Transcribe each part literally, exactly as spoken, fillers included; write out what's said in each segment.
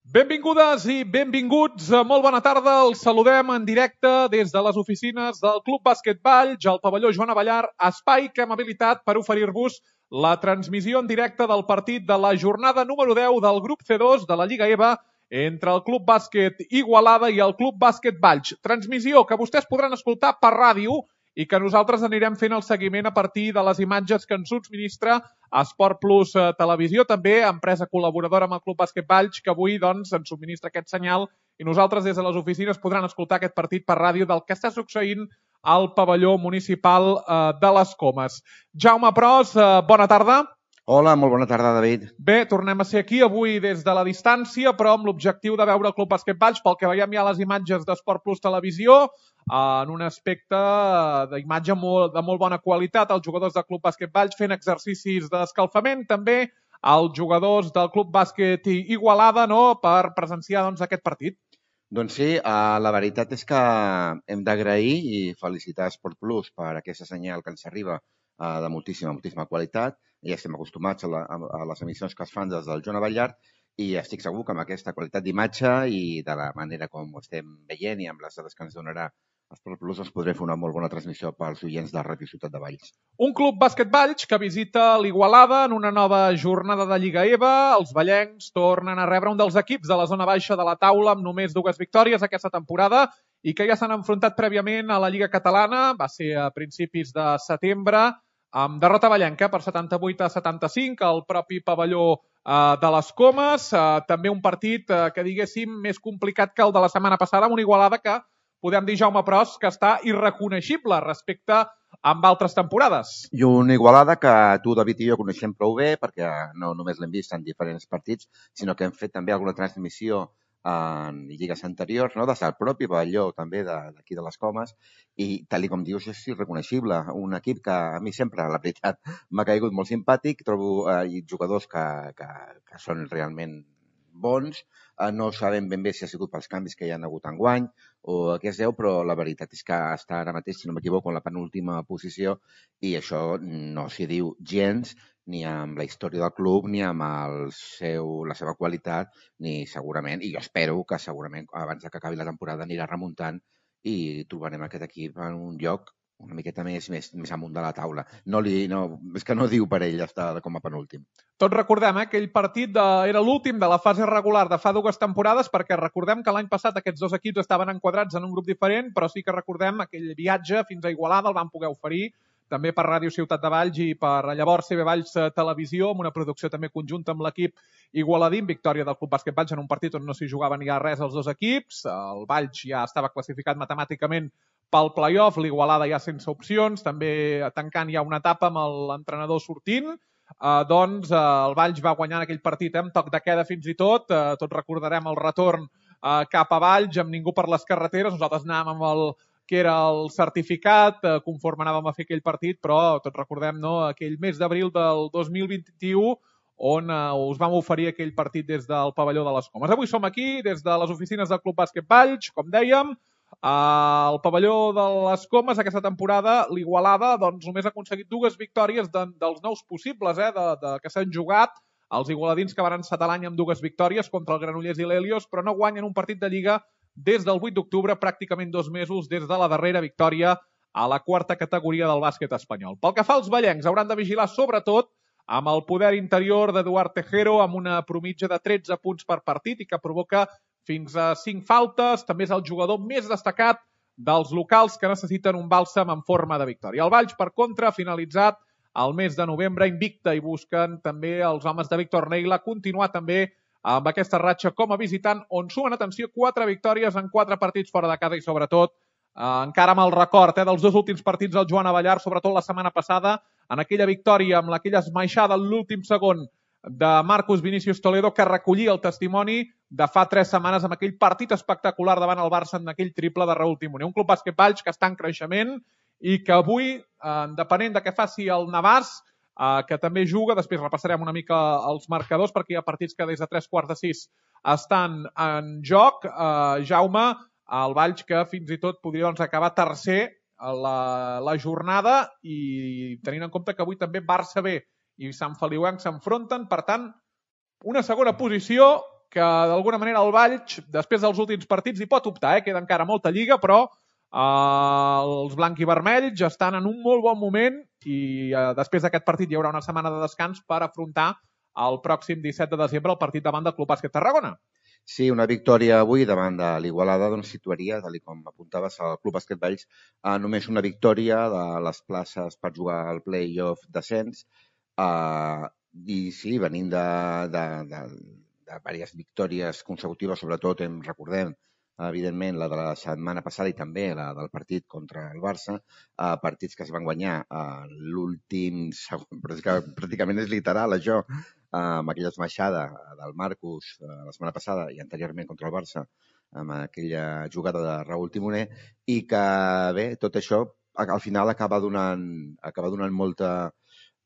Benvingudes i benvinguts, molt bona tarda, els saludem en directe des de les oficines del Club Bàsquet Valls, al pavelló Joan Abellar, espai que hem habilitat per oferir-vos la transmissió en directe del partit de la jornada número deu del grup C dos de la Lliga EVA entre el Club Bàsquet Igualada i el Club Bàsquet Valls. Transmissió que vostès podran escoltar per ràdio i que nosaltres anirem fent el seguiment a partir de les imatges que ens subministra Esport Plus Televisió, també empresa col·laboradora amb el Club Bàsquet Valls, que avui doncs, ens subministra aquest senyal i nosaltres des de les oficines podran escoltar aquest partit per ràdio del que està succeint al pavelló municipal eh, de les Comes. Jaume Pros, eh, bona tarda. Hola, molt bona tarda, David. Bé, tornem a ser aquí avui des de la distància, però amb l'objectiu de veure el Club Bàsquet Valls, pel que veiem ja les imatges d'Esport Plus Televisió, en un aspecte d'imatge molt, de molt bona qualitat, els jugadors del Club Bàsquet Valls fent exercicis d'escalfament, també els jugadors del Club Bàsquet Igualada, no?, per presenciar doncs, aquest partit. Doncs sí, uh, la veritat és que hem d'agrair i felicitar Esport Plus per aquesta senyal que ens arriba uh, de moltíssima, moltíssima qualitat. Ja estem acostumats a, la, a les emissions que es fan des del Joan Abellar i estic segur que amb aquesta qualitat d'imatge i de la manera com ho estem veient i amb les dades que ens donarà Esport Plus ens podré fer una molt bona transmissió pels oients de Ràdio Ciutat de Valls. Un Club Bàsquet Valls que visita l'Igualada en una nova jornada de Lliga EVA. Els vallencs tornen a rebre un dels equips de la zona baixa de la taula amb només dues victòries aquesta temporada i que ja s'han enfrontat prèviament a la Lliga Catalana. Va ser a principis de setembre amb derrota vallenca per setanta-vuit a setanta-cinc al propi pavelló eh, de les Comes. Eh, també un partit eh, que diguéssim més complicat que el de la setmana passada amb una Igualada que podem dir, Jaume Pros, que està irreconeixible respecte amb altres temporades. I una Igualada que tu, David, i jo coneixem prou bé, perquè no només l'hem vist en diferents partits, sinó que hem fet també alguna transmissió en lligues anteriors, no? Des del propi pavelló també d'aquí de les Comes, i tal com dius és irreconeixible. Un equip que a mi sempre, la veritat, m'ha caigut molt simpàtic, trobo eh, jugadors que, que, que són realment bons, eh, no sabem ben bé si ha sigut pels canvis que hi ha hagut enguany o a què es deu, però la veritat és que està ara mateix, si no m'equivoco, en la penúltima posició i això no s'hi diu gens ni amb la història del club, ni amb el seu, la seva qualitat, ni segurament, i jo espero que segurament abans que acabi la temporada anirà remuntant i trobarem aquest equip en un lloc una miqueta més, més, més amunt de la taula. No li, no, és que no diu per ell estar com a penúltim. Tots recordem, eh, aquell partit de, era l'últim de la fase regular de fa dues temporades, perquè recordem que l'any passat aquests dos equips estaven enquadrats en un grup diferent, però sí que recordem aquell viatge fins a Igualada, el van poder oferir també per Ràdio Ciutat de Valls i per llavors C B Valls Televisió, amb una producció també conjunta amb l'equip igualadín, victòria del Club Bàsquet Valls en un partit on no s'hi jugava ni a res els dos equips. El Valls ja estava classificat matemàticament pel play-off, l'Igualada ja sense opcions, també tancant ja una etapa amb l'entrenador sortint. Eh, doncs eh, el Valls va guanyar aquell partit eh, amb toc de queda fins i tot. Eh, tots recordarem el retorn eh, cap a Valls amb ningú per les carreteres. Nosaltres anàvem amb el que era el certificat, eh, conforme anàvem a fer aquell partit, però tots recordem no, aquell mes d'abril del dos mil vint-i-u on eh, us vam oferir aquell partit des del pavelló de les Comes. Avui som aquí des de les oficines del Club Bàsquet Valls, com dèiem, al pavelló de les Comes aquesta temporada l'Igualada doncs, només ha aconseguit dues victòries de, dels nous possibles eh, de, de, que s'han jugat. Els igualadins que van encetar l'any amb dues victòries contra el Granollers i l'Helios, però no guanyen un partit de Lliga des del vuit d'octubre, pràcticament dos mesos des de la darrera victòria a la quarta categoria del bàsquet espanyol. Pel que fa als vallencs, hauran de vigilar sobretot amb el poder interior d'Eduard Tejero, amb una promitja de tretze punts per partit i que provoca fins a cinc faltes. També és el jugador més destacat dels locals que necessiten un bàlsam en forma de victòria. El Valls, per contra, ha finalitzat el mes de novembre invicta i busquen també els homes de Víctor Neila continuar també amb aquesta ratxa com a visitant, on sumen, atenció, quatre victòries en quatre partits fora de casa i, sobretot, eh, encara amb el record eh, dels dos últims partits del Joan Abellar, sobretot la setmana passada, en aquella victòria amb aquella esmaixada en l'últim segon de Marcus Vinícius Toledo, que recollia el testimoni de fa tres setmanes amb aquell partit espectacular davant el Barça en aquell triple de Raúl Timoner. Un Club Bàsquet Valls que està en creixement i que avui, eh, depenent de què faci el Navàs, Uh, que també juga, després repassarem una mica els marcadors perquè hi ha partits que des de tres quarts de sis estan en joc. Uh, Jaume, el Valls que fins i tot podria doncs, acabar tercer a la, la jornada i tenint en compte que avui també Barça B i Sant Feliuenc s'enfronten, per tant, una segona posició que d'alguna manera el Valls, després dels últims partits, hi pot optar, eh? Queda encara molta lliga, però eh, els blanc i vermells estan en un molt bon moment i eh, després d'aquest partit hi haurà una setmana de descans per afrontar el pròxim disset de desembre el partit davant del Club Bàsquet Tarragona. Sí, una victòria avui davant de l'Igualada doncs situaria, tal com apuntaves, el Club Bàsquet Valls a només una victòria de les places per jugar al play-off descens. Uh, I sí, venint de, de, de, de diverses victòries consecutives, sobretot, em recordem, evidentment, la de la setmana passada i també la del partit contra el Barça, uh, partits que es van guanyar a uh, l'últim segon, pràcticament és literal això, amb aquella esmaixada del Marcus la setmana passada i anteriorment contra el Barça, amb aquella jugada de Raúl Timoner, i que, bé, tot això al final acaba donant, acaba donant molta,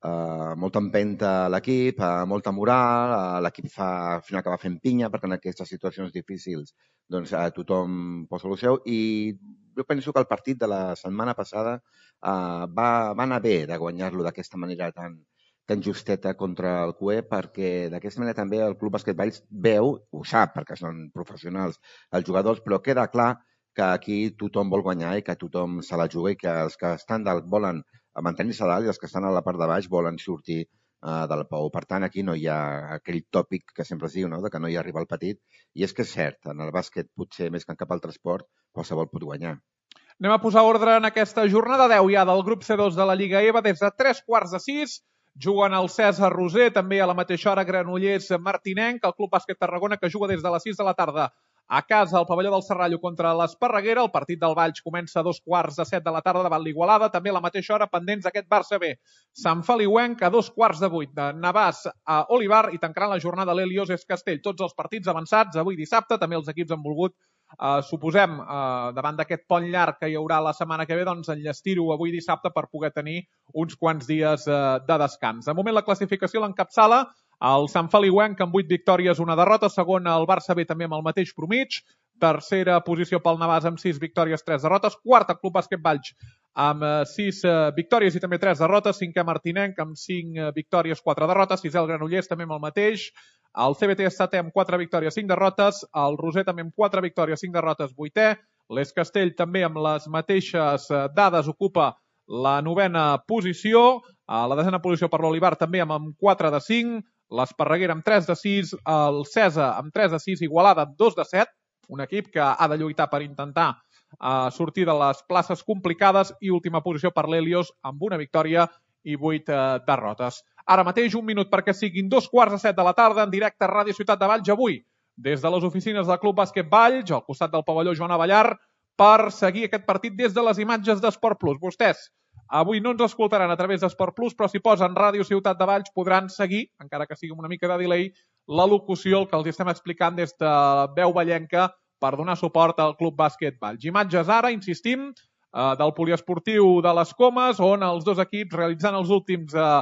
uh, molta empenta a l'equip, uh, molta moral, uh, l'equip fa, al final acaba fent pinya, perquè en aquestes situacions difícils doncs, uh, tothom posa el seu, i jo penso que el partit de la setmana passada uh, va, va anar bé de guanyar-lo d'aquesta manera tan tan justeta contra el C U E, perquè d'aquesta manera també el Club Bàsquet Valls veu, ho sap, perquè són professionals els jugadors, però queda clar que aquí tothom vol guanyar i que tothom se la juga i que els que estan dalt volen mantenir-se dalt i els que estan a la part de baix volen sortir uh, del pou. Per tant, aquí no hi ha aquell tòpic que sempre es diu, no?, de que no hi arriba el petit. I és que és cert, en el bàsquet, potser més que en cap altre esport, qualsevol pot guanyar. Anem a posar ordre en aquesta jornada deu ja del grup C dos de la Lliga E V A des de tres quarts de sis. Juguen el Cèsar Roser, també a la mateixa hora Granollers Martinenc, el Club Bàsquet Tarragona, que juga des de les sis de la tarda a casa al pavelló del Serrallo contra l'Esparreguera. El partit del Valls comença a dos quarts de set de la tarda davant l'Igualada, també a la mateixa hora pendents d'aquest Barça B. Sant Feliuenc a dos quarts de vuit de Navàs a Olivar i tancaran la jornada l'Helios es Castell. Tots els partits avançats avui dissabte, també els equips han volgut Uh, suposem, uh, davant d'aquest pont llarg que hi haurà la setmana que ve, doncs enllestir-ho avui dissabte per poder tenir uns quants dies uh, de descans. De moment la classificació l'encapçala el Sant Feliuenc amb vuit victòries, una derrota, segon el Barça B també amb el mateix promig, tercera posició pel Navàs amb sis victòries, tres derrotes, quarta Club Bàsquet Valls amb sis uh, victòries i també tres derrotes, cinquè Martinenc amb cinc uh, victòries, quatre derrotes, sisè el Granollers també amb el mateix, el C B T és setè amb quatre victòries, cinc derrotes, el Roser també amb quatre victòries, cinc derrotes, vuitè, l'Es Castell també amb les mateixes dades ocupa la novena posició, a la desena posició per l'Olivar també amb quatre de cinc, l'Esparreguera amb tres de sis, el Cèsar amb tres de sis, Igualada amb dos de set, un equip que ha de lluitar per intentar uh, sortir de les places complicades i última posició per l'Helios amb una victòria i vuit uh, derrotes. Ara mateix un minut perquè siguin dos quarts de set de la tarda en directe a Ràdio Ciutat de Valls avui des de les oficines del Club Bàsquet Valls al costat del pavelló Joan Avellar per seguir aquest partit des de les imatges d'Esport Plus. Vostès avui no ens escoltaran a través d'Esport Plus, però si posen Ràdio Ciutat de Valls podran seguir, encara que sigui amb una mica de delay, la locució, el que els estem explicant des de veu vallenca per donar suport al Club Bàsquet Valls. Imatges ara, insistim, del poliesportiu de les Comes, on els dos equips realitzant els últims eh,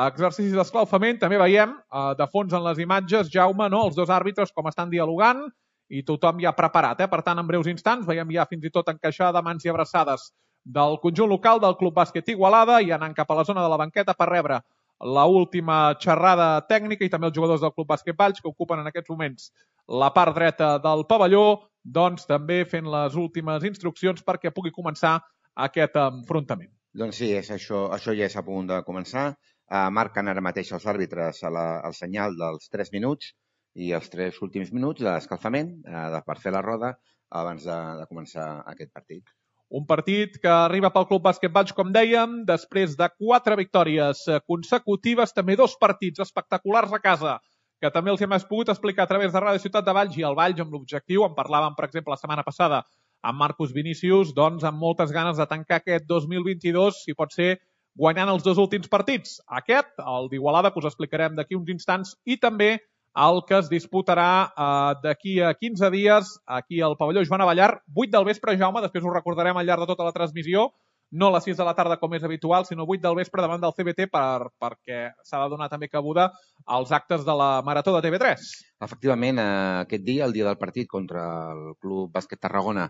exercicis d'escalfament. També veiem eh, de fons en les imatges, Jaume, no, els dos àrbitres com estan dialogant i tothom ja preparat. Eh? Per tant, en breus instants veiem ja fins i tot encaixar de mans i abraçades del conjunt local del Club Bàsquet Igualada i anant cap a la zona de la banqueta per rebre la última xerrada tècnica i també els jugadors del Club Bàsquet Valls que ocupen en aquests moments la part dreta del pavelló, doncs també fent les últimes instruccions perquè pugui començar aquest enfrontament. Doncs sí, és això, això ja és a punt de començar. Uh, marquen ara mateix els àrbitres a la, al senyal dels tres minuts i els tres últims minuts d'escalfament uh, per fer la roda abans de, de començar aquest partit. Un partit que arriba pel Club Bàsquet Valls, com dèiem, després de quatre victòries consecutives, també dos partits espectaculars a casa, que també els hem pogut explicar a través de Ràdio Ciutat de Valls i el Valls amb l'objectiu, en parlàvem, per exemple, la setmana passada amb Marcus Vinícius, doncs amb moltes ganes de tancar aquest dos mil vint-i-dos, si pot ser guanyant els dos últims partits. Aquest, el d'Igualada, que us explicarem d'aquí uns instants, i també el que es disputarà eh, d'aquí a quinze dies aquí al pavelló Joan Avellar, vuit del vespre, Jaume, després ho recordarem al llarg de tota la transmissió, no a les sis de la tarda com és habitual, sinó vuit del vespre davant del C B T per, perquè s'ha de donar també cabuda als actes de la Marató de T V tres. Efectivament, aquest dia, el dia del partit contra el Club Bàsquet Tarragona,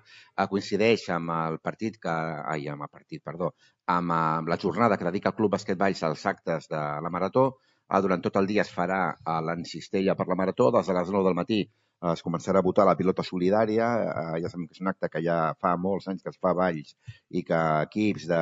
coincideix amb el partit que, ai, amb el partit, perdó, amb, amb la jornada que dedica el Club Bàsquet Valls als actes de la Marató. durant tot el dia es farà la cistella per la marató, des de les nou del matí es començarà a votar la pilota solidària, ja sabem que és un acte que ja fa molts anys que es fa a Valls i que equips de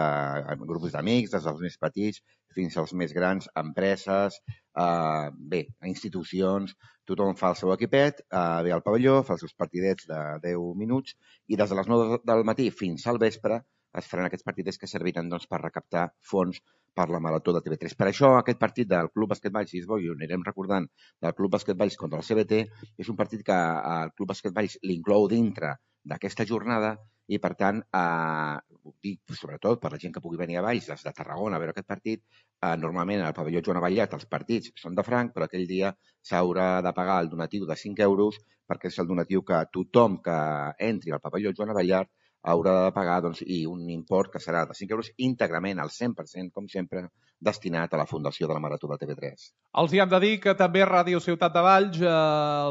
grups d'amics, des dels més petits fins als més grans, empreses, eh, bé, institucions, tothom fa el seu equipet, eh, ve al pavelló, fa els seus partidets de deu minuts i des de les nou del matí fins al vespre es faran aquests partidets que serviran doncs, per recaptar fons per la Marató de T V tres. Per això aquest partit del Club Bàsquet Valls, i ho anirem recordant, del Club Bàsquet Valls contra el C B T, és un partit que el Club Bàsquet Valls l'inclou dintre d'aquesta jornada i, per tant, eh, ho dic sobretot per la gent que pugui venir a Valls, des de Tarragona, a veure aquest partit, eh, normalment al pavelló Joan Avellat els partits són de franc, però aquell dia s'haurà de pagar el donatiu de cinc euros perquè és el donatiu que tothom que entri al pavelló Joan Avellat haurà de pagar doncs, i un import que serà de cinc euros íntegrament al cent per cent, com sempre, destinat a la Fundació de la Marató de T V tres. Els hi hem de dir que també Ràdio Ciutat de Valls, eh,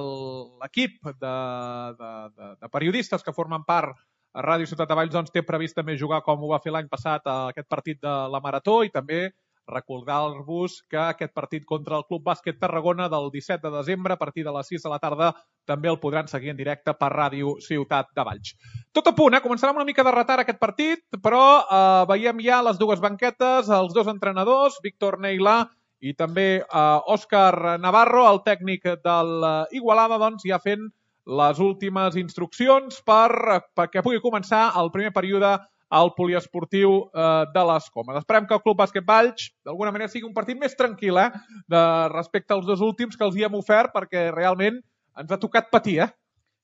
l'equip de, de, de, de periodistes que formen part a Ràdio Ciutat de Valls doncs, té previst també jugar com ho va fer l'any passat a aquest partit de la Marató i també recordar-vos que aquest partit contra el Club Bàsquet Tarragona del disset de desembre a partir de les sis de la tarda també el podran seguir en directe per Ràdio Ciutat de Valls. Tot a punt, eh? Començarà amb una mica de retard aquest partit, però eh, veiem ja les dues banquetes, els dos entrenadors, Víctor Neila i també eh, Òscar Navarro, el tècnic del Igualada, doncs ja fent les últimes instruccions per, perquè pugui començar el primer període al poliesportiu eh, de les Comes. Esperem que el Club Bàsquet Valls d'alguna manera sigui un partit més tranquil, eh, de, respecte als dos últims que els hi hem ofert, perquè realment ens ha tocat patir, eh?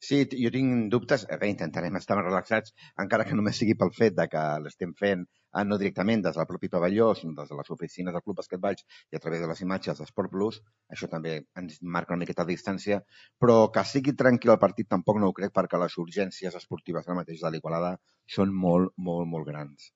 Sí, jo tinc dubtes. Bé, intentarem estar més relaxats, encara que només sigui pel fet de que l'estem fent no directament des del propi pavelló, sinó des de les oficines del Club Bàsquet Valls i a través de les imatges d'Esport Plus. Això també ens marca una miqueta de distància, però que sigui tranquil el partit tampoc no ho crec, perquè les urgències esportives ara mateix de l'Igualada són molt, molt, molt grans.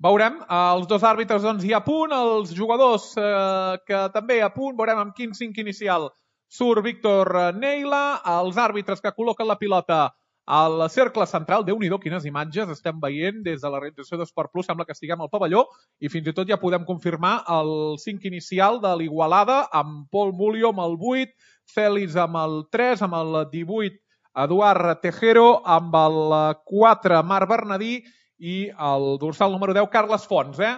Veurem, els dos àrbitres doncs, hi a punt, els jugadors eh, que també a punt, veurem amb quin cinc inicial surt Víctor Neila, els àrbitres que col·loquen la pilota al cercle central. Déu-n'hi-do, quines imatges estem veient des de la realització d'Esport Plus, sembla que estiguem al pavelló i fins i tot ja podem confirmar el cinc inicial de l'Igualada amb Pol Mulio amb el vuit, Fèlix amb el tres, amb el divuit Eduard Tejero, amb el quatre Marc Bernadí i el dorsal número deu Carles Fons, eh?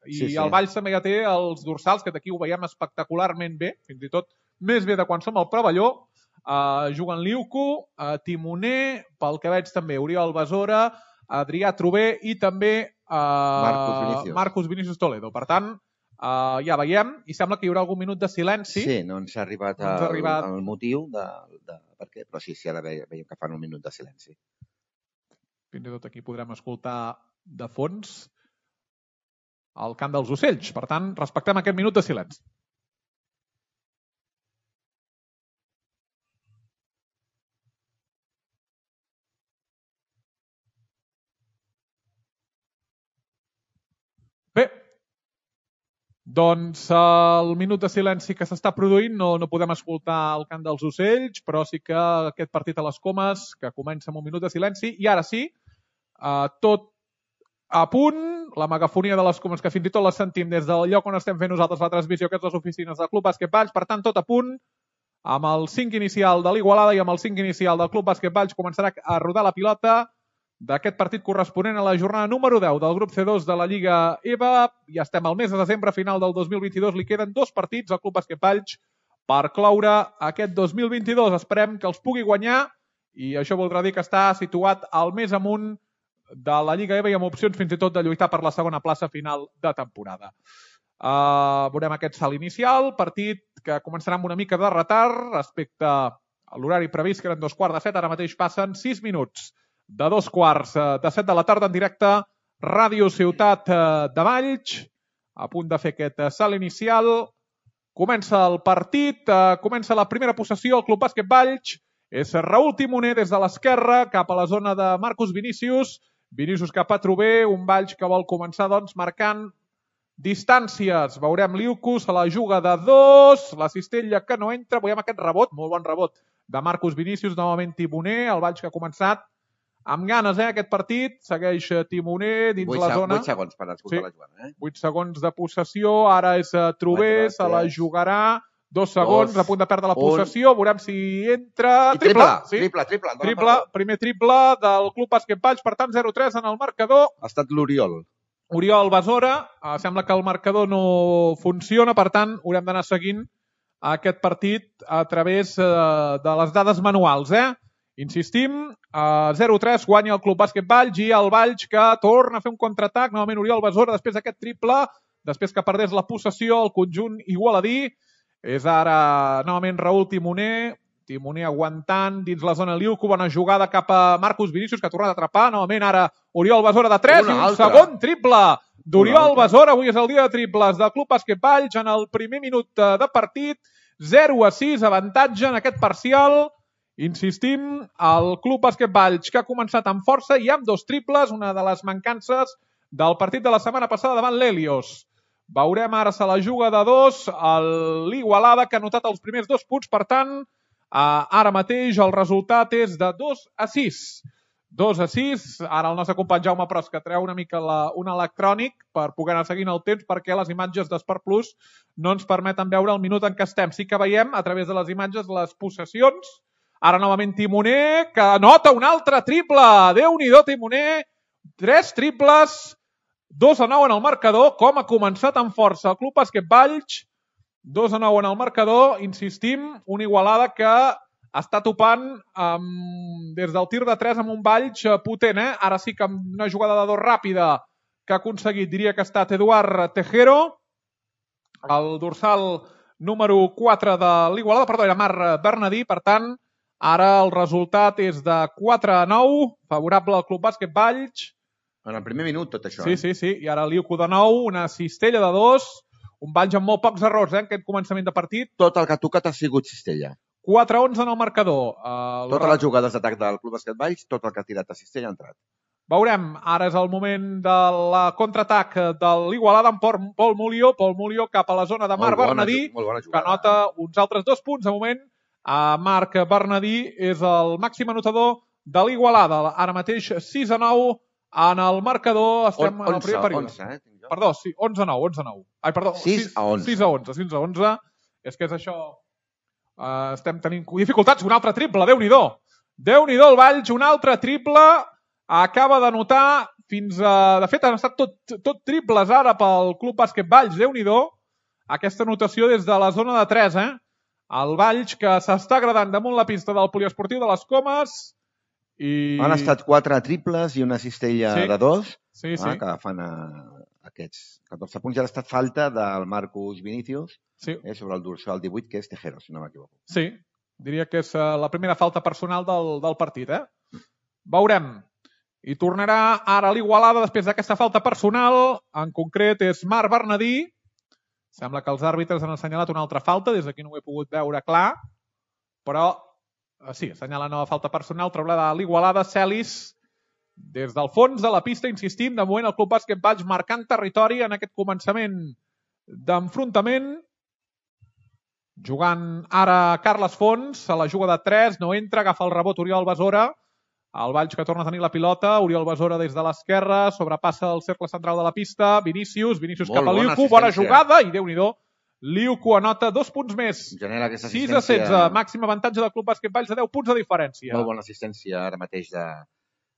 I sí, sí. El Valls també ja té els dorsals, que d'aquí ho veiem espectacularment bé, fins i tot més bé de quan som al pavelló. Uh, juguen Liuco, uh, Timoner, pel que veig també Oriol Besora, Adrià Trové i també uh, Marcos Vinícius. Marcos Vinícius Toledo. Per tant, uh, ja veiem, i sembla que hi haurà algun minut de silenci. Sí, no ens ha arribat, no ens ha arribat... El, el motiu de, de per què, però sí, sí, ara veiem que fan un minut de silenci. Fins i tot aquí podrem escoltar de fons el cant dels ocells. Per tant, respectem aquest minut de silenci. Bé, doncs el minut de silenci que s'està produint, no, no podem escoltar el cant dels ocells, però sí que aquest partit a les Comes, que comença amb un minut de silenci, i ara sí, eh, tot a punt, la megafonia de les Comes, que fins i tot la sentim des del lloc on estem fent nosaltres la transmissió, que és les oficines del Club Bàsquet Valls, per tant, tot a punt, amb el cinc inicial de l'Igualada i amb el cinc inicial del Club Bàsquet Valls començarà a rodar la pilota d'aquest partit corresponent a la jornada número deu del grup C dos de la Lliga E V A. Ja estem al mes de desembre, final del dos mil vint-i-dos. Li queden dos partits al Club Bàsquet Valls per cloure aquest dos mil vint-i-dos. Esperem que els pugui guanyar i això voldrà dir que està situat al més amunt de la Lliga E V A i amb opcions fins i tot de lluitar per la segona plaça final de temporada. Uh, veurem aquest salt inicial, partit que començarà amb una mica de retard respecte a l'horari previst, que eren dos quarts de set. Ara mateix passen sis minuts de dos quarts de set de la tarda en directe, Ràdio Ciutat de Valls, a punt de fer aquest salt inicial. Comença el partit, comença la primera possessió, el Club Bàsquet Valls. És Raül Timoner des de l'esquerra cap a la zona de Marcos Vinícius. Vinícius cap a Trové, un Valls que vol començar doncs marcant distàncies. Veurem Liuco, se la juga de dos, la cistella que no entra. Veiem aquest rebot, molt bon rebot de Marcos Vinícius, novament Timoner, el Valls que ha començat amb ganes, eh, aquest partit. Segueix Timoner dins la zona. vuit segons per escoltar la Joana. vuit segons de possessió. Ara és Trober, se la jugarà. Dos segons, a punt de perdre la possessió. Veurem si entra... Triple, triple, triple. Triple, primer triple del Club Bàsquet Valls. Per tant, zero tres en el marcador. Ha estat l'Oriol. Oriol Besora. Sembla que el marcador no funciona, per tant, haurem d'anar seguint aquest partit a través de les dades manuals, eh? Insistim, zero tres guanya el Club Bàsquet Valls i el Valls que torna a fer un contraatac. Novament Oriol Besora després d'aquest triple, després que perdés la possessió el conjunt igualadí. És ara novament Raül Timoner. Timoner aguantant dins la zona Liuco. Bona jugada cap a Marcus Vinícius, que ha tornat a atrapar. Novament ara Oriol Besora de tres i un segon triple d'Oriol Besora. Avui és el dia de triples del Club Bàsquet Valls en el primer minut de partit. zero a sis, avantatge en aquest parcial. Insistim, el Club Bàsquet Valls que ha començat amb força i amb dos triples, una de les mancances del partit de la setmana passada davant l'Helios. Veurem ara se la juga de dos, l'Igualada que ha notat els primers dos punts, per tant, ara mateix el resultat és de dos a sis. dos a sis, ara el nostre company Jaume Pros que treu una mica la, un electrònic per poder anar seguint el temps perquè les imatges d'Esport Plus no ens permeten veure el minut en què estem. Sí que veiem a través de les imatges les possessions. Ara novament Timoner, que anota un altre triple. Déu-n'hi-do, Timoner. Tres triples, dos a nou en el marcador. Com ha començat amb força el Club Bàsquet Valls. dos a nou en el marcador. Insistim, una Igualada que està topant um, des del tir de tres amb un Valls potent. Eh? Ara sí que amb una jugada de dos ràpida que ha aconseguit, diria que ha estat Eduard Tejero, el dorsal número quatre de l'Igualada, perdó, era Marc Bernadí, per tant, ara el resultat és de quatre a nou, favorable al Club Bàsquet Valls. En el primer minut, tot això. Sí, sí, sí. I ara Liuco de nou, una cistella de dos, un Valls amb molt pocs errors, eh, en aquest començament de partit. Tot el que ha tocat ha sigut cistella. quatre a onze en el marcador. Uh, Totes les jugades d'atac del Club Bàsquet Valls, tot el que ha tirat a cistella ha entrat. Veurem, ara és el moment de la contraatac de l'Igualada amb Pol Mulió. Pol Mulió cap a la zona de Marc Bernadí, que anota uns altres dos punts. De moment, a Marc Bernadí és el màxim anotador de l'Igualada. Ara mateix sis a nou en el marcador. Estem en el primer període. onze, eh? Perdó, sí, onze a nou, onze a nou. Ai, perdó, sis a onze. sis a onze, sis a onze. És que és això... Uh, estem tenint dificultats. Un altre triple, Déu-n'hi-do. Déu-n'hi-do el Valls, un altre triple. Acaba de notar fins a... De fet, han estat tot, tot triples ara pel Club Bàsquet Valls. Déu-n'hi-do. Aquesta anotació des de la zona de tres, eh? El Valls que s'està agradant damunt la pista del poliesportiu de les Comes. I... Han estat quatre triples i una cistella sí. de dos, sí, sí. Eh, que fan a... aquests catorze punts. Ja ha estat falta del Marcus Vinícius sí. eh, sobre el dorsal divuit, que és Tejero, si no m'equivoco. Sí, diria que és uh, la primera falta personal del, del partit. Eh? Veurem. I tornarà ara l'Igualada després d'aquesta falta personal. En concret és Marc Bernadí. Sembla que els àrbitres han assenyalat una altra falta. Des d'aquí no ho he pogut veure clar. Però uh, sí, assenyala nova falta personal. Traurà l'Igualada. Celis. Des del fons de la pista, insistim, de moment el Club Bàsquet Valls marcant territori en aquest començament d'enfrontament. Jugant ara Carles Fons, a la juga de tres, no entra, agafa el rebot Oriol Besora. El Valls que torna a tenir la pilota, Oriol Besora des de l'esquerra, sobrepassa el cercle central de la pista, Vinícius, Vinícius cap a Liuco, bona jugada, i Déu-n'hi-do, Liuco anota dos punts més. Genera aquesta sis a setze, màxim avantatge del Club Bàsquet Valls de deu punts de diferència. Molt bona assistència ara mateix de...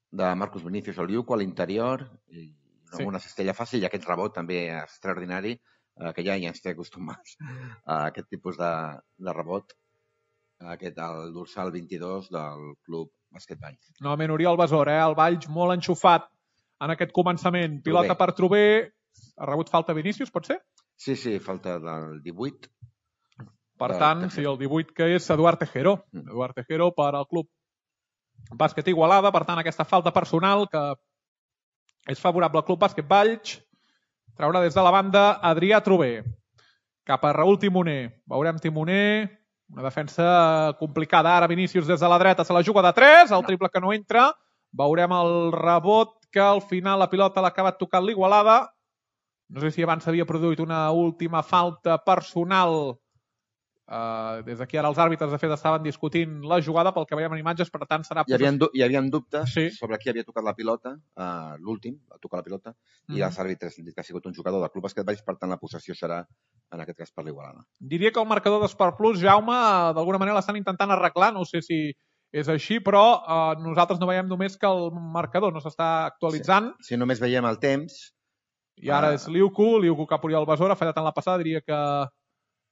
de Marcus Vinícius al Liuco a l'interior i sí. Una cistella fàcil i aquest rebot també extraordinari eh, que ja hi ens té acostumats a aquest tipus de, de rebot aquest el dorsal vint-i-dos del Club Bàsquet Valls. Novament Oriol Besora, eh? El Valls molt enxufat en aquest començament. Pilota per Trober. Ha rebut falta Vinícius, pot ser? Sí, sí, falta del divuit. Per tant, sí, el divuit que és Eduard Tejero. Mm. Eduard Tejero per al Club Bàsquet Igualada, per tant, aquesta falta personal que és favorable al Club Bàsquet Valls. Traurà des de la banda Adrià Trober. Cap a Raül Timoner. Veurem Timoner. Una defensa complicada. Ara Vinícius des de la dreta se la juga de tres. El triple que no entra. Veurem el rebot que al final la pilota l'ha acabat tocant l'Igualada. No sé si abans s'havia produït una última falta personal Uh, des d'aquí ara els àrbitres, de fet, estaven discutint la jugada pel que veiem en imatges, per tant serà... Hi havia, hi havia dubtes sí. sobre qui havia tocat la pilota, uh, l'últim, va tocar la pilota, mm-hmm. i els àrbitres han dit que ha sigut un jugador del Club Bàsquet Valls, per tant la possessió serà, en aquest cas, per l'Igualada. Diria que el marcador d'Esport Plus, Jaume, d'alguna manera l'estan intentant arreglar, no sé si és així, però uh, nosaltres no veiem només que el marcador no s'està actualitzant. Si, si només veiem el temps... I ara uh... és Liuku, Liuku que ha Oriol Besora, ha fallat en la passada, diria que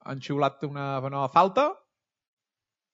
han xiulat una nova falta,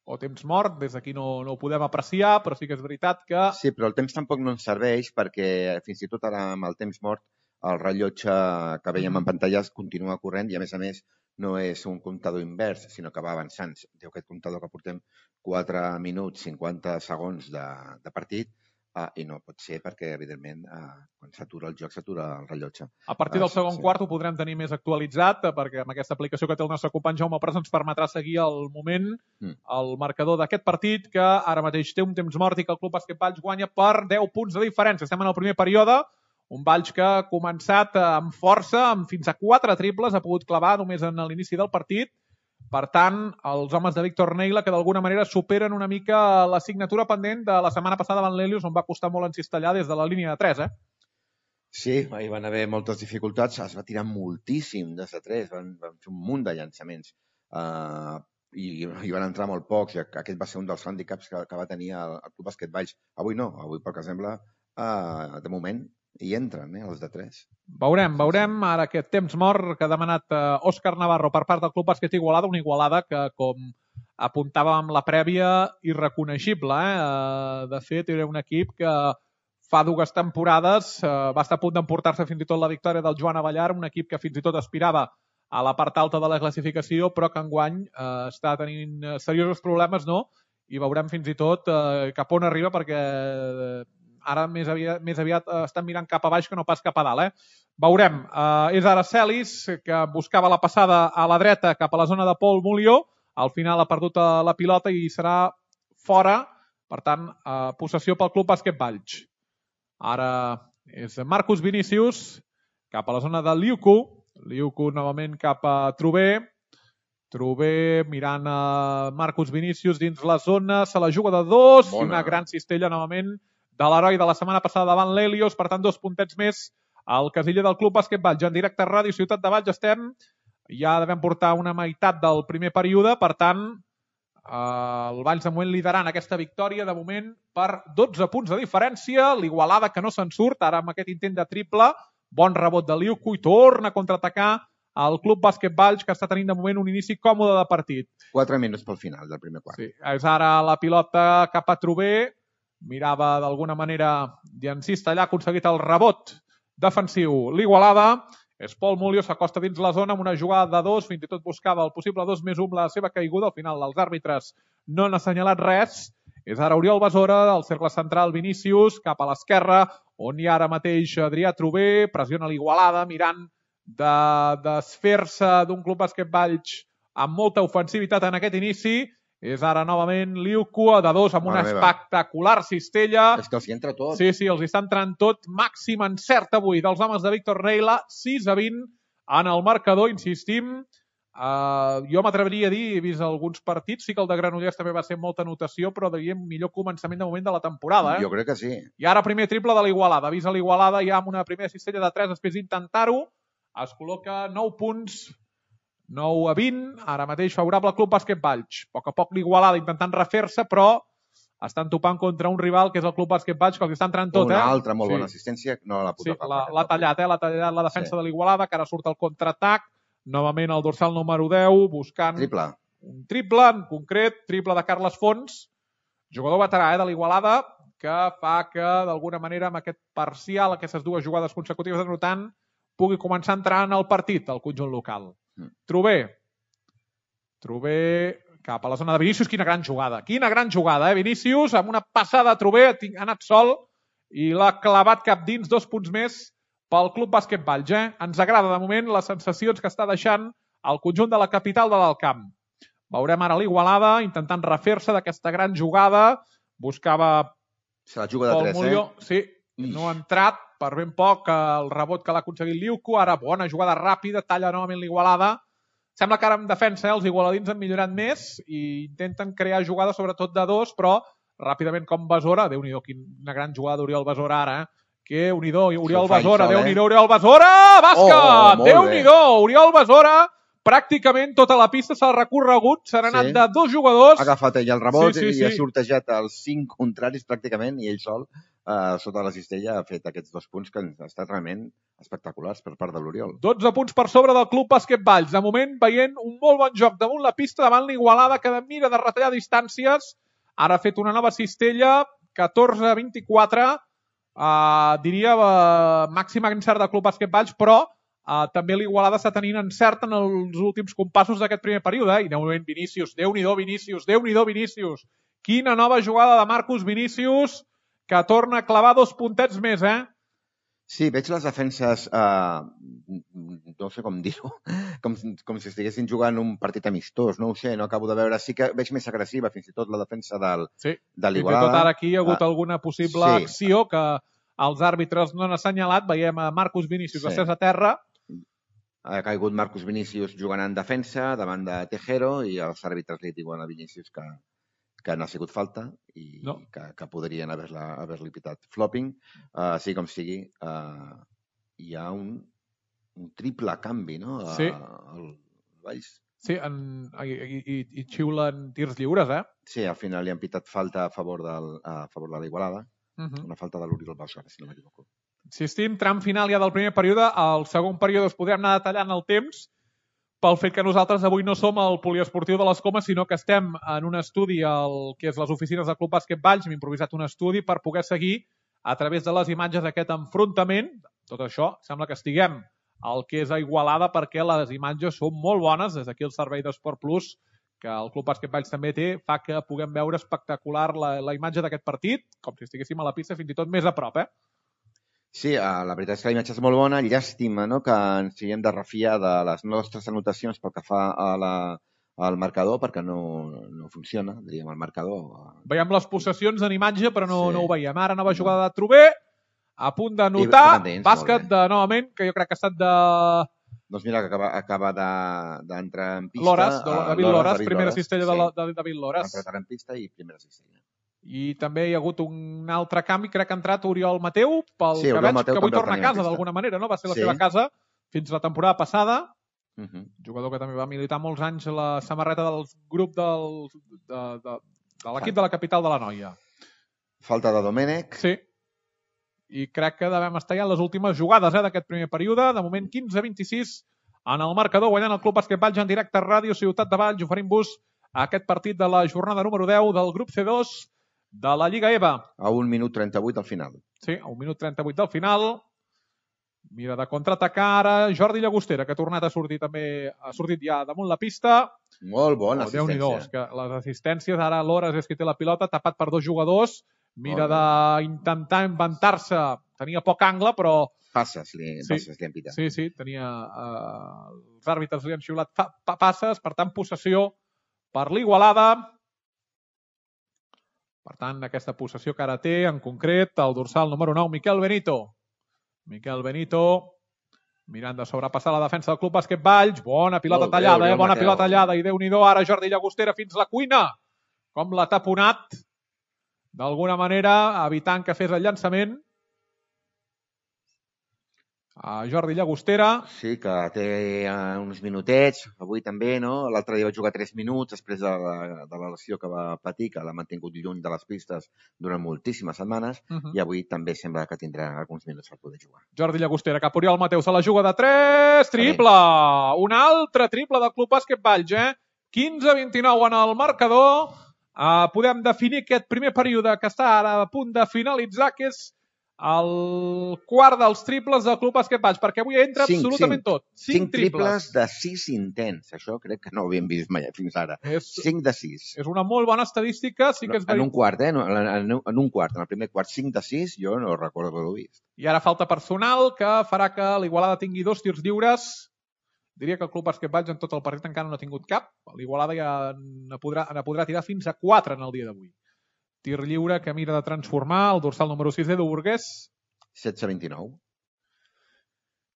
o temps mort, des d'aquí no, no ho podem apreciar, però sí que és veritat que... Sí, però el temps tampoc no ens serveix perquè fins i tot ara amb el temps mort el rellotge que veiem en pantalles continua corrent i a més a més no és un comptador invers, sinó que va avançant. Diu aquest comptador que portem quatre minuts, cinquanta segons de, de partit uh, i no pot ser perquè, evidentment, uh, quan s'atura el joc s'atura el rellotge. A partir del uh, segon sí. quart ho podrem tenir més actualitzat perquè amb aquesta aplicació que té el nostre company Jaume Pras ens permetrà seguir el moment, mm. el marcador d'aquest partit que ara mateix té un temps mort i que el Club Bàsquet Valls guanya per deu punts de diferència. Estem en el primer període, un Valls que ha començat amb força, amb fins a quatre triples, ha pogut clavar només en l'inici del partit. Per tant, els homes de Víctor Neila que d'alguna manera superen una mica la signatura pendent de la setmana passada davant l'Helios, on va costar molt encistellar des de la línia de tres, eh? Sí, hi van haver moltes dificultats, es va tirar moltíssim des de tres, van, van fer un munt de llançaments uh, i hi van entrar molt pocs, i aquest va ser un dels hàndicaps que, que va tenir el, el Club Bàsquet Valls. Avui no, avui pel que sembla, uh, de moment hi entren, eh, els de tres. Veurem, veurem ara aquest temps mort que ha demanat eh, Òscar Navarro per part del Club Bàsquet Igualada, una Igualada que, com apuntàvem amb la prèvia, irreconeixible. Eh? De fet, era un equip que fa dues temporades eh, va estar a punt d'emportar-se fins i tot la victòria del Joan Avellar, un equip que fins i tot aspirava a la part alta de la classificació, però que enguany eh, està tenint seriosos problemes, no? I veurem fins i tot eh, cap on arriba, perquè eh, ara més aviat, més aviat eh, estan mirant cap a baix que no pas cap a dalt. Eh? Veurem. Eh, és ara Celis, que buscava la passada a la dreta cap a la zona de Pol Mulió. Al final ha perdut la pilota i serà fora. Per tant, eh, possessió pel Club Bàsquet Valls. Ara és Marcus Vinícius cap a la zona de Liuku. Liuku novament cap a Trubé. Trubé mirant a Marcus Vinícius dins la zona. Se la juga de dos. Bona. I una gran cistella novament de l'heroi de la setmana passada davant l'Helios, per tant, dos puntets més al casiller del Club Bàsquet Valls. En directe a Ràdio Ciutat de Valls estem, ja devem portar una meitat del primer període, per tant, eh, el Valls de moment liderant aquesta victòria, de moment, per dotze punts de diferència, l'Igualada que no se'n surt, ara amb aquest intent de triple, bon rebot de Liuku i torna a contraatacar el Club Bàsquet Valls, que està tenint de moment un inici còmode de partit. Quatre minuts pel final del primer quart. Sí, és ara la pilota cap a Trubé, mirava d'alguna manera d'encistellar, ha aconseguit el rebot defensiu. L'Igualada és Pol Mulió, s'acosta dins la zona amb una jugada de dos, fins i tot buscava el possible dos més un, la seva caiguda. Al final els àrbitres no han assenyalat res. És ara Oriol Besora, el cercle central Vinícius, cap a l'esquerra, on hi ha ara mateix Adrià Trubé, pressiona l'Igualada, mirant de desfer-se d'un Club Bàsquet Valls amb molta ofensivitat en aquest inici. És ara novament Liuku de dos amb una espectacular cistella. És que els hi entra tot. Sí, sí, els hi està entrant tot. Màxim encert avui dels homes de Víctor Neila, sis a vint en el marcador, insistim. Uh, jo m'atreviria a dir, he vist alguns partits, sí que el de Granollers també va ser molta anotació, però diríem millor començament de moment de la temporada. Eh? Jo crec que sí. I ara primer triple de l'Igualada. Avisa l'Igualada ja amb una primera cistella de tres, després d'intentar-ho. Es col·loca nou punts, nou a vint, ara mateix favorable al Club Bàsquet Valls. A poc a poc l'Igualada intentant refer-se, però estan topant contra un rival que és el Club Bàsquet Valls, que els està entrant tot. Una eh? altra molt sí. bona assistència. No la sí, l'ha tallat, eh? l'ha tallat la defensa sí. de l'Igualada, que ara surt el contraatac. Novament el dorsal número deu, buscant triple. un triple, en concret, triple de Carles Fons, jugador veterà eh, de l'Igualada, que fa que, d'alguna manera, amb aquest parcial, aquestes dues jugades consecutives anotant, pugui començar a entrar en el partit, el conjunt local. Mm. Trubé. Trubé cap a la zona de Vinícius. Quina gran jugada. Quina gran jugada, eh? Vinícius, amb una passada a Trubé, ha anat sol i l'ha clavat cap dins, dos punts més pel Club Bàsquet Valls. Eh? Ens agrada, de moment, les sensacions que està deixant el conjunt de la capital de l'Alt Camp. Veurem ara l'Igualada intentant refer-se d'aquesta gran jugada. Buscava Se la juga de Pol tres, Mulió. eh? Sí, no ha entrat per ben poc el rebot que l'ha aconseguit Liuku. Ara bona jugada ràpida, talla novament l'Igualada. Sembla que ara en defensa eh, els igualadins han millorat més i intenten crear jugades sobretot de dos, però ràpidament com Besora, Déu-n'hi-do, quina gran jugada d'Oriol Besora ara, eh? Que Unidó, Oriol Besora, Déu-n'hi-do, Oriol Besora, bàsquet! Oh, oh, Déu-n'hi-do, Oriol Besora, pràcticament tota la pista s'ha recorregut, s'han anat Sí. de dos jugadors. Ha agafat ell el rebot Sí, sí, i ha sí. sortejat els cinc contraris pràcticament i ell sol, eh, sota la cistella, ha fet aquests dos punts que han estat realment espectaculars per part de l'Oriol. dotze punts per sobre del Club Bàsquet Valls. De moment veient un molt bon joc damunt la pista, davant l'Igualada, que mira de retallar distàncies. Ara ha fet una nova cistella, catorze a vint-i-quatre, uh, diria uh, màxim encert del Club Bàsquet Valls, però uh, també l'Igualada està tenint encert en els últims compassos d'aquest primer període. Eh? I de moment Vinícius, Déu-n'hi-do Vinícius, Déu-n'hi-do Vinícius. Quina nova jugada de Marcus Vinícius, que torna a clavar dos puntets més, eh? Sí, veig les defenses, eh, no sé com dir-ho, com, com si estiguessin jugant un partit amistós, no ho sé, no acabo de veure. Sí que veig més agressiva, fins i tot la defensa del, sí. de Fins l'Igualada. i tot ara aquí hi ha hagut ah, alguna possible sí. acció que els àrbitres no han assenyalat. Veiem a Marcus Vinícius Sí. estès a terra. Ha caigut Marcus Vinícius jugant en defensa davant de Tejero i els àrbitres li diuen a Vinícius que, que no ha sigut falta i No. que, que podrien haver-la haver-li pitat flopping. Uh, sí com sigui, uh, hi ha un, un triple canvi, no? A, Sí. al Valls. Sí, en, i, i, i xiulen tirs lliures, eh? Sí, al final li han pitat falta a favor, del, a favor de l'Igualada. Uh -huh. Una falta de l'Oriol Besora, si no m'equivoco. Insistim, tram final ja del primer període. Al segon període es podrem anar detallant el temps pel fet que nosaltres avui no som al poliesportiu de les Comes, sinó que estem en un estudi al que és les oficines del Club Bàsquet Valls. Hem improvisat un estudi per poder seguir a través de les imatges d'aquest enfrontament. Tot això sembla que estiguem al que és a Igualada perquè les imatges són molt bones. Des d'aquí el servei d'Esport Plus, que el Club Bàsquet Valls també té, fa que puguem veure espectacular la, la imatge d'aquest partit, com si estiguéssim a la pista fins i tot més a prop, eh? Sí, la veritat és que la imatge és molt bona. Llàstima, no?, que ens siguem de refiar de les nostres anotacions pel que fa a la, al marcador, perquè no, no funciona, diríem, el marcador. Veiem les possessions en imatge, però no, Sí. no ho veiem. Ara nova jugada de Trober, a punt de notar, bàsquet de, novament, que jo crec que ha estat de... Doncs mira, que acaba, acaba d'entrar de, en pista. Lores, David Lores, David primera Lores, cistella sí. de, de David Lores. Va entrar en pista i primera cistella. I també hi ha hagut un altre canvi, crec que ha entrat Oriol Mateu, pel Sí, que Oriol veig, Mateu que avui també el torna a tenia en casa pista. d'alguna manera, no? Va ser la Sí. seva casa fins la temporada passada. Uh -huh. Jugador que també va militar molts anys a la samarreta del grup del, de, de, de l'equip de la capital de la Noia. Falta de Domènech. Sí. I crec que devem estar ja en les últimes jugades eh, d'aquest primer període. De moment quinze a vint-i-sis en el marcador, guanyant el Club Bàsquet Valls en directe a Ràdio Ciutat de Valls, oferint-vos aquest partit de la jornada número deu del grup C dos de la Lliga E V A. A un minut trenta-vuit al final. Sí, a un minut trenta-vuit del final. Mira de contraatacar ara Jordi Llagostera, que ha tornat a sortir també, ha sortit ja damunt la pista. Molt bona oh, Déu-n'hi-do, assistència. és que les assistències, ara Lores és qui té la pilota, tapat per dos jugadors, mira d'intentar inventar-se, tenia poc angle, però... Passes, li, Sí. passes, li han pitat. Sí, sí, tenia... Eh, els àrbitres li han xiulat fa, pa, passes, per tant, possessió per l'Igualada. Per tant, aquesta possessió que ara té, en concret, el dorsal número nou, Miquel Benito. Miquel Benito, mirant de sobrepassar la defensa del Club Bàsquet Valls. Bona pilota Molt bé, tallada, eh? Oriol Bona Mateu. pilota tallada. I Déu-n'hi-do, ara Jordi Llagostera fins la cuina. Com l'ha taponat, d'alguna manera, evitant que fes el llançament. A Jordi Llagostera. Sí, que té uh, uns minutets, avui també, no? L'altre dia va jugar tres minuts després de la, de la lesió que va patir, que l'ha mantingut lluny de les pistes durant moltíssimes setmanes, Uh -huh. i avui també sembla que tindrà alguns minuts per poder jugar. Jordi Llagostera, cap Oriol Mateu, se la juga de tres, triple! Un altre triple del Club Bàsquet Valls, eh? quinze a vint-i-nou en el marcador. Uh, podem definir aquest primer període que està ara a punt de finalitzar, que és el quart dels triples del Club Bàsquet Valls, perquè avui entra Cinc, absolutament cinc. tot. Cinc, Cinc triples de sis intents. Això crec que no ho havíem vist mai fins ara. És, Cinc de sis. és una molt bona estadística, sí que és En un veritat. quart, eh? En, en, en un quart, en el primer quart, cinc de sis, jo no recordo haver-ho vist. I ara falta personal que farà que l'Igualada tingui dos tirs lliures. Diria que el Club Bàsquet Valls en tot el partit encara no ha tingut cap. L'Igualada ja ne podrà, ne podrà tirar fins a quatre en el dia d'avui. Tir lliure que mira de transformar el dorsal número sis, Edu Burgués. setze a vint-i-nou.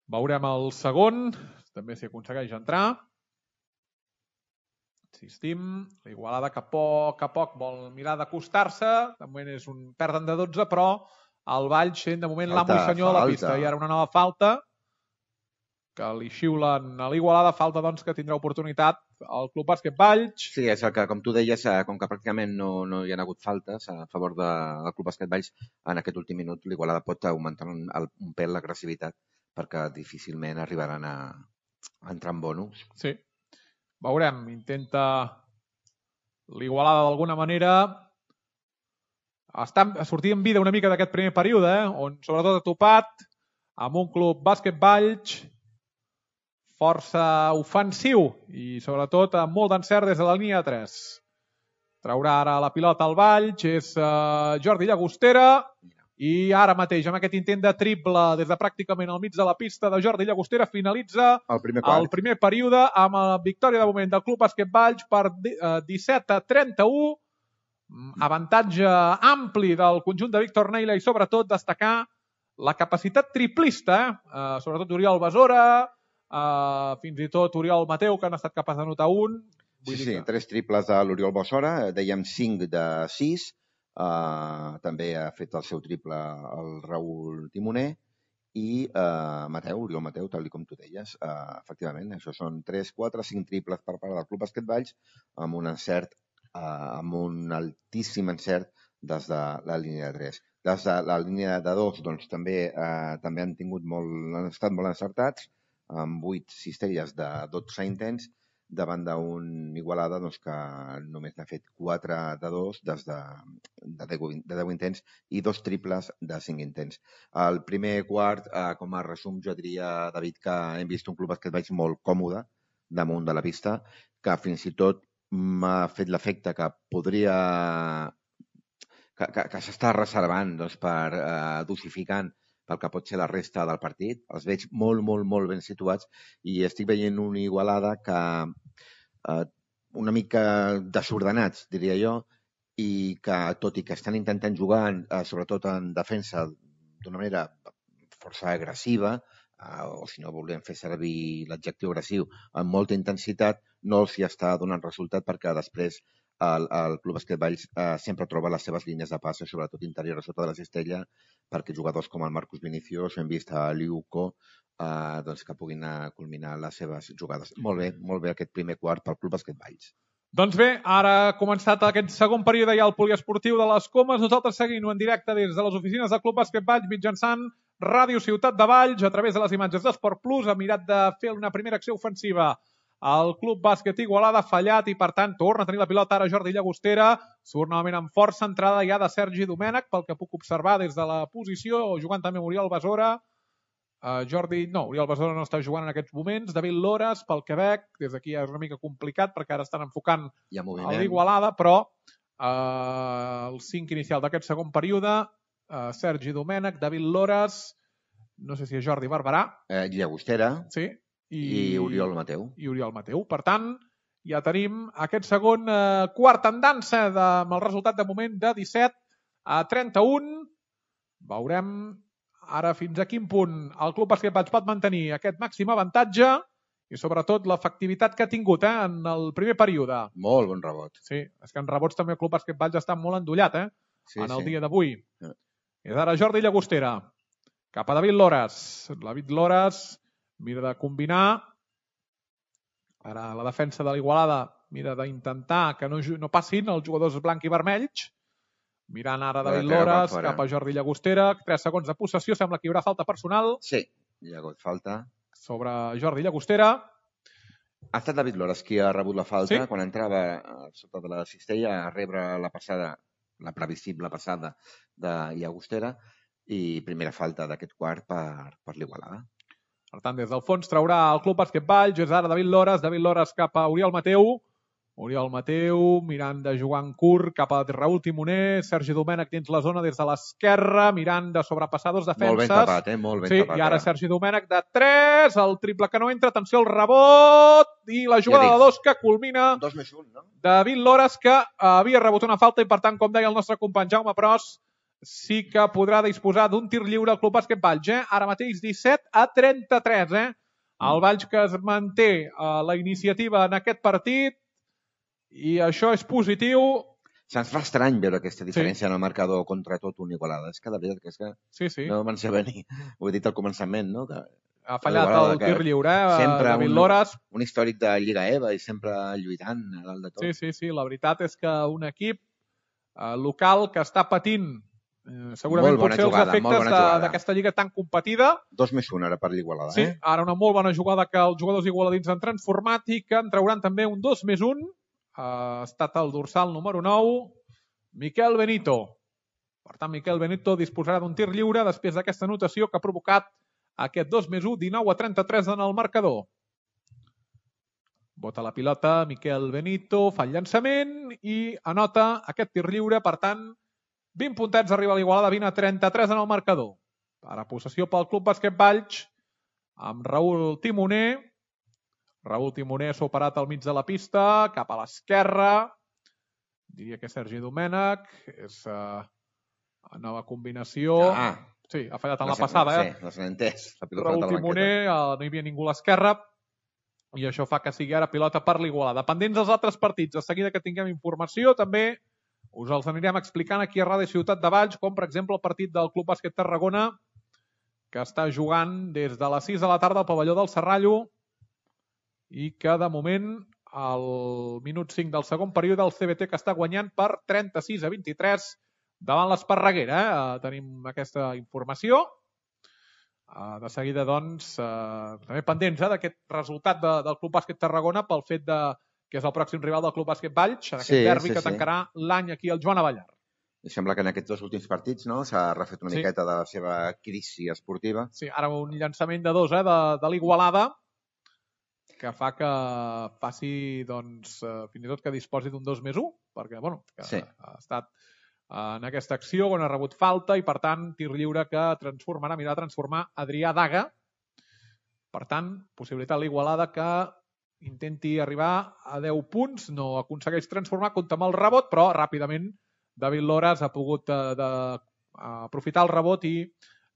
Veurem el segon, també si aconsegueix entrar. Insistim, l'Igualada que a poc a poc vol mirar d'acostar-se, de moment és un perden de dotze, però el Valls sent de moment l'amo i senyor de la pista. I ara una nova falta que li xiulen a l'Igualada, falta doncs que tindrà oportunitat el Club Bàsquet Valls. Sí, és el que, com tu deies, com que pràcticament no, no hi ha hagut faltes a favor de, del Club Bàsquet Valls, en aquest últim minut l'Igualada pot augmentar un, un pèl l'agressivitat perquè difícilment arribaran a, a entrar en bonus. Sí. Veurem, intenta l'Igualada d'alguna manera està, sortir en vida una mica d'aquest primer període, eh? On sobretot ha topat amb un Club Bàsquet Valls força ofensiu i sobretot amb molt d'encert des de la línia de tres. Traurà ara la pilota al Valls, és uh, Jordi Llagostera. I ara mateix, amb aquest intent de triple des de pràcticament al mig de la pista de Jordi Llagostera, finalitza el primer, el primer període amb la victòria de moment del Club Bàsquet Valls per disset a trenta-u. Avantatge ampli del conjunt de Víctor Neila i sobretot destacar la capacitat triplista, eh? sobretot Oriol Besora, eh, fins i tot Oriol Mateu, que han estat capaç de notar un. Sí, sí, que... tres triples de l'Oriol Besora, dèiem cinc de sis. Uh, també ha fet el seu triple el Raül Timoner i uh, Mateu, Oriol Mateu, tal com tu deies. Uh, efectivament, això són tres, quatre, cinc triples per part del Club Bàsquet Valls amb un encert, uh, amb un altíssim encert des de la línia de tres. Des de la línia de dos, doncs, també, uh, també han tingut molt, han estat molt encertats, amb vuit cistelles de dotze intents, davant d'un Igualada doncs, que només n'ha fet quatre de dos des de, de, de deu intents i dos triples de cinc intents. El primer quart, eh, com a resum, jo diria, David, que hem vist un Club Bàsquet Valls molt còmode damunt de la pista, que fins i tot m'ha fet l'efecte que podria... que, que, que s'està reservant doncs, per eh, dosificant pel que pot ser la resta del partit. Els veig molt, molt, molt ben situats i estic veient una Igualada que eh, una mica desordenats, diria jo, i que, tot i que estan intentant jugar, eh, sobretot en defensa, d'una manera força agressiva, eh, o si no volem fer servir l'adjectiu agressiu, amb molta intensitat, no els hi està donant resultat perquè després el, el Club Bàsquet Valls eh, sempre troba les seves línies de passe, sobretot interior a sota de la cistella, perquè jugadors com el Marcus Vinicius, hem vist a Liuco, eh, doncs que puguin culminar les seves jugades. Molt bé, molt bé aquest primer quart pel Club Bàsquet Valls. Doncs bé, ara ha començat aquest segon període ja al poliesportiu de les Comes. Nosaltres seguim en directe des de les oficines del Club Bàsquet Valls mitjançant Ràdio Ciutat de Valls a través de les imatges d'Esport Plus. Ha mirat de fer una primera acció ofensiva el Club Bàsquet Igualada, ha fallat i per tant torna a tenir la pilota ara Jordi Llagostera. Surt novament amb força, entrada ja de Sergi Domènech, pel que puc observar des de la posició, jugant també amb Oriol Besora. Uh, Jordi, no, Oriol Besora no està jugant en aquests moments. David Lores, pel Quebec, des d'aquí és una mica complicat perquè ara estan enfocant a l'Igualada, però uh, el cinc inicial d'aquest segon període, uh, Sergi Domènech, David Lores, no sé si és Jordi Barberà. Eh, Llagostera. Sí. I, I Oriol Mateu. I Oriol Mateu. Per tant, ja tenim aquest segon eh, quart en dansa de, amb el resultat de moment de disset a trenta-un. Veurem ara fins a quin punt el Club Bàsquet Valls pot mantenir aquest màxim avantatge i sobretot l'efectivitat que ha tingut eh, en el primer període. Molt bon rebot. Sí, és que en rebots també el Club Bàsquet Valls està molt endollat eh, sí, en el sí. dia d'avui. Sí. És ara Jordi Llagostera. Cap a David Lores. David Lores mira de combinar. Ara la defensa de l'Igualada mira d'intentar que no, no passin els jugadors blanc i vermells. Mirant ara David Lores cap a Jordi Llagostera. tres segons de possessió. Sembla que hi haurà falta personal. Sí, hi ha hagut falta. Sobre Jordi Llagostera. Ha estat David Lores qui ha rebut la falta. Sí? Quan entrava sota de la cistella a rebre la passada, la previsible passada de Llagostera i primera falta d'aquest quart per, per l'Igualada. Per tant, des del fons traurà el Club Bàsquet Valls. És ara David Lores. David Lores cap a Oriol Mateu. Oriol Mateu mirant de jugar en curt cap a Raül Timoner. Sergi Domènech dins la zona des de l'esquerra, mirant de sobrepassar dos defenses. Molt ben tapat, eh? Molt ben sí, tapat. I ara Sergi Domènech de tres. El triple que no entra. Atenció al rebot. I la jugada ja de dos que culmina. Dos més un, no? David Lores, que havia rebut una falta i, per tant, com deia el nostre company Jaume Pros, sí que podrà disposar d'un tir lliure al Club Bàsquet Valls. Eh? Ara mateix disset a trenta-tres. Eh? El Valls que es manté eh, la iniciativa en aquest partit i això és positiu. Se'ns fa estrany veure aquesta diferència sí. en el marcador contra tot un Igualada. És que de veritat que és que sí, sí. no me'n sé venir. Ho he dit al començament, no? Que ha fallat el tir lliure, eh? David un, Loras. Un històric de Lliga E V A i sempre lluitant a dalt de tot. Sí, sí, sí. La veritat és que un equip eh, local que està patint eh, segurament potser jugada, els efectes d'aquesta lliga tan competida. Dos més un ara per l'Igualada. Sí, eh? ara una molt bona jugada que els jugadors igualadins han transformat i que en trauran també un dos més un. Ha estat el dorsal número nou, Miquel Benito. Per tant, Miquel Benito disposarà d'un tir lliure després d'aquesta anotació que ha provocat aquest dos més un, dinou a trenta-tres en el marcador. Bota la pilota, Miquel Benito, fa el llançament i anota aquest tir lliure. Per tant, vint puntets arriba a l'Igualada, vint a trenta-tres en el marcador. Ara possessió pel Club Bàsquet Valls amb Raül Timoner. Raül Timoner s'ha operat al mig de la pista, cap a l'esquerra. Diria que Sergi Domènech. És uh, una nova combinació. Ah, sí, ha fallat en la passada. Eh? Sí, no s'ha entès. Raül Timoner, uh, no hi havia ningú a l'esquerra. I això fa que sigui ara pilota per l'Igualada. Pendents dels altres partits, de seguida que tinguem informació, també us els anirem explicant aquí a Ràdio Ciutat de Valls, com per exemple el partit del Club Bàsquet Tarragona, que està jugant des de les sis de la tarda al pavelló del Serrallo i que de moment al minut cinc del segon període el C B T que està guanyant per trenta-sis a vint-i-tres davant l'Esparreguera. Eh? Tenim aquesta informació. Uh, de seguida, doncs, uh, també pendents eh, d'aquest resultat de, del Club Bàsquet Tarragona pel fet de, que és el pròxim rival del Club Bàsquet Valls, en aquest sí, derbi sí, que tancarà sí. l'any aquí al Joan Avellar. I sembla que en aquests dos últims partits no s'ha refet una sí. miqueta de la seva crisi esportiva. Sí, ara un llançament de dos eh, de, de l'Igualada que fa que faci, doncs, uh, fins i tot que disposi d'un dos més un, perquè, bueno, que sí. ha estat en aquesta acció on ha rebut falta i, per tant, tir lliure que transformarà, mirarà transformar Adrià Daga. Per tant, possibilitat l'Igualada que intenti arribar a deu punts, no aconsegueix transformar, compta amb el rebot, però ràpidament David Loras ha pogut eh, de, aprofitar el rebot i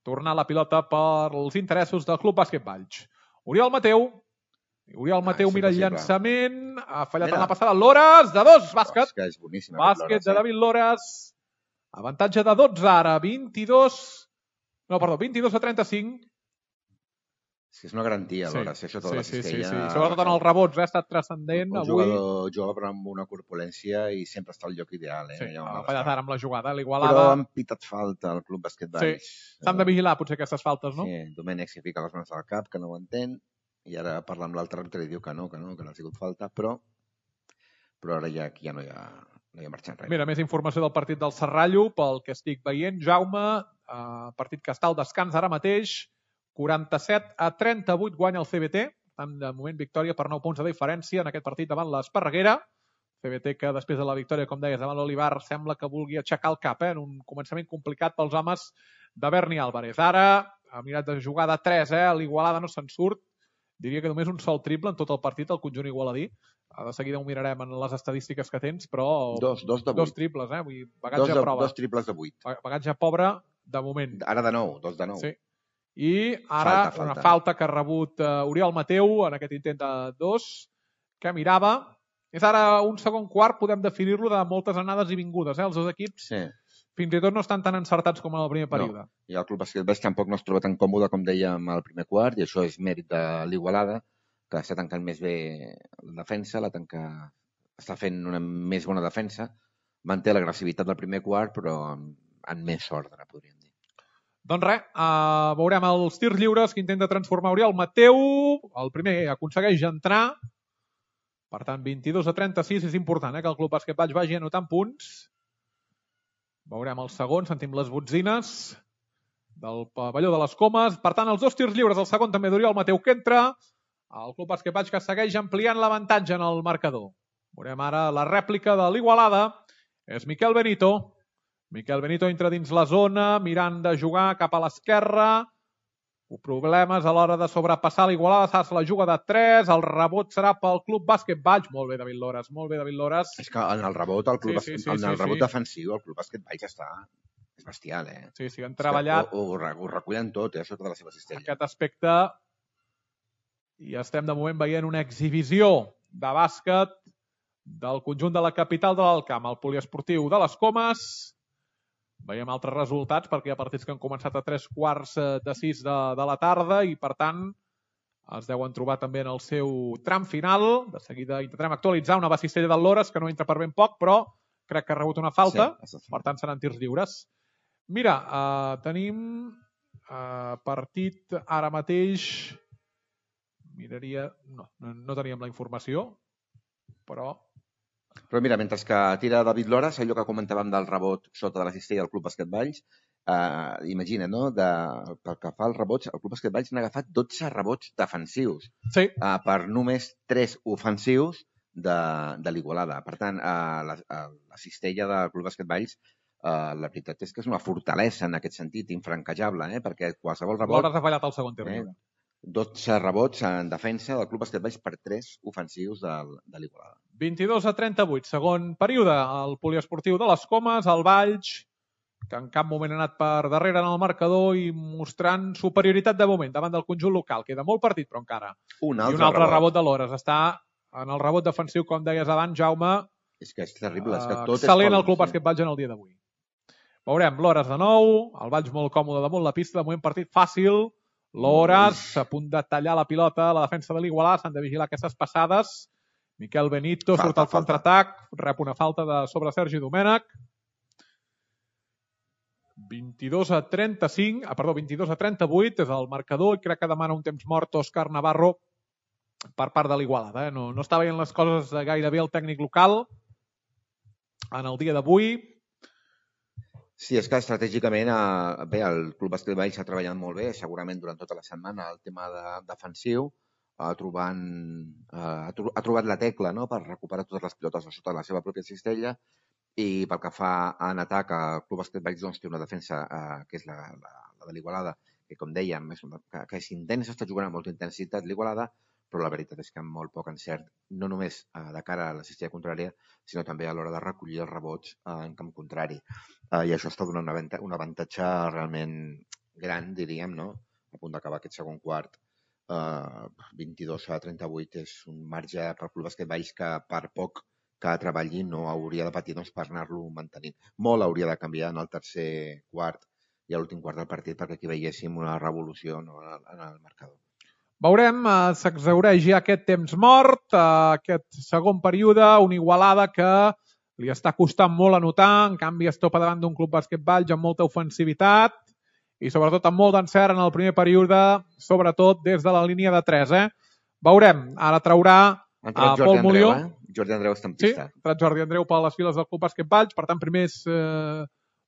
tornar la pilota per als interessos del Club Bàsquet Valls. Oriol Mateu, Oriol Mateu ah, mira el llançament, ha fallat mira. en la passada, Loras, de dos, bàsquet. Oh, és boníssim, bàsquet Loras, de David Loras. Avantatge de dotze ara, vint-i-dos... No, perdó, vint-i-dos a trenta-cinc. És que és una garantia, sí. Loras. Això sí, sí, sí, sí, sí. Sobretot en els rebots, eh? Ha estat transcendent. Un avui. jugador jove amb una corpulència i sempre està al lloc ideal. Eh? Sí, ha fallat ara amb la jugada, l'Igualada. Però han pitat falta al Club Bàsquet Valls. Sí, s'han de vigilar potser aquestes faltes, no? Sí, Domènech s'hi fica les mans al cap, que no ho entén, i ara parla amb l'altre àrbitre i diu que no, que no, que no ha sigut falta, però, però ara ja, ja no hi ha... No hi ha marxat res. Mira, més informació del partit del Serrallo, pel que estic veient. Jaume, eh, partit que està al descans ara mateix, quaranta-set a trenta-vuit guanya el C B T, tant de moment victòria per nou punts de diferència en aquest partit davant l'Esparreguera. C B T que després de la victòria, com deies, davant l'Olivar, sembla que vulgui aixecar el cap, eh, en un començament complicat pels homes de Berni Álvarez. Ara ha mirat de jugar de tres, eh, l'Igualada no se'n surt. Diria que només un sol triple en tot el partit, el conjunt igualadí. De seguida ho mirarem en les estadístiques que tens, però... Dos, dos de vuit. Dos triples, eh? Vull dir, bagatge dos, de, prova. dos triples de vuit. Bagatge pobre, de moment. Ara de nou, dos de nou. Sí. I ara falta, falta. una falta que ha rebut uh, Oriol Mateu en aquest intent de dos, que mirava. És ara un segon quart, podem definir-lo de moltes anades i vingudes, eh? Els dos equips sí. fins i tot no estan tan encertats com en el primer període. No. I el Club Bàsquet Valls tampoc no es troba tan còmode com dèiem al primer quart, i això és mèrit de l'Igualada, que està tancant més bé la defensa, la tanca... està fent una més bona defensa, manté l'agressivitat del primer quart, però en més ordre, podríem dir. Doncs res, uh, veurem els tirs lliures que intenta transformar Oriol Mateu. El primer aconsegueix entrar. Per tant, vint-i-dos a trenta-sis. És important eh, que el Club Bàsquet Valls vagi anotant punts. Veurem el segon, sentim les botzines del pavelló de les Comes. Per tant, els dos tirs lliures, el segon també d'Oriol Mateu que entra. El Club Bàsquet Valls que segueix ampliant l'avantatge en el marcador. Veurem ara la rèplica de l'Igualada. És Miquel Benito. Miquel Benito entra dins la zona, mirant de jugar cap a l'esquerra. Problemes a l'hora de sobrepassar l'Igualada. S'ha la juga de tres. El rebot serà pel Club Bàsquet Valls. Molt bé, David Loras. Molt bé, David Loras. És que en el rebot, el club sí, sí, sí, en el sí, rebot sí. defensiu, el Club Bàsquet Valls està... És bestial, eh? Sí, sí, han treballat... Ho, ho, ho recullen tot, eh? Sota de la seva cistella. Aquest aspecte... I estem de moment veient una exhibició de bàsquet del conjunt de la capital de l'Alt Camp, el poliesportiu de les Comes. Veiem altres resultats perquè hi ha partits que han començat a tres quarts de sis de, de la tarda i, per tant, es deuen trobar també en el seu tram final. De seguida intentarem actualitzar una Cistella del Lores que no entra per ben poc, però crec que ha rebut una falta, sí, per tant seran tirs lliures. Mira, uh, tenim uh, partit ara mateix... Miraria... No, no, no teníem la informació, però... Però mira, mentre que tira David Lores, allò que comentàvem del rebot sota de la cistella del Club Bàsquet Valls, eh, imagina, no? De, pel que fa als rebots, el Club Bàsquet Valls n'ha agafat dotze rebots defensius, sí. eh, per només tres ofensius de, de l'Igualada. Per tant, eh, la, la cistella del Club Bàsquet Valls, eh, la veritat és que és una fortalesa en aquest sentit, infranquejable, eh? Perquè qualsevol rebot... Lores ha fallat el segon tir lliure. Eh? dotze rebots en defensa del Club Bàsquet Valls per tres ofensius de, de l'Igualada. vint-i-dos a trenta-vuit, segon període. El poliesportiu de les Comes, el Valls, que en cap moment ha anat per darrere en el marcador i mostrant superioritat de moment davant del conjunt local. Queda molt partit, però encara. Un altre, I un altre rebot. rebot de Lores. Està en el rebot defensiu, com deies abans, Jaume. És que és terrible. És que tot excel·lent és el Club Bàsquet Valls en el dia d'avui. Veurem Lores de nou, el Valls molt còmode damunt la pista, de moment partit fàcil. Lores a punt de tallar la pilota, la defensa de l'Igualada, s'han de vigilar aquestes passades. Miquel Benito falta, surt al contraatac, rep una falta de sobre Sergi Domènech. vint-i-dos a trenta-cinc, ah, perdó, vint-i-dos a trenta-vuit és el marcador i crec que demana un temps mort Òscar Navarro per part de l'Igualada. Eh? No, no està veient les coses gaire bé el tècnic local en el dia d'avui. Sí, és que estratègicament eh, bé, el Club Bàsquet Valls ha treballat molt bé, segurament durant tota la setmana, el tema de, defensiu, eh, trobant, eh, ha, tro ha trobat la tecla, no?, per recuperar totes les pilotes a sota de la seva pròpia cistella, i pel que fa en atac, el Club Bàsquet Valls doncs, té una defensa eh, que és la, la, la de l'Igualada, que com dèiem, és una, que, que és intensa, està jugant amb molta intensitat l'Igualada, però la veritat és que amb molt poc encert, no només eh, de cara a la cistella contrària, sinó també a l'hora de recollir els rebots eh, en camp contrari. Eh, I això està donant un avantatge, un avantatge realment gran, diríem, no? A punt d'acabar aquest segon quart. Eh, vint-i-dos a trenta-vuit és un marge pel Club Bàsquet Valls que per poc que treballi no hauria de patir doncs, per anar-lo mantenint. Molt hauria de canviar en el tercer quart i a l'últim quart del partit perquè aquí veiéssim una revolució, no?, en, el, en el marcador. Veurem, eh, s'exhaureix ja aquest temps mort, eh, aquest segon període, una Igualada que li està costant molt anotar, en canvi es topa davant d'un Club Bàsquet Valls amb molta ofensivitat i sobretot amb molt d'encert en el primer període, sobretot des de la línia de tres. Eh? Veurem, ara traurà a Pol Molió. Eh? Jordi Andreu està en pista. Sí, ha entrat Jordi Andreu per les files del Club Bàsquet Valls, per tant, primers eh,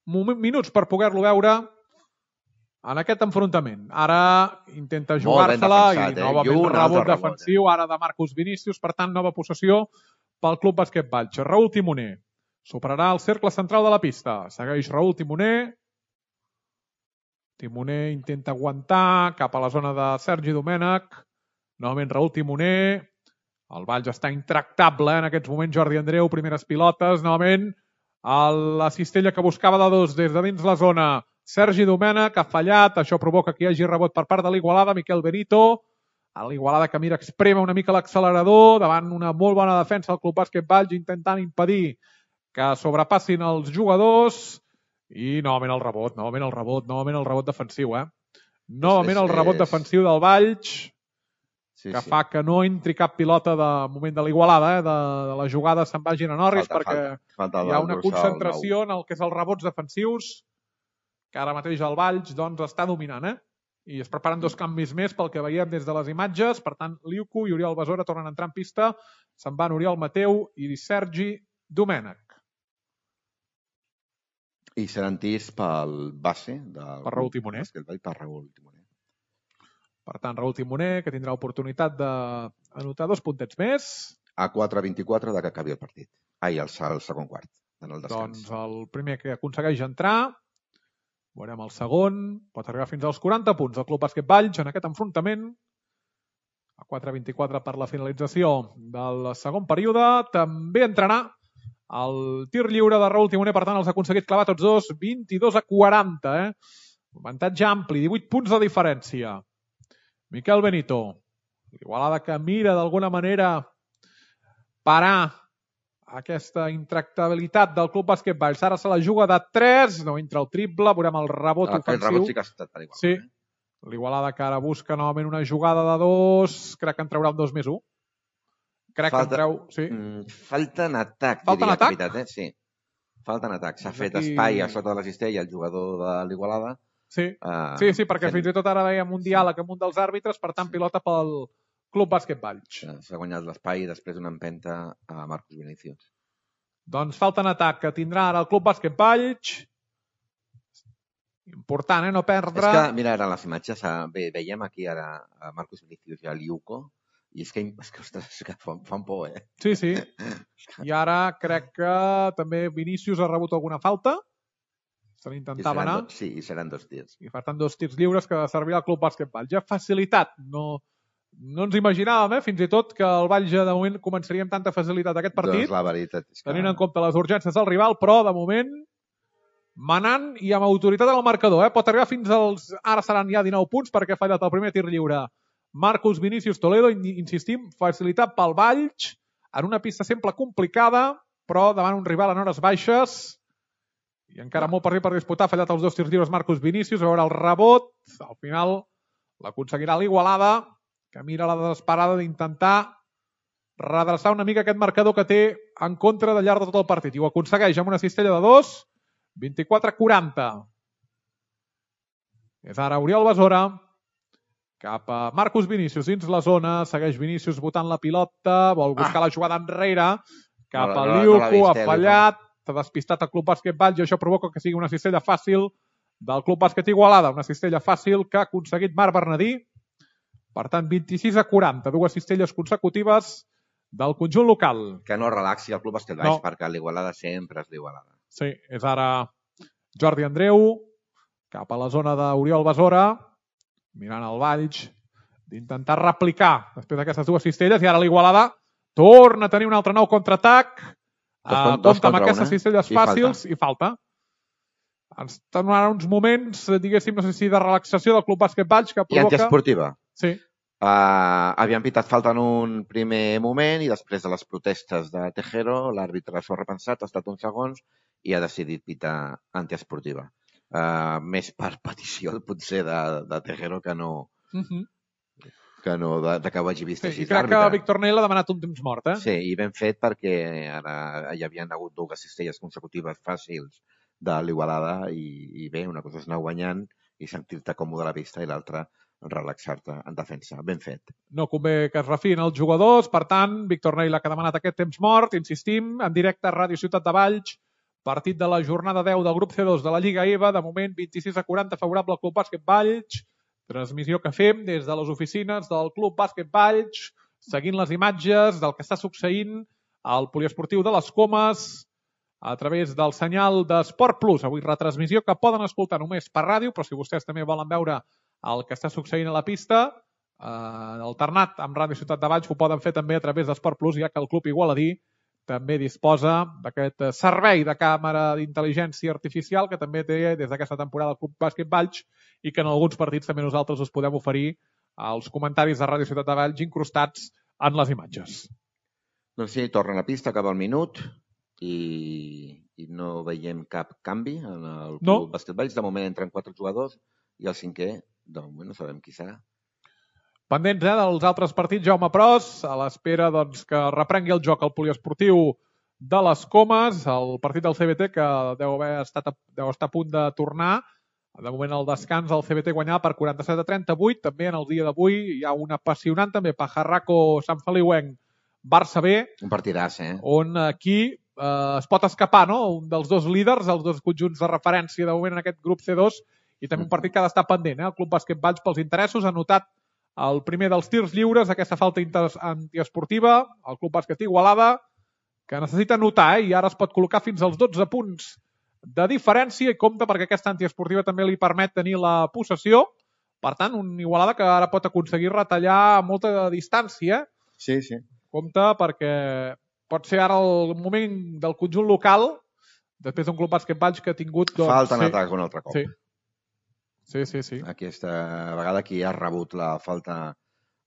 minuts per poder-lo veure en aquest enfrontament. Ara intenta jugar-se-la i eh? novament un rebot defensiu, ara de Marcus Vinícius, per tant, nova possessió pel Club Bàsquet Valls. Raül Timoner superarà el cercle central de la pista. Segueix Raül Timoner. Timoner intenta aguantar cap a la zona de Sergi Domènech. Novament Raül Timoner. El Valls està intractable en aquests moments. Jordi Andreu, primeres pilotes. Novament la cistella que buscava de dos des de dins la zona. Sergi Domènech ha fallat, això provoca que hi hagi rebot per part de l'Igualada, Miquel Benito, a l'Igualada que mira exprema una mica l'accelerador, davant una molt bona defensa del Club Bàsquet Valls, intentant impedir que sobrepassin els jugadors, i novament el rebot, novament el rebot, novament el rebot defensiu, eh? Novament el rebot defensiu del Valls, sí, que sí. fa que no entri cap pilota de moment de l'Igualada, eh? de, de la jugada se'n vagin a Norris, falta, perquè falta, falta hi ha una concentració en el que és els rebots defensius, que ara mateix el Valls doncs, està dominant, eh? I es preparen dos canvis més pel que veiem des de les imatges. Per tant, Liuco i Oriol Besora tornen a entrar en pista. Se'n van Oriol Mateu i Sergi Domènech. I seran tirs pel base del per Raül Timoner. Per Raül Timoner. Per tant, Raül Timoner, que tindrà oportunitat d'anotar dos puntets més. A quatre vint-i-quatre de que acabi el partit. Ai, el, el segon quart, en el descans. Doncs el primer que aconsegueix entrar... Veurem el segon, pot arribar fins als quaranta punts del Club Bàsquet Valls en aquest enfrontament. A quatre vint-i-quatre per la finalització del segon període. També entrarà el tir lliure de Raül Timoner, per tant els ha aconseguit clavar tots dos, vint-i-dos a quaranta. Eh? Avantatge ampli, divuit punts de diferència. Miquel Benito, l'Igualada que mira d'alguna manera parar aquesta intractabilitat del Club Bàsquet Valls. Ara se la juga de tres, no entra el triple, veurem el rebot Ah, ofensiu. El rebot sí que ha estat per igual. Sí, l'Igualada que ara busca novament una jugada de dos, crec que en traurà un dos més un. Crec Falta, que en treu... Sí. Mm, falta en atac, Falta en diria, atac? Capitat, eh? Sí. Falta en atac. S'ha Doncs fet aquí- espai a sota de la cistella el jugador de l'Igualada. Sí. Uh, sí, sí, perquè fent... fins i tot ara veiem un diàleg amb un dels àrbitres, per tant, Sí. pilota pel Club Bàsquet Valls. S'ha guanyat l'espai i després una empenta a Marcos Vinicius. Doncs falta en atac que tindrà ara el Club Bàsquet Valls. Important, eh? No perdre. És que, mira, ara les imatges, ve, veiem aquí ara a Marcos Vinicius i a Liuco, i és que, és que, ostres, és que fan, fan por, eh? Sí, sí. I ara crec que també Vinícius ha rebut alguna falta. Se l'intentava anar. Dos, sí, i seran dos tirs. I per tant, dos tirs lliures que servirà al Club Bàsquet Valls. Ja facilitat. No, no ens imaginàvem, eh, fins i tot, que el Valls ja de moment començaria amb tanta facilitat aquest partit. Doncs la veritat és que... Tenint en compte les urgències del rival, però de moment manant i amb autoritat en el marcador. Eh? Pot arribar fins als... Ara seran ja dinou punts perquè ha fallat el primer tir lliure. Marcus Vinicius Toledo, insistim, facilitat pel Valls en una pista sempre complicada, però davant un rival en hores baixes i encara molt partit per disputar. Ha fallat els dos tirs lliures Marcus Vinicius. A veure el rebot. Al final l'aconseguirà l'Igualada, que mira la desesperada d'intentar redreçar una mica aquest marcador que té en contra de llarg de tot el partit. I ho aconsegueix amb una cistella de dos, vint-i-quatre a quaranta. És ara Oriol Besora, cap a Marcus Vinicius dins la zona, segueix Vinicius botant la pilota, vol buscar ah. la jugada enrere, cap no, a no, Liuco, no ha fallat, s'ha despistat el Club Bàsquet Valls i això provoca que sigui una cistella fàcil del Club Bàsquet Igualada, una cistella fàcil que ha aconseguit Marc Bernadí. Per tant, vint-i-sis a quaranta, dues cistelles consecutives del conjunt local. Que no relaxi el Club Bàsquet Valls, no. perquè l'Igualada sempre és l'Igualada. Sí, és ara Jordi Andreu, cap a la zona d'Oriol Besora, mirant el Valls, d'intentar replicar després d'aquestes dues cistelles, i ara l'Igualada torna a tenir un altre nou contraatac, uh, compta amb aquestes cistelles fàcils i falta. Ens tornaran uns moments, diguéssim, no sé si de relaxació del Club Bàsquet Valls que provoca... I antiesportiva. Sí. Uh, havien pitat falta en un primer moment i després de les protestes de Tejero, l'àrbitre s'ho ha repensat, ha estat uns segons i ha decidit pitar antiesportiva. Uh, més per petició, potser, de, de Tejero que no... Uh -huh. que no, de, de que ho hagi vist sí, així. I crec que Víctor Nell ha demanat un temps mort, eh? Sí, i ben fet perquè ara hi havien hagut dues cistelles consecutives fàcils de l'Igualada i, i bé, una cosa és anar guanyant i sentir-te còmode a la pista i l'altra relaxar-te en defensa. Ben fet. No convé que es refin els jugadors, per tant, Víctor Nell ha demanat aquest temps mort, insistim, en directe a Ràdio Ciutat de Valls, partit de la jornada deu del grup C dos de la Lliga E V A, de moment vint-i-sis a quaranta favorable al Club Bàsquet Valls, transmissió que fem des de les oficines del Club Bàsquet Valls, seguint les imatges del que està succeint al poliesportiu de les Comes a través del senyal d'Esport Plus. Avui retransmissió que poden escoltar només per ràdio, però si vostès també volen veure el que està succeint a la pista, eh, alternat amb Ràdio Ciutat de Valls, ho poden fer també a través d'Esport Plus, ja que el Club Igualadí també disposa d'aquest servei de càmera d'intel·ligència artificial que també té des d'aquesta temporada el Club Bàsquet Valls i que en alguns partits també nosaltres us podem oferir als comentaris de Ràdio Ciutat de Valls incrustats en les imatges. Doncs sí, torna a la pista, acaba el minut i, i no veiem cap canvi en el Club no. Bàsquet Valls. De moment entren quatre jugadors i el cinquè, de moment no sabem qui serà. Pendents eh, dels altres partits, Jaume Pros, a l'espera doncs, que reprengui el joc el poliesportiu de les Comes, el partit del C B T que deu, haver estat a, deu estar a punt de tornar. De moment el descans el C B T guanyava per quaranta-set a trenta-vuit. També en el dia d'avui hi ha un apassionant també Pajarraco Sant Feliuenc Barça B. Un partidàs, eh? On aquí eh, es pot escapar, no? Un dels dos líders, els dos conjunts de referència de moment en aquest grup C dos i també un partit que ha d'estar pendent. Eh? El Club Bàsquet Valls pels interessos ha notat el primer dels tirs lliures, aquesta falta antiesportiva, el Club Bàsquet Igualada, que necessita notar, eh? I ara es pot col·locar fins als dotze punts de diferència i compta perquè aquesta antiesportiva també li permet tenir la possessió. Per tant, un Igualada que ara pot aconseguir retallar molta distància. Sí, sí. Compte perquè pot ser ara el moment del conjunt local, després d'un Club Bàsquet Valls que ha tingut... Doncs, falta en sí, atac un altre cop. Sí. Sí, sí, sí. Aquesta vegada qui ha rebut la falta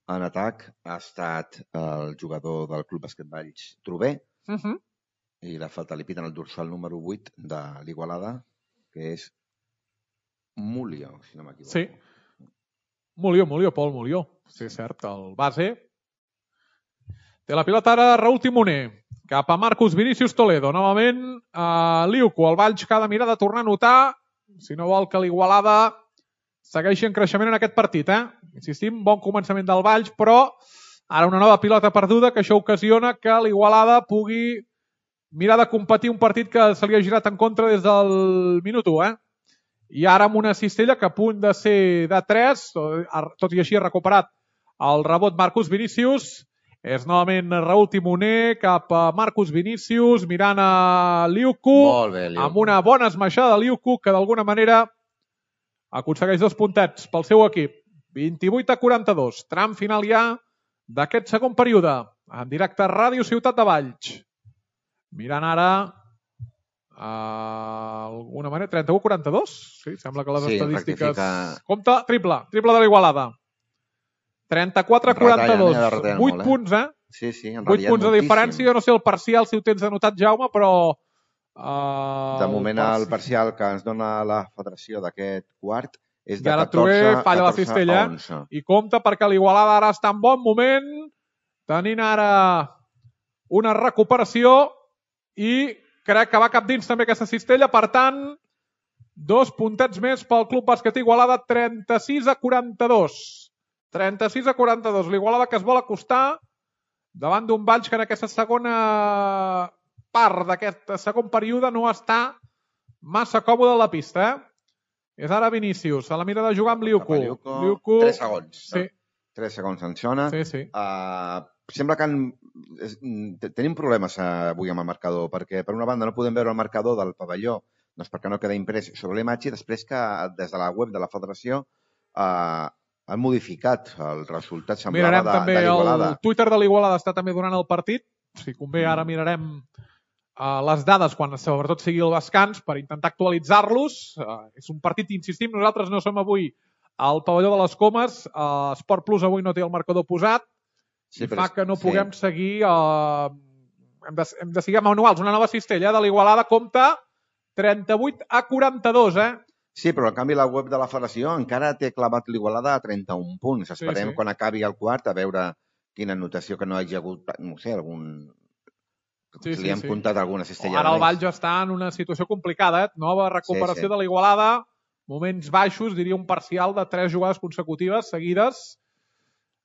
en atac ha estat el jugador del Club Bàsquet Valls, Trubé, uh -huh. I la falta li piten el dorsal número vuit de l'Igualada, que és Mulio, si no m'equivoco. Sí. Mulio, Mulio, Pol Mulio. Sí, cert, el base. Té la pilota ara Raúl Timoner. Cap a Marcus Vinícius Toledo. Novament a Liuco. El Valls que ha de mirar de tornar a notar, si no vol que l'Igualada segueixi en creixement en aquest partit. Eh? Insistim, bon començament del Valls, però ara una nova pilota perduda que això ocasiona que l'Igualada pugui mirar de competir un partit que se li ha girat en contra des del minut u. Eh? I ara amb una cistella que a punt de ser de tres, tot i així ha recuperat el rebot Marcus Vinícius. És novament Raúl Timoner cap a Marcus Vinícius, mirant a Liuco. Molt bé, Liuco. Amb una bona esmaixada de Liuco, que d'alguna manera aconsegueix dos puntets pel seu equip. vint-i-vuit a quaranta-dos. Tram final ja d'aquest segon període. En directe a Ràdio Ciutat de Valls. Mirant ara Uh, alguna manera, trenta-u a quaranta-dos. Sí, sembla que les sí, estadístiques... rectifica... Compte, triple, triple de l'Igualada. trenta-quatre a quaranta-dos. Retallen, eh? vuit molt, eh? punts, eh? Sí, sí, en vuit punts de moltíssim. diferència. Jo no sé el parcial, si ho tens anotat, Jaume, però... Uh, de moment el, el parcial que ens dona la federació d'aquest quart és de catorze, catorze, falla catorze la cistella, a onze. I compte perquè l'Igualada ara està en bon moment, tenint ara una recuperació i crec que va cap dins també aquesta cistella. Per tant, dos puntets més pel Club Bàsquet Igualada, trenta-sis a quaranta-dos. trenta-sis a quaranta-dos. L'Igualada que es vol acostar davant d'un Valls que en aquesta segona part d'aquest segon període no està massa còmode a la pista. Eh? És ara Vinícius. A la mira de jugar amb Liuco. Liuco, Liuco... tres segons. Sí. tres segons en zona. Sí, sí. Uh, sembla que en, és, tenim problemes avui amb el marcador, perquè per una banda no podem veure el marcador del pavelló, doncs perquè no queda imprès sobre l'imatge, i després que des de la web de la federació uh, han modificat el resultat, semblava, mirarem de, també de l'Igualada. El Twitter de l'Igualada està també donant el partit. Si convé, ara mirarem uh, les dades quan sobretot sigui el descans per intentar actualitzar-los. Uh, és un partit, insistim, nosaltres no som avui al pavelló de les Comes. Uh, Esport Plus avui no té el marcador posat. Sí, i fa que no puguem sí. seguir... Uh, hem, de, hem de seguir manuals. Una nova cistella de l'Igualada compta trenta-vuit a quaranta-dos, eh? Sí, però en canvi la web de la federació encara té clavat l'Igualada a trenta-un punts. Esperem sí, sí. quan acabi el quart a veure quina anotació, que no hagi hagut, no sé, algun... Sí, sí, li hem sí. comptat alguna cistella. Ara el Valls està en una situació complicada, eh? Nova recuperació sí, sí. de l'Igualada, moments baixos, diria un parcial de tres jugades consecutives seguides,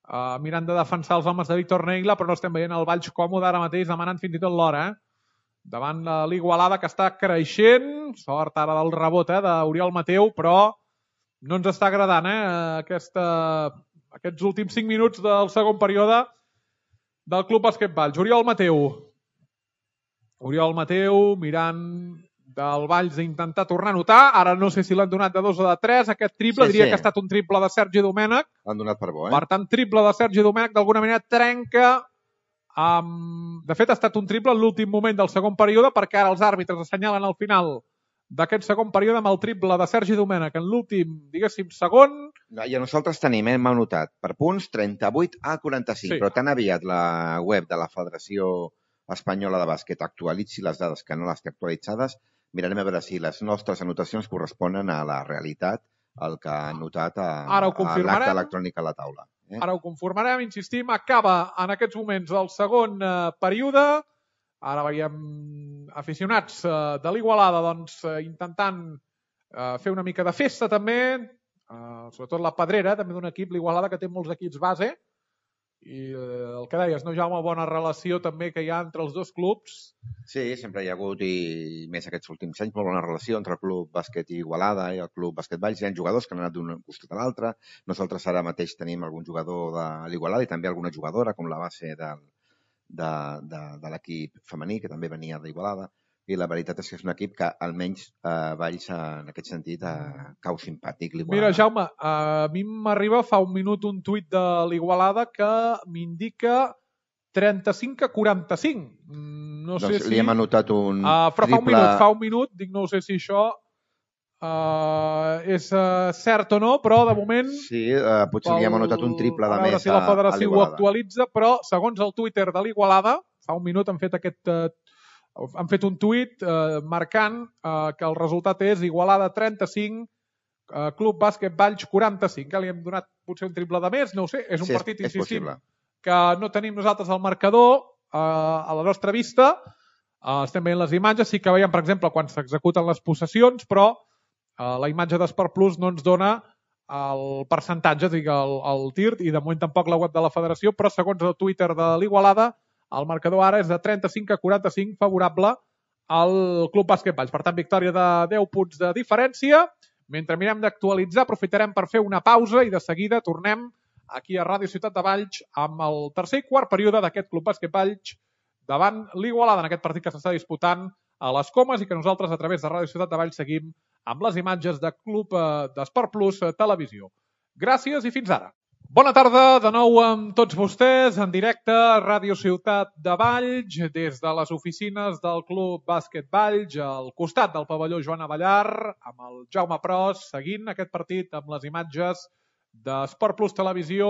uh, mirant de defensar els homes de Víctor Neila, però no estem veient el Valls còmode ara mateix, demanant fins i tot l'hora, eh? Davant de l'Igualada, que està creixent, sort ara del rebot eh, d'Oriol Mateu, però no ens està agradant eh, aquesta, aquests últims cinc minuts del segon període del Club Bàsquet Valls. Oriol Mateu. Oriol Mateu mirant del Valls d'intentar tornar a notar. Ara no sé si l'han donat de dos o de tres. Aquest triple, sí, diria sí. que ha estat un triple de Sergi Domènech. L'han donat per bo, eh? Per tant, triple de Sergi Domènech d'alguna manera trenca. Um, de fet, ha estat un triple en l'últim moment del segon període, perquè ara els àrbitres assenyalen al final d'aquest segon període amb el triple de Sergi Domènech en l'últim, diguéssim, segon. I a nosaltres tenim, hem anotat per punts trenta-vuit a quaranta-cinc, sí. però tan aviat la web de la Federació Espanyola de Bàsquet actualitzi les dades que no les té actualitzades, mirarem a veure si les nostres anotacions corresponen a la realitat, el que ha notat a, a l'acte electrònic a la taula. Eh? Ara ho conformarem, insistim, acaba en aquests moments el segon eh, període. Ara veiem aficionats eh, de l'Igualada doncs, eh, intentant eh, fer una mica de festa també, eh, sobretot la Pedrera, també d'un equip, l'Igualada, que té molts equips base, i eh, el que deies, no, Jaume, bona relació també que hi ha entre els dos clubs. Sí, sempre hi ha hagut, i més aquests últims anys, molt bona relació entre el Club Bàsquet Igualada i el Club Bàsquet Valls. Hi ha jugadors que han anat d'un costat a l'altre. Nosaltres ara mateix tenim algun jugador de l'Igualada i també alguna jugadora, com la base de, de, de, de l'equip femení, que també venia d'Igualada. I la veritat és que és un equip que almenys eh, Valls en aquest sentit eh, cau simpàtic. Mira, Jaume, a mi m'arriba fa un minut un tuit de l'Igualada que m'indica trenta-cinc a quaranta-cinc. No sé doncs si... li hem anotat un uh, però triple... fa un minut, fa un minut, dic, no sé si això uh, és uh, cert o no, però de moment... Sí, uh, potser pel... li hem anotat un triple de més a, a l'Igualada. A veure si la federació ho actualitza, però segons el Twitter de l'Igualada, fa un minut han fet aquest... Uh, han fet un tuit eh, marcant eh, que el resultat és Igualada trenta-cinc, eh, Club Bàsquet Valls quaranta-cinc, que li hem donat potser un triple de més, no ho sé, és un sí, partit, és, és insistim, possible. que no tenim nosaltres el marcador eh, a la nostra vista, eh, estem veient les imatges, sí que veiem, per exemple, quan s'executen les possessions, però eh, la imatge d'Esport Plus no ens dona el percentatge, dic, el, el tir, i de moment tampoc la web de la federació, però segons el Twitter de l'Igualada, el marcador ara és de trenta-cinc a quaranta-cinc favorable al Club Bàsquet Valls. Per tant, victòria de deu punts de diferència. Mentre mirem d'actualitzar, aprofitarem per fer una pausa i de seguida tornem aquí a Ràdio Ciutat de Valls amb el tercer i quart període d'aquest Club Bàsquet Valls davant l'Igualada, en aquest partit que s'està disputant a les Comes i que nosaltres a través de Ràdio Ciutat de Valls seguim amb les imatges de Club d'Esport Plus Televisió. Gràcies i fins ara. Bona tarda, de nou amb tots vostès, en directe a Ràdio Ciutat de Valls, des de les oficines del Club Bàsquet Valls, al costat del pavelló Joan Avellar, amb el Jaume Pros, seguint aquest partit amb les imatges d'Esport Plus Televisió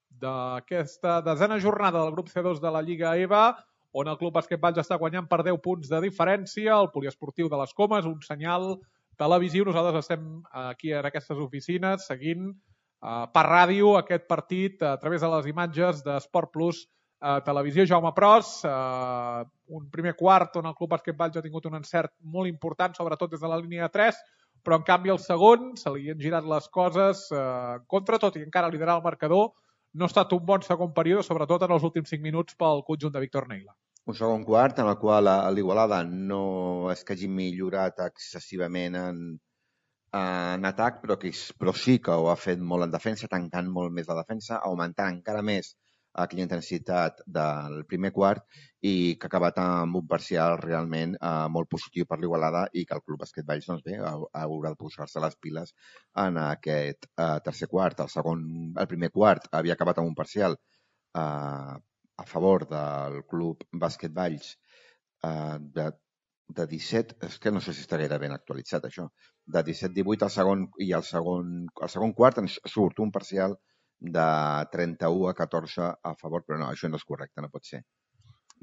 d'aquesta desena jornada del grup C dos de la Lliga E V A, on el Club Bàsquet Valls està guanyant per deu punts de diferència, el poliesportiu de les Comes, un senyal televisiu. Nosaltres estem aquí en aquestes oficines seguint Uh, per ràdio aquest partit a través de les imatges d'Esport Plus uh, Televisió. Jaume Pros, uh, un primer quart on el Club Bàsquet Valls ha tingut un encert molt important, sobretot des de la línia de tres, però en canvi el segon se li han girat les coses uh, contra tot i encara liderar el marcador. No ha estat un bon segon període, sobretot en els últims cinc minuts pel conjunt de Víctor Neila. Un segon quart en el qual l'Igualada no és que hagi millorat excessivament en en atac, però, que, però sí que ho ha fet molt en defensa, tancant molt més la defensa, augmentant encara més aquella intensitat del primer quart i que ha acabat amb un parcial realment eh, molt positiu per l'Igualada i que el Club Bàsquet Valls doncs bé, haurà de posar-se les piles en aquest eh, tercer quart. El, segon, el primer quart havia acabat amb un parcial eh, a favor del Club Bàsquet Valls eh, de de disset, és que no sé si està gaire ben actualitzat això, de disset divuit al segon i al segon, al segon quart ens surt un parcial de trenta-u a catorze a favor, però no, això no és correcte, no pot ser.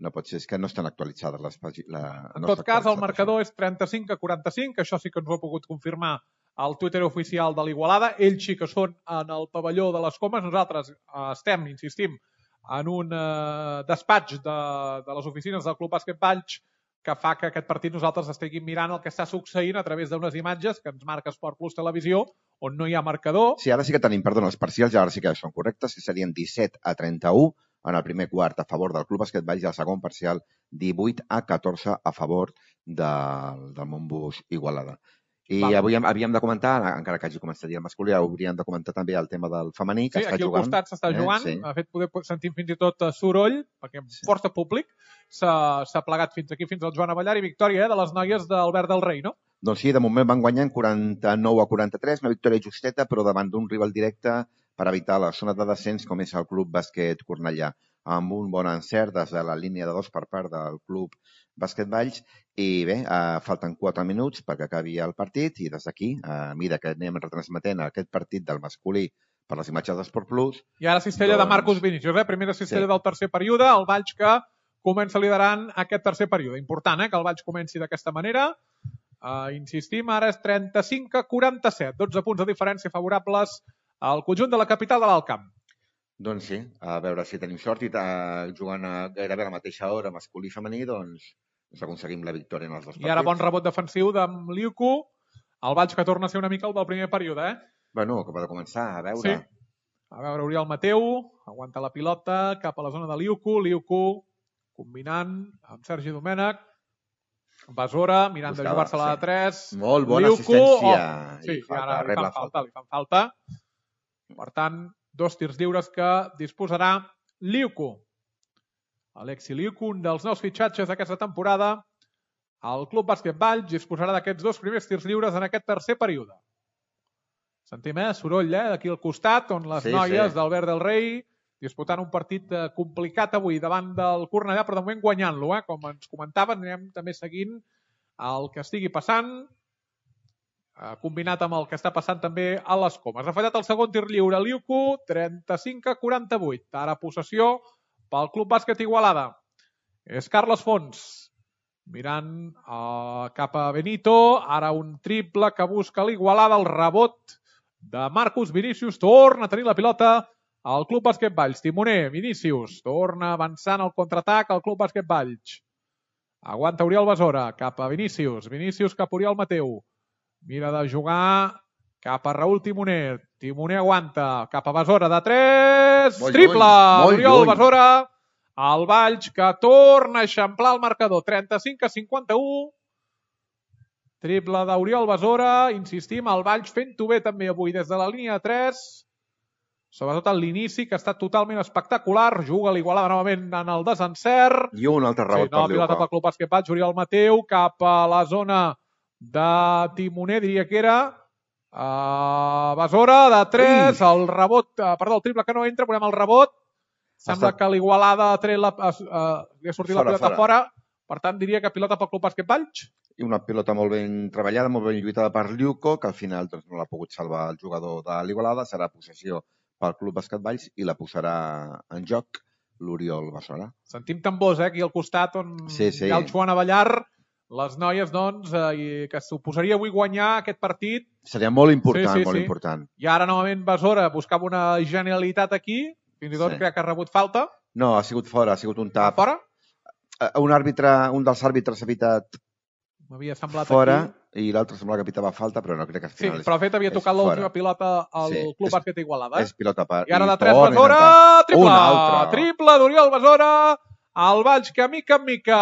No pot ser, és que no estan actualitzades les pàgines. En tot cas, el marcador és trenta-cinc a quaranta-cinc, això sí que ens ho ha pogut confirmar al Twitter oficial de l'Igualada. Ells sí que són en el pavelló de les Comes, nosaltres estem, insistim, en un eh, despatx de, de les oficines del Club Bàsquet Valls que fa que aquest partit nosaltres estiguem mirant el que està succeint a través d'unes imatges que ens marca Esport Plus Televisió, on no hi ha marcador. Sí, ara sí que tenim, perdona, els parcials ara sí que són correctes, que serien disset a trenta-u en el primer quart a favor del Club Bàsquet Valls i el segon parcial divuit a catorze a favor del, del Montbus Igualada. I Val. avui havíem de comentar, encara que hagi començat el masculí, hauríem de comentar també el tema del femení, que sí, està jugant. Sí, aquí al costat s'està eh? jugant, sí. De fet poder sentir fins i tot soroll, perquè sí. Força públic s'ha plegat fins aquí, fins al Joan Avellar, i victòria eh, de les noies d'Albert del Rei, no? Doncs sí, de moment van guanyant quaranta-nou a quaranta-tres, una victòria justeta, però davant d'un rival directe per evitar la zona de descens, com és el Club Bàsquet Cornellà, amb un bon encert des de la línia de dos per part del Club Bàsquet Valls. I bé, eh, falten quatre minuts perquè acabi el partit i des d'aquí, a eh, mesura que anem retransmetent aquest partit del masculí per les imatges d'Esport Plus... I ara cistella doncs... de Marcos Vinícius, eh? Primera cistella sí. del tercer període, el Valls que comença liderant aquest tercer període. Important, eh? Que el Valls comenci d'aquesta manera. Uh, insistim, ara és trenta-cinc a quaranta-set, dotze punts de diferència favorables al conjunt de la capital de l'Alt Camp. Doncs sí, a veure si tenim sort i uh, jugant a gairebé a la mateixa hora masculí i femení, doncs aconseguim la victòria en els dos partits. I ara bon rebot defensiu d'en Liuku, el Valls que torna a ser una mica el del primer període, eh? Bueno, que pot començar, a veure. Sí. A veure, Oriol Mateu, aguanta la pilota cap a la zona de Liuku, Liuku combinant amb Sergi Domènech, Besora, mirant Buscava, de jugar-se-la sí. de tres. Molt bona Liuku, assistència. Oh, sí, i ara li fan falta, li fan falta. Per tant, dos tirs lliures que disposarà Liuku. Alexi Liuku, un dels nous fitxatges d'aquesta temporada. El Club Bàsquet Valls disposarà d'aquests dos primers tirs lliures en aquest tercer període. Sentim, eh? Soroll, eh? D'aquí al costat, on les sí, noies sí. d'Albert del Rei disputant un partit complicat avui davant del Cornellà, però de moment guanyant-lo, eh? Com ens comentaven, anem també seguint el que estigui passant, eh, combinat amb el que està passant també a les Comes. Ha fallat el segon tir lliure Liuku, trenta-cinc a quaranta-vuit. Ara possessió pel Club Bàsquet Igualada. És Carles Fons. mirant uh, cap a Benito, ara un triple que busca l'Igualada, el rebot de Marcus Vinícius, torna a tenir la pilota al Club Bàsquet Valls. Timoner, Vinícius, torna avançant al contraatac al Club Bàsquet Valls. Aguanta Oriol Besora, cap a Vinícius, Vinícius cap a Oriol Mateu. Mira de jugar cap a Raül Timoner. Timoner aguanta cap a Besora de tres. Molt triple lluny, d'Oriol lluny. Besora. El Valls que torna a eixamplar el marcador. trenta-cinc a cinquanta-u. Triple d'Oriol Besora. Insistim, el Valls fent-ho bé també avui des de la línia de tres. Sobretot en l'inici, que ha estat totalment espectacular. Juga l'Igualada novament en el desencert. I un altre rebot sí, no, per pilota pel Club Bàsquet Valls. Oriol Mateu cap a la zona de Timoner, diria que era. Uh, Besora de tres. Ui. El rebot, uh, perdó, el triple que no entra. Veurem el rebot. Sembla estat... que l'Igualada ha tret la, uh, li ha sortit fora, la pilota fora. fora. Per tant, diria que pilota pel Club Bàsquet Valls. I una pilota molt ben treballada, molt ben lluitada per Lluco, que al final doncs, no l'ha pogut salvar el jugador de l'Igualada. Serà possessió pel Club Bàsquet Valls i la posarà en joc l'Oriol Besora. Sentim tambors, eh, aquí al costat on sí, sí. hi ha el Joan Avellar. Les noies, doncs, eh, que suposaria avui guanyar aquest partit. Seria molt important, sí, sí, molt sí. important. I ara, novament, Besora buscava una genialitat aquí. Fins i tot sí. crec que ha rebut falta. No, ha sigut fora, ha sigut un tap. Fora? Un àrbitre, un dels àrbitres ha pitat m'havia semblat fora aquí. I l'altre sembla que pitava falta, però no crec que al final sí, però fet havia tocat l'última pilota al sí, Club és, Bàsquet Igualada. Eh? És pilota per... I ara de tres Besora, triple! Triple d'Oriol Besora, el Valls que mica en mica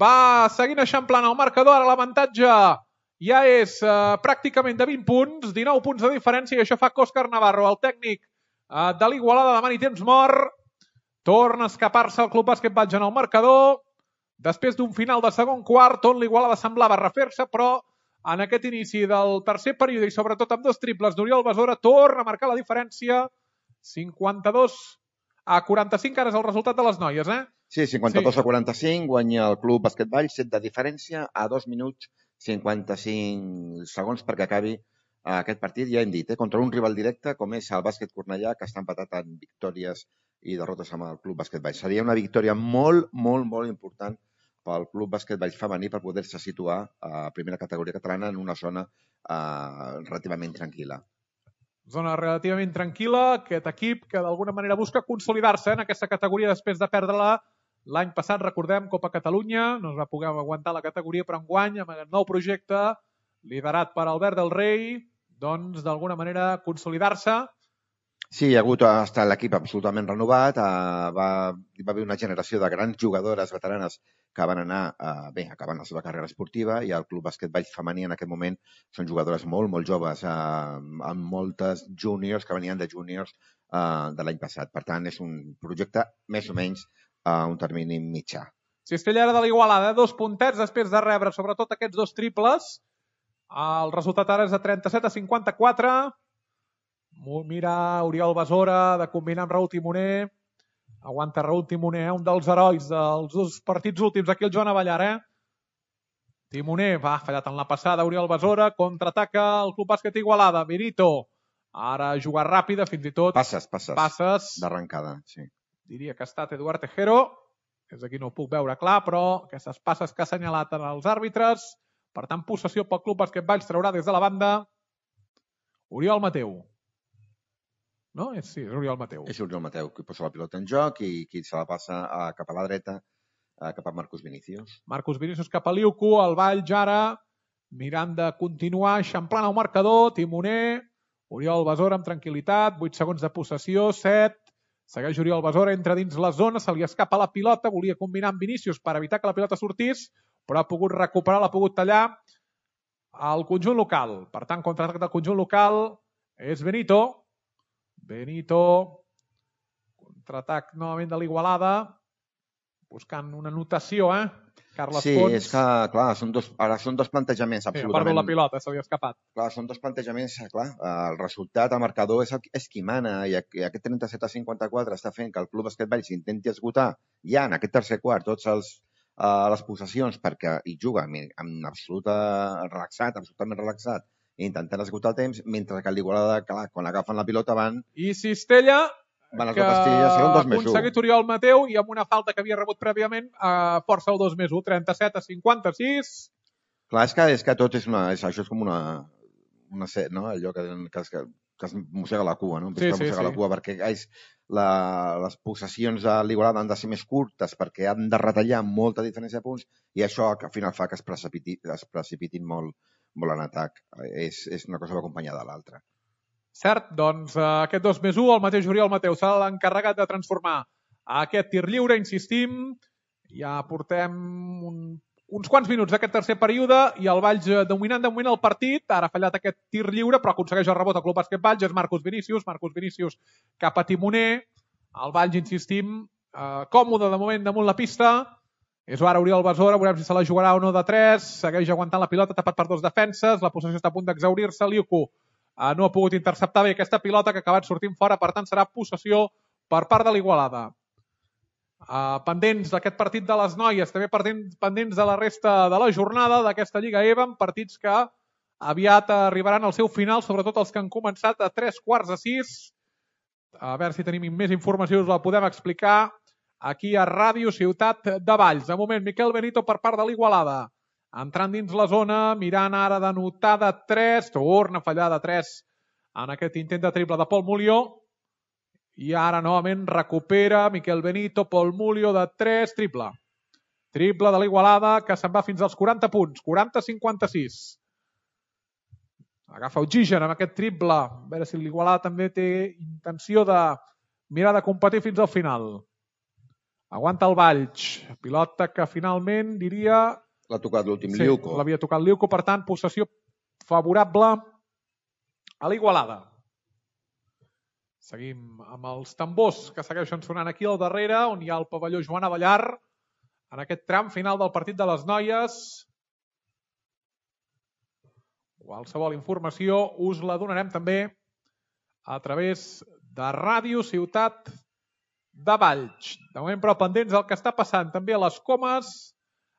va seguint eixamplant el marcador, ara l'avantatge ja és eh, pràcticament de vint punts, dinou punts de diferència, i això fa que Òscar Navarro, el tècnic eh, de l'Igualada, demani temps mort, torna a escapar-se el Club Bàsquet Valls en el marcador, després d'un final de segon quart on l'Igualada semblava refer-se, però en aquest inici del tercer període i sobretot amb dos triples d'Oriol Besora torna a marcar la diferència. cinquanta-dos a quaranta-cinc, ara és el resultat de les noies, eh? Sí, cinquanta-dos sí. a quaranta-cinc, guanya el Club Bàsquet Valls, set de diferència a dos minuts cinquanta-cinc segons perquè acabi aquest partit. Ja hem dit, eh? Contra un rival directe com és el Bàsquet Cornellà, que està empatat en victòries i derrotes amb el Club Bàsquet Valls. Seria una victòria molt, molt, molt important pel Club Bàsquet Valls femení per poder-se situar a primera categoria catalana en una zona eh, relativament tranquil·la. Zona relativament tranquil·la, aquest equip que d'alguna manera busca consolidar-se en aquesta categoria després de perdre-la l'any passat, recordem, Copa Catalunya, no es va poder aguantar la categoria, però enguany, amb el nou projecte, liderat per Albert del Rei, doncs d'alguna manera consolidar-se. Sí, hi ha hagut ha estat l'equip absolutament renovat, eh, va, va haver una generació de grans jugadores veteranes que van anar eh, bé, acabant la seva carrera esportiva, i el Club Bàsquet Valls femení en aquest moment són jugadores molt, molt joves, eh, amb moltes júniors que venien de júniors eh, de l'any passat. Per tant, és un projecte més o menys a un termini mitjà. Cistella ara de l'Igualada, eh? dos puntets després de rebre sobretot aquests dos triples. El resultat ara és de trenta-set a cinquanta-quatre. Mira Oriol Besora de combinar amb Raül Timoner. Aguanta Raül Timoner, un dels herois dels dos partits últims. Aquí el Joan Avellar, eh? Timoner va fallat en la passada. Oriol Besora contraataca el Club Bàsquet Igualada. Benito, ara jugar ràpida, fins i tot. Passes, passes. Passes. D'arrencada, sí. Diria que ha estat Eduard Tejero. Des d'aquí no ho puc veure clar, però aquestes passes que ha assenyalat en els àrbitres. Per tant, possessió pel Club Bàsquet Valls, traurà des de la banda Oriol Mateu. No? És, sí, és Oriol Mateu. És Oriol Mateu, qui posa la pilota en joc i qui se la passa a, cap a la dreta, a, cap a Marcus Vinícius. Marcus Vinícius cap a Liuco, el Valls ara mirant de continuar, eixamplant el marcador, Timoner, Oriol Besora amb tranquil·litat, vuit segons de possessió, set, segueix Oriol Besora, entra dins la zona, se li escapa la pilota, volia combinar amb Vinícius per evitar que la pilota sortís, però ha pogut recuperar, l'ha pogut tallar al conjunt local. Per tant, contraatac del conjunt local és Benito. Benito, contraatac novament de l'Igualada, buscant una anotació, eh? Carles sí, Pons. Sí, és que, clar, són dos, ara són dos plantejaments absolutament... Sí, ha perdut la pilota, se li ha escapat. Clar, són dos plantejaments, clar, el resultat, el marcador és, el, és qui mana, i aquest trenta-set a cinquanta-quatre està fent que el Club Bàsquet Valls intenti esgotar ja en aquest tercer quart tots els, uh, les possessions perquè hi juga amb, amb absoluta relaxat, absolutament relaxat, intentant esgotar el temps, mentre que l'Igualada, clar, quan agafen la pilota van... I Cistella, Van que ha aconseguit Oriol Mateu i amb una falta que havia rebut prèviament a força el dos més u, trenta-set a cinquanta-sis. Clar, és que, és que tot és una... És, això és com una... una no? Allò que, que, que, que es mossega la cua, no? Sí, sí, sí, sí. La cua perquè és, la, les possessions de l'Igualada han de ser més curtes perquè han de retallar molta diferència de punts i això al final fa que es precipitin, es precipitin molt, molt en atac. És, és una cosa que va acompanyada de l'altra. Cert, doncs aquest dos més u, el mateix Oriol Mateu serà l'encarregat de transformar aquest tir lliure, insistim. Ja portem un, uns quants minuts d'aquest tercer període i el Valls dominant de moment el partit. Ara ha fallat aquest tir lliure, però aconsegueix el rebot al Club Bàsquet Valls. És Marcus Vinícius, Marcus Vinícius cap a Timoner. El Valls, insistim, eh, còmode de moment damunt la pista. És ara Oriol Besora, veurem si se la jugarà o no de tres. Segueix aguantant la pilota, tapat per dos defenses. La possessió està a punt d'exaurir-se. Liuco Uh, no ha pogut interceptar bé aquesta pilota que ha acabat sortint fora, per tant serà possessió per part de l'Igualada. Uh, pendents d'aquest partit de les noies, també pendents de la resta de la jornada d'aquesta Lliga E V A, amb partits que aviat arribaran al seu final, sobretot els que han començat a tres quarts de sis. A veure si tenim més informació, us la podem explicar aquí a Ràdio Ciutat de Valls. De moment, Miquel Benito per part de l'Igualada. Entrant dins la zona, mirant ara d'anotar de tres, torna a fallar de tres en aquest intent de triple de Pol Mulió. I ara novament recupera Miquel Benito, Pol Mulió de tres, triple. Triple de l'Igualada que se'n va fins als quaranta punts, quaranta a cinquanta-sis. Agafa oxigen amb aquest triple. A veure si l'Igualada també té intenció de mirar de competir fins al final. Aguanta el Valls. Pilota que finalment diria... L'ha tocat l'últim sí, Liuco. L'havia tocat Liuco, per tant, possessió favorable a l'Igualada. Seguim amb els tambors que segueixen sonant aquí al darrere, on hi ha el pavelló Joan Avellar, en aquest tram final del partit de les noies. Qualsevol informació us la donarem també a través de Ràdio Ciutat de Valls. De moment, però, pendents del que està passant també a les Comes.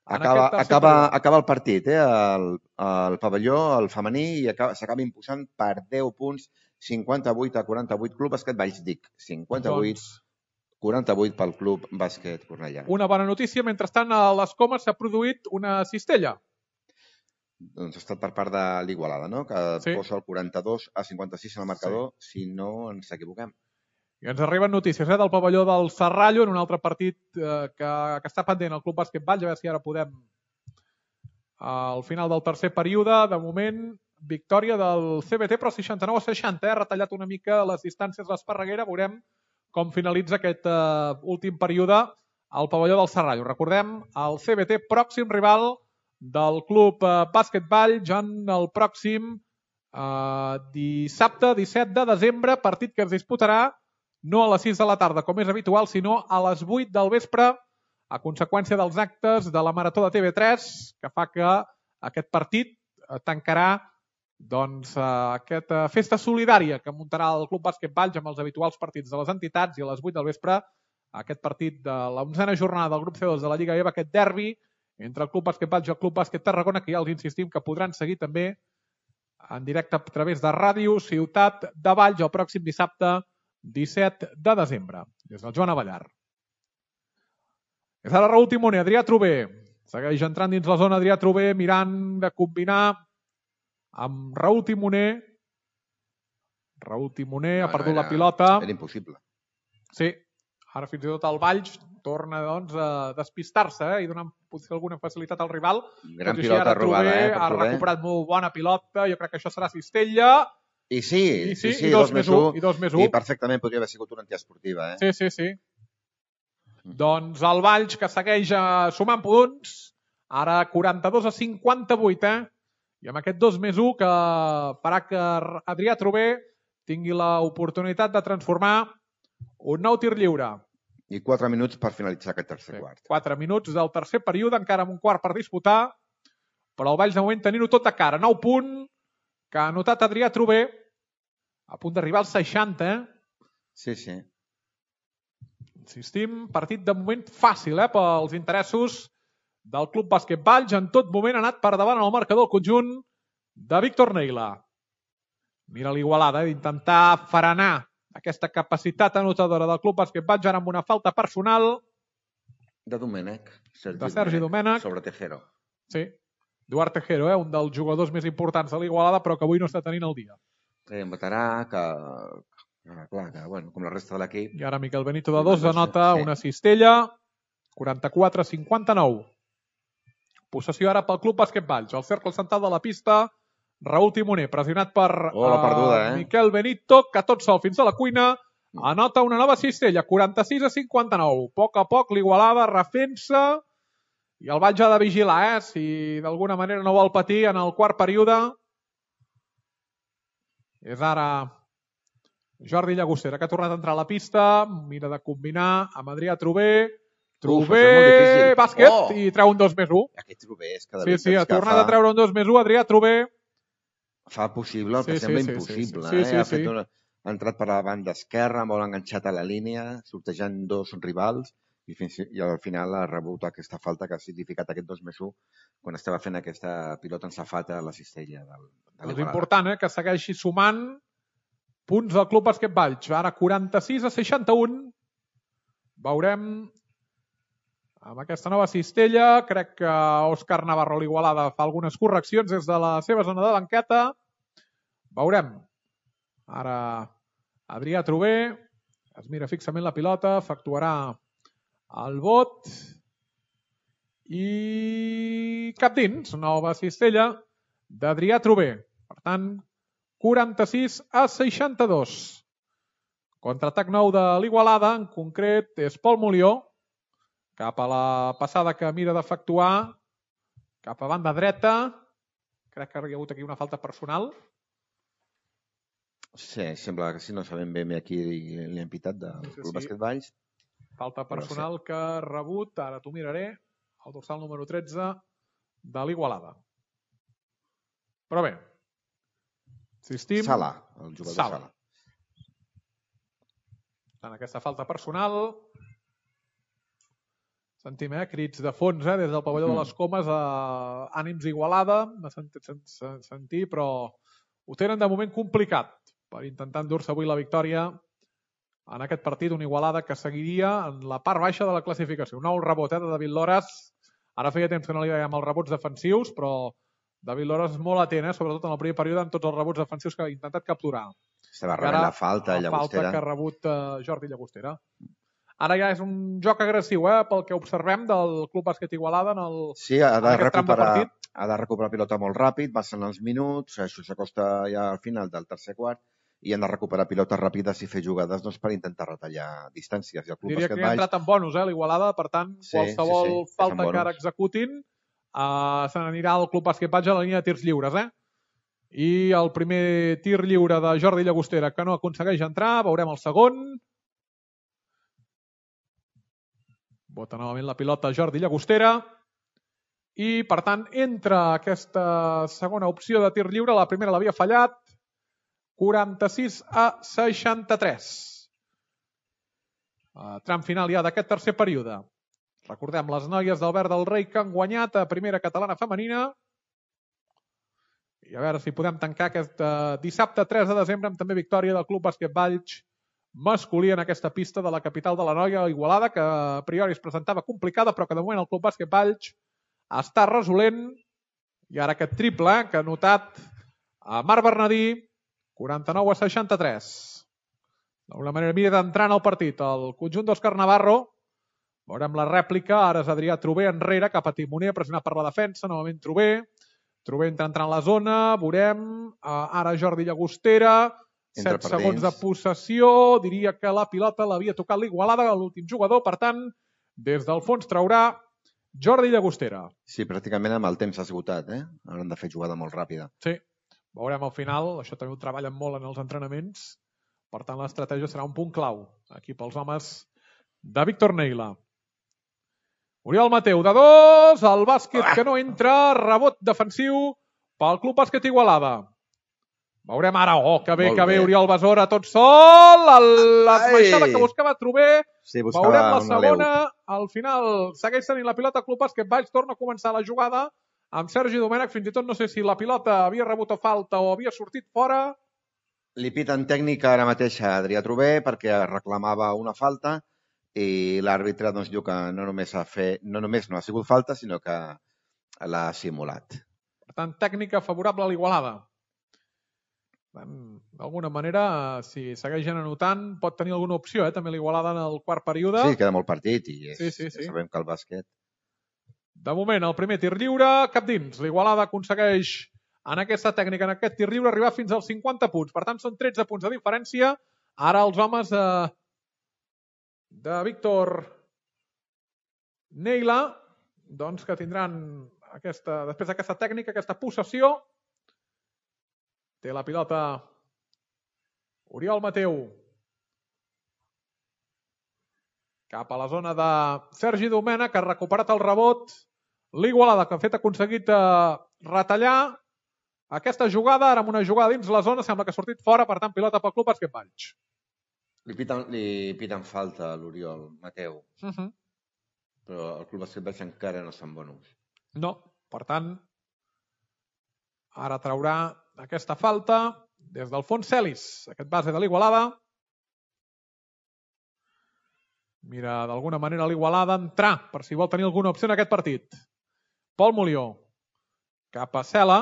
Acaba, acaba, acaba el partit, eh? el, el pavelló, el femení, i s'acaba imposant per deu punts, cinquanta-vuit a quaranta-vuit, Club Bàsquet Valls, dic, cinquanta-vuit a quaranta-vuit pel Club Bàsquet Cornellà. Una bona notícia, mentrestant a les Comes s'ha produït una cistella. Doncs ha estat per part de l'Igualada, no? Que sí. Posa el quaranta-dos a cinquanta-sis en el marcador, sí. Si no ens equivoquem. I ens arriben notícies eh, del pavelló del Serrallo en un altre partit eh, que, que està pendent el Club Bàsquet Valls. A veure si ara podem al final del tercer període. De moment, victòria del C B T, però seixanta-nou a seixanta. Ha eh, retallat una mica les distàncies l'Esparreguera. Veurem com finalitza aquest eh, últim període al pavelló del Serrallo. Recordem, el C B T, pròxim rival del Club eh, Bàsquet Valls en el pròxim eh, dissabte, disset de desembre, partit que es disputarà no a les sis de la tarda, com és habitual, sinó a les vuit del vespre, a conseqüència dels actes de la Marató de T V tres, que fa que aquest partit tancarà doncs, aquesta festa solidària que muntarà el Club Bàsquet Valls amb els habituals partits de les entitats, i a les vuit del vespre aquest partit de l'onzena jornada del grup C dos de la Lliga E V A, aquest derbi entre el Club Bàsquet Valls i el Club Bàsquet Tarragona, que ja els insistim que podran seguir també en directe a través de Ràdio Ciutat de Valls el pròxim dissabte disset de desembre, des del Joan Avellar. És ara Raúl Timoner, Adrià Trober. Segueix entrant dins la zona Adrià Trober, mirant de combinar amb Raúl Timoner. Raúl Timoner ha perdut la pilota. Era impossible. Sí, ara fins i tot el Valls torna doncs, a despistar-se eh, i donar potser alguna facilitat al rival. Gran pilota robada, eh? Ha recuperat molt bona pilota, jo crec que això serà cistella. I sí, I sí, sí, sí, i dos més un. I, dos més un. I perfectament podria haver sigut una antiesportiva. Eh? Sí, sí, sí. Mm. Doncs el Valls que segueix sumant punts, ara quaranta-dos a cinquanta-vuit, eh? I amb aquest dos més un que farà que Adrià Trober tingui l'oportunitat de transformar un nou tir lliure. I quatre minuts per finalitzar aquest tercer sí, quart. Quatre minuts del tercer període, encara amb un quart per disputar, però el Valls de moment tenint-ho tot de cara. Nou punt que ha anotat Adrià Trober, a punt d'arribar als seixanta. Eh? Sí, sí. Insistim, partit de moment fàcil eh, pels interessos del Club Bàsquet Valls. En tot moment ha anat per davant en el marcador el conjunt de Víctor Neila. Mira l'Igualada, eh, d'intentar frenar aquesta capacitat anotadora del Club Bàsquet Valls, ara amb una falta personal de Domènech. De Sergi Domènech. Sobre Tejero. Sí. Eduard Tejero, eh? Un dels jugadors més importants de l'Igualada, però que avui no està tenint el dia. Sí, un veterà que... Clar, que, bueno, com la resta de l'equip... I ara Miquel Benito de dos anota sí. Una cistella, quaranta-quatre a cinquanta-nou. Possessió ara pel Club Bàsquet Valls. El cercle central de la pista, Raül Timoner, pressionat per oh, la perduda, eh? Miquel Benito, que tot sol fins a la cuina, anota una nova cistella, quaranta-sis a cinquanta-nou. A poc a poc l'Igualada refent-se i el Valls ha de vigilar, eh? Si d'alguna manera no vol patir en el quart període. És ara Jordi Llagostera, que ha tornat a entrar a la pista, mira de combinar amb Adrià Trober. Trober, bàsquet, oh! I treu un dos més un. Aquest Trober és cada Sí, sí, ha tornat fa... a treure un dos més un, Adrià Trober. Fa possible el que sí, sembla sí, impossible. Sí, sí, eh? sí, ha, sí. Una... ha entrat per la banda esquerra, molt enganxat a la línia, sortejant dos rivals, i, fins... i al final ha rebut aquesta falta que ha significat aquest dos més un quan estava fent aquesta pilota ensafata a la cistella. Del... De és important, eh? Que segueixi sumant punts del Club Bàsquet Valls. Ara quaranta-sis a seixanta-un. Veurem amb aquesta nova cistella. Crec que Òscar Navarro l'Igualada fa algunes correccions des de la seva zona de banqueta. Veurem. Ara Adrià Trober es mira fixament la pilota, efectuarà el vot i cap dins. Nova cistella d'Adrià Trober. Per tant, quaranta-sis a seixanta-dos. Contraatac nou de l'Igualada, en concret és Pol Molió, cap a la passada que mira d'efectuar, cap a banda dreta. Crec que hi ha hagut aquí una falta personal. Sí, sembla que si no sabem bé aquí li han pitat del Club sí. Bàsquet Valls. Falta personal sí. Que ha rebut, ara t'ho miraré, el dorsal número tretze de l'Igualada. Però bé, insistim. Sala, el jugador Sala. Sala. En aquesta falta personal sentim, eh, crits de fons, eh, des del pavelló mm. de les Comes, a ànims Igualada, m'ha sentit sentir, però ho tenen de moment complicat per intentar endur-se avui la victòria en aquest partit, una Igualada que seguiria en la part baixa de la classificació. Un nou rebot, eh, de David Loras. Ara feia temps que no li veiem els rebots defensius, però David Loras és molt atent, eh? Sobretot en el primer període, amb tots els rebots defensius que ha intentat capturar. Estava rebent la falta, la Llagostera. falta que ha rebut uh, Jordi Llagostera. Ara ja és un joc agressiu, eh? Pel que observem del Club Bàsquet Igualada en, el, sí, ha de en aquest tram de partit. Ha de recuperar pilota molt ràpid, passen els minuts, això s'acosta ja al final del tercer quart, i han de recuperar pilotes ràpides i fer jugades doncs, per intentar retallar distàncies. I el Club Diria Bàsquet que ha entrat en bonus, eh, l'Igualada, per tant, sí, qualsevol sí, sí, falta que ara executin Uh, se n'anirà al Club Bàsquet Valls a la línia de tirs lliures, eh? I el primer tir lliure de Jordi Llagostera que no aconsegueix entrar, veurem el segon. Bota novament la pilota Jordi Llagostera i per tant entra aquesta segona opció de tir lliure, la primera l'havia fallat. Quaranta-sis a seixanta-tres. Uh, tram final ja d'aquest tercer període. Recordem, les noies del Verd del Rei que han guanyat a primera catalana femenina. I a veure si podem tancar aquest uh, dissabte tres de desembre amb també victòria del Club Bàsquet Valls masculí en aquesta pista de la capital de la Noia, Igualada, que a priori es presentava complicada, però que de moment el Club Bàsquet Valls està resolent. I ara aquest triple eh, que ha notat a Marc Bernadí, quaranta-nou a seixanta-tres. D'alguna manera mira d'entrar en el partit el conjunt d'Òscar Navarro. Veurem la rèplica, ara és Adrià Trober enrere, cap a Timoner, pressionat per la defensa, novament Trober. Trober entra entrant a la zona, veurem, ara Jordi Llagostera, set segons de possessió, diria que la pilota l'havia tocat l'Igualada, l'últim jugador, per tant, des del fons traurà Jordi Llagostera. Sí, pràcticament amb el temps esgotat, eh? Hauran de fer jugada molt ràpida. Sí, veurem al final, això també ho treballen molt en els entrenaments, per tant l'estratègia serà un punt clau, aquí pels homes de Víctor Neila. Oriol Mateu, de dos, el bàsquet que no entra, rebot defensiu pel Club Bàsquet Igualada. Veurem ara, oh, que bé, que bé, Oriol Besora, tot sol, l'esmaixada que buscava Trober, sí, veurem la segona, al final segueix tenint la pilota Club Bàsquet Valls, torna a començar la jugada amb Sergi Domènech, fins i tot no sé si la pilota havia rebut a falta o havia sortit fora. Li piten tècnica ara mateix a Adrià Trober perquè reclamava una falta i l'àrbitre doncs, diu que no només, ha fet, no només no ha sigut falta, sinó que l'ha simulat. Per tant, tècnica favorable a l'Igualada. D'alguna manera, si segueixen anotant, pot tenir alguna opció, eh? També l'Igualada en el quart període. Sí, queda molt partit i és, sí, sí, sí. Ja sabem que el bàsquet... De moment, el primer tir lliure, cap dins. L'Igualada aconsegueix en aquesta tècnica, en aquest tir lliure, arribar fins als cinquanta punts. Per tant, són tretze punts de diferència. Ara els homes de, de Víctor Neila, doncs que tindran aquesta, després d'aquesta tècnica, aquesta possessió. Té la pilota Oriol Mateu. Cap a la zona de Sergi Domènech, que ha recuperat el rebot. L'Igualada, que ha fet aconseguit eh, retallar aquesta jugada, ara amb una jugada dins la zona, sembla que ha sortit fora, per tant, pilota pel Club Bàsquet Valls. Li piten, li piten falta a l'Oriol Mateu, uh -huh. però el Club Bàsquet Valls encara no se'n bon ús. No, per tant, ara traurà aquesta falta des del fons Celis, aquest base de l'Igualada. Mira, d'alguna manera l'Igualada entrar, per si vol tenir alguna opció en aquest partit. Pol Mulió, cap a Cela,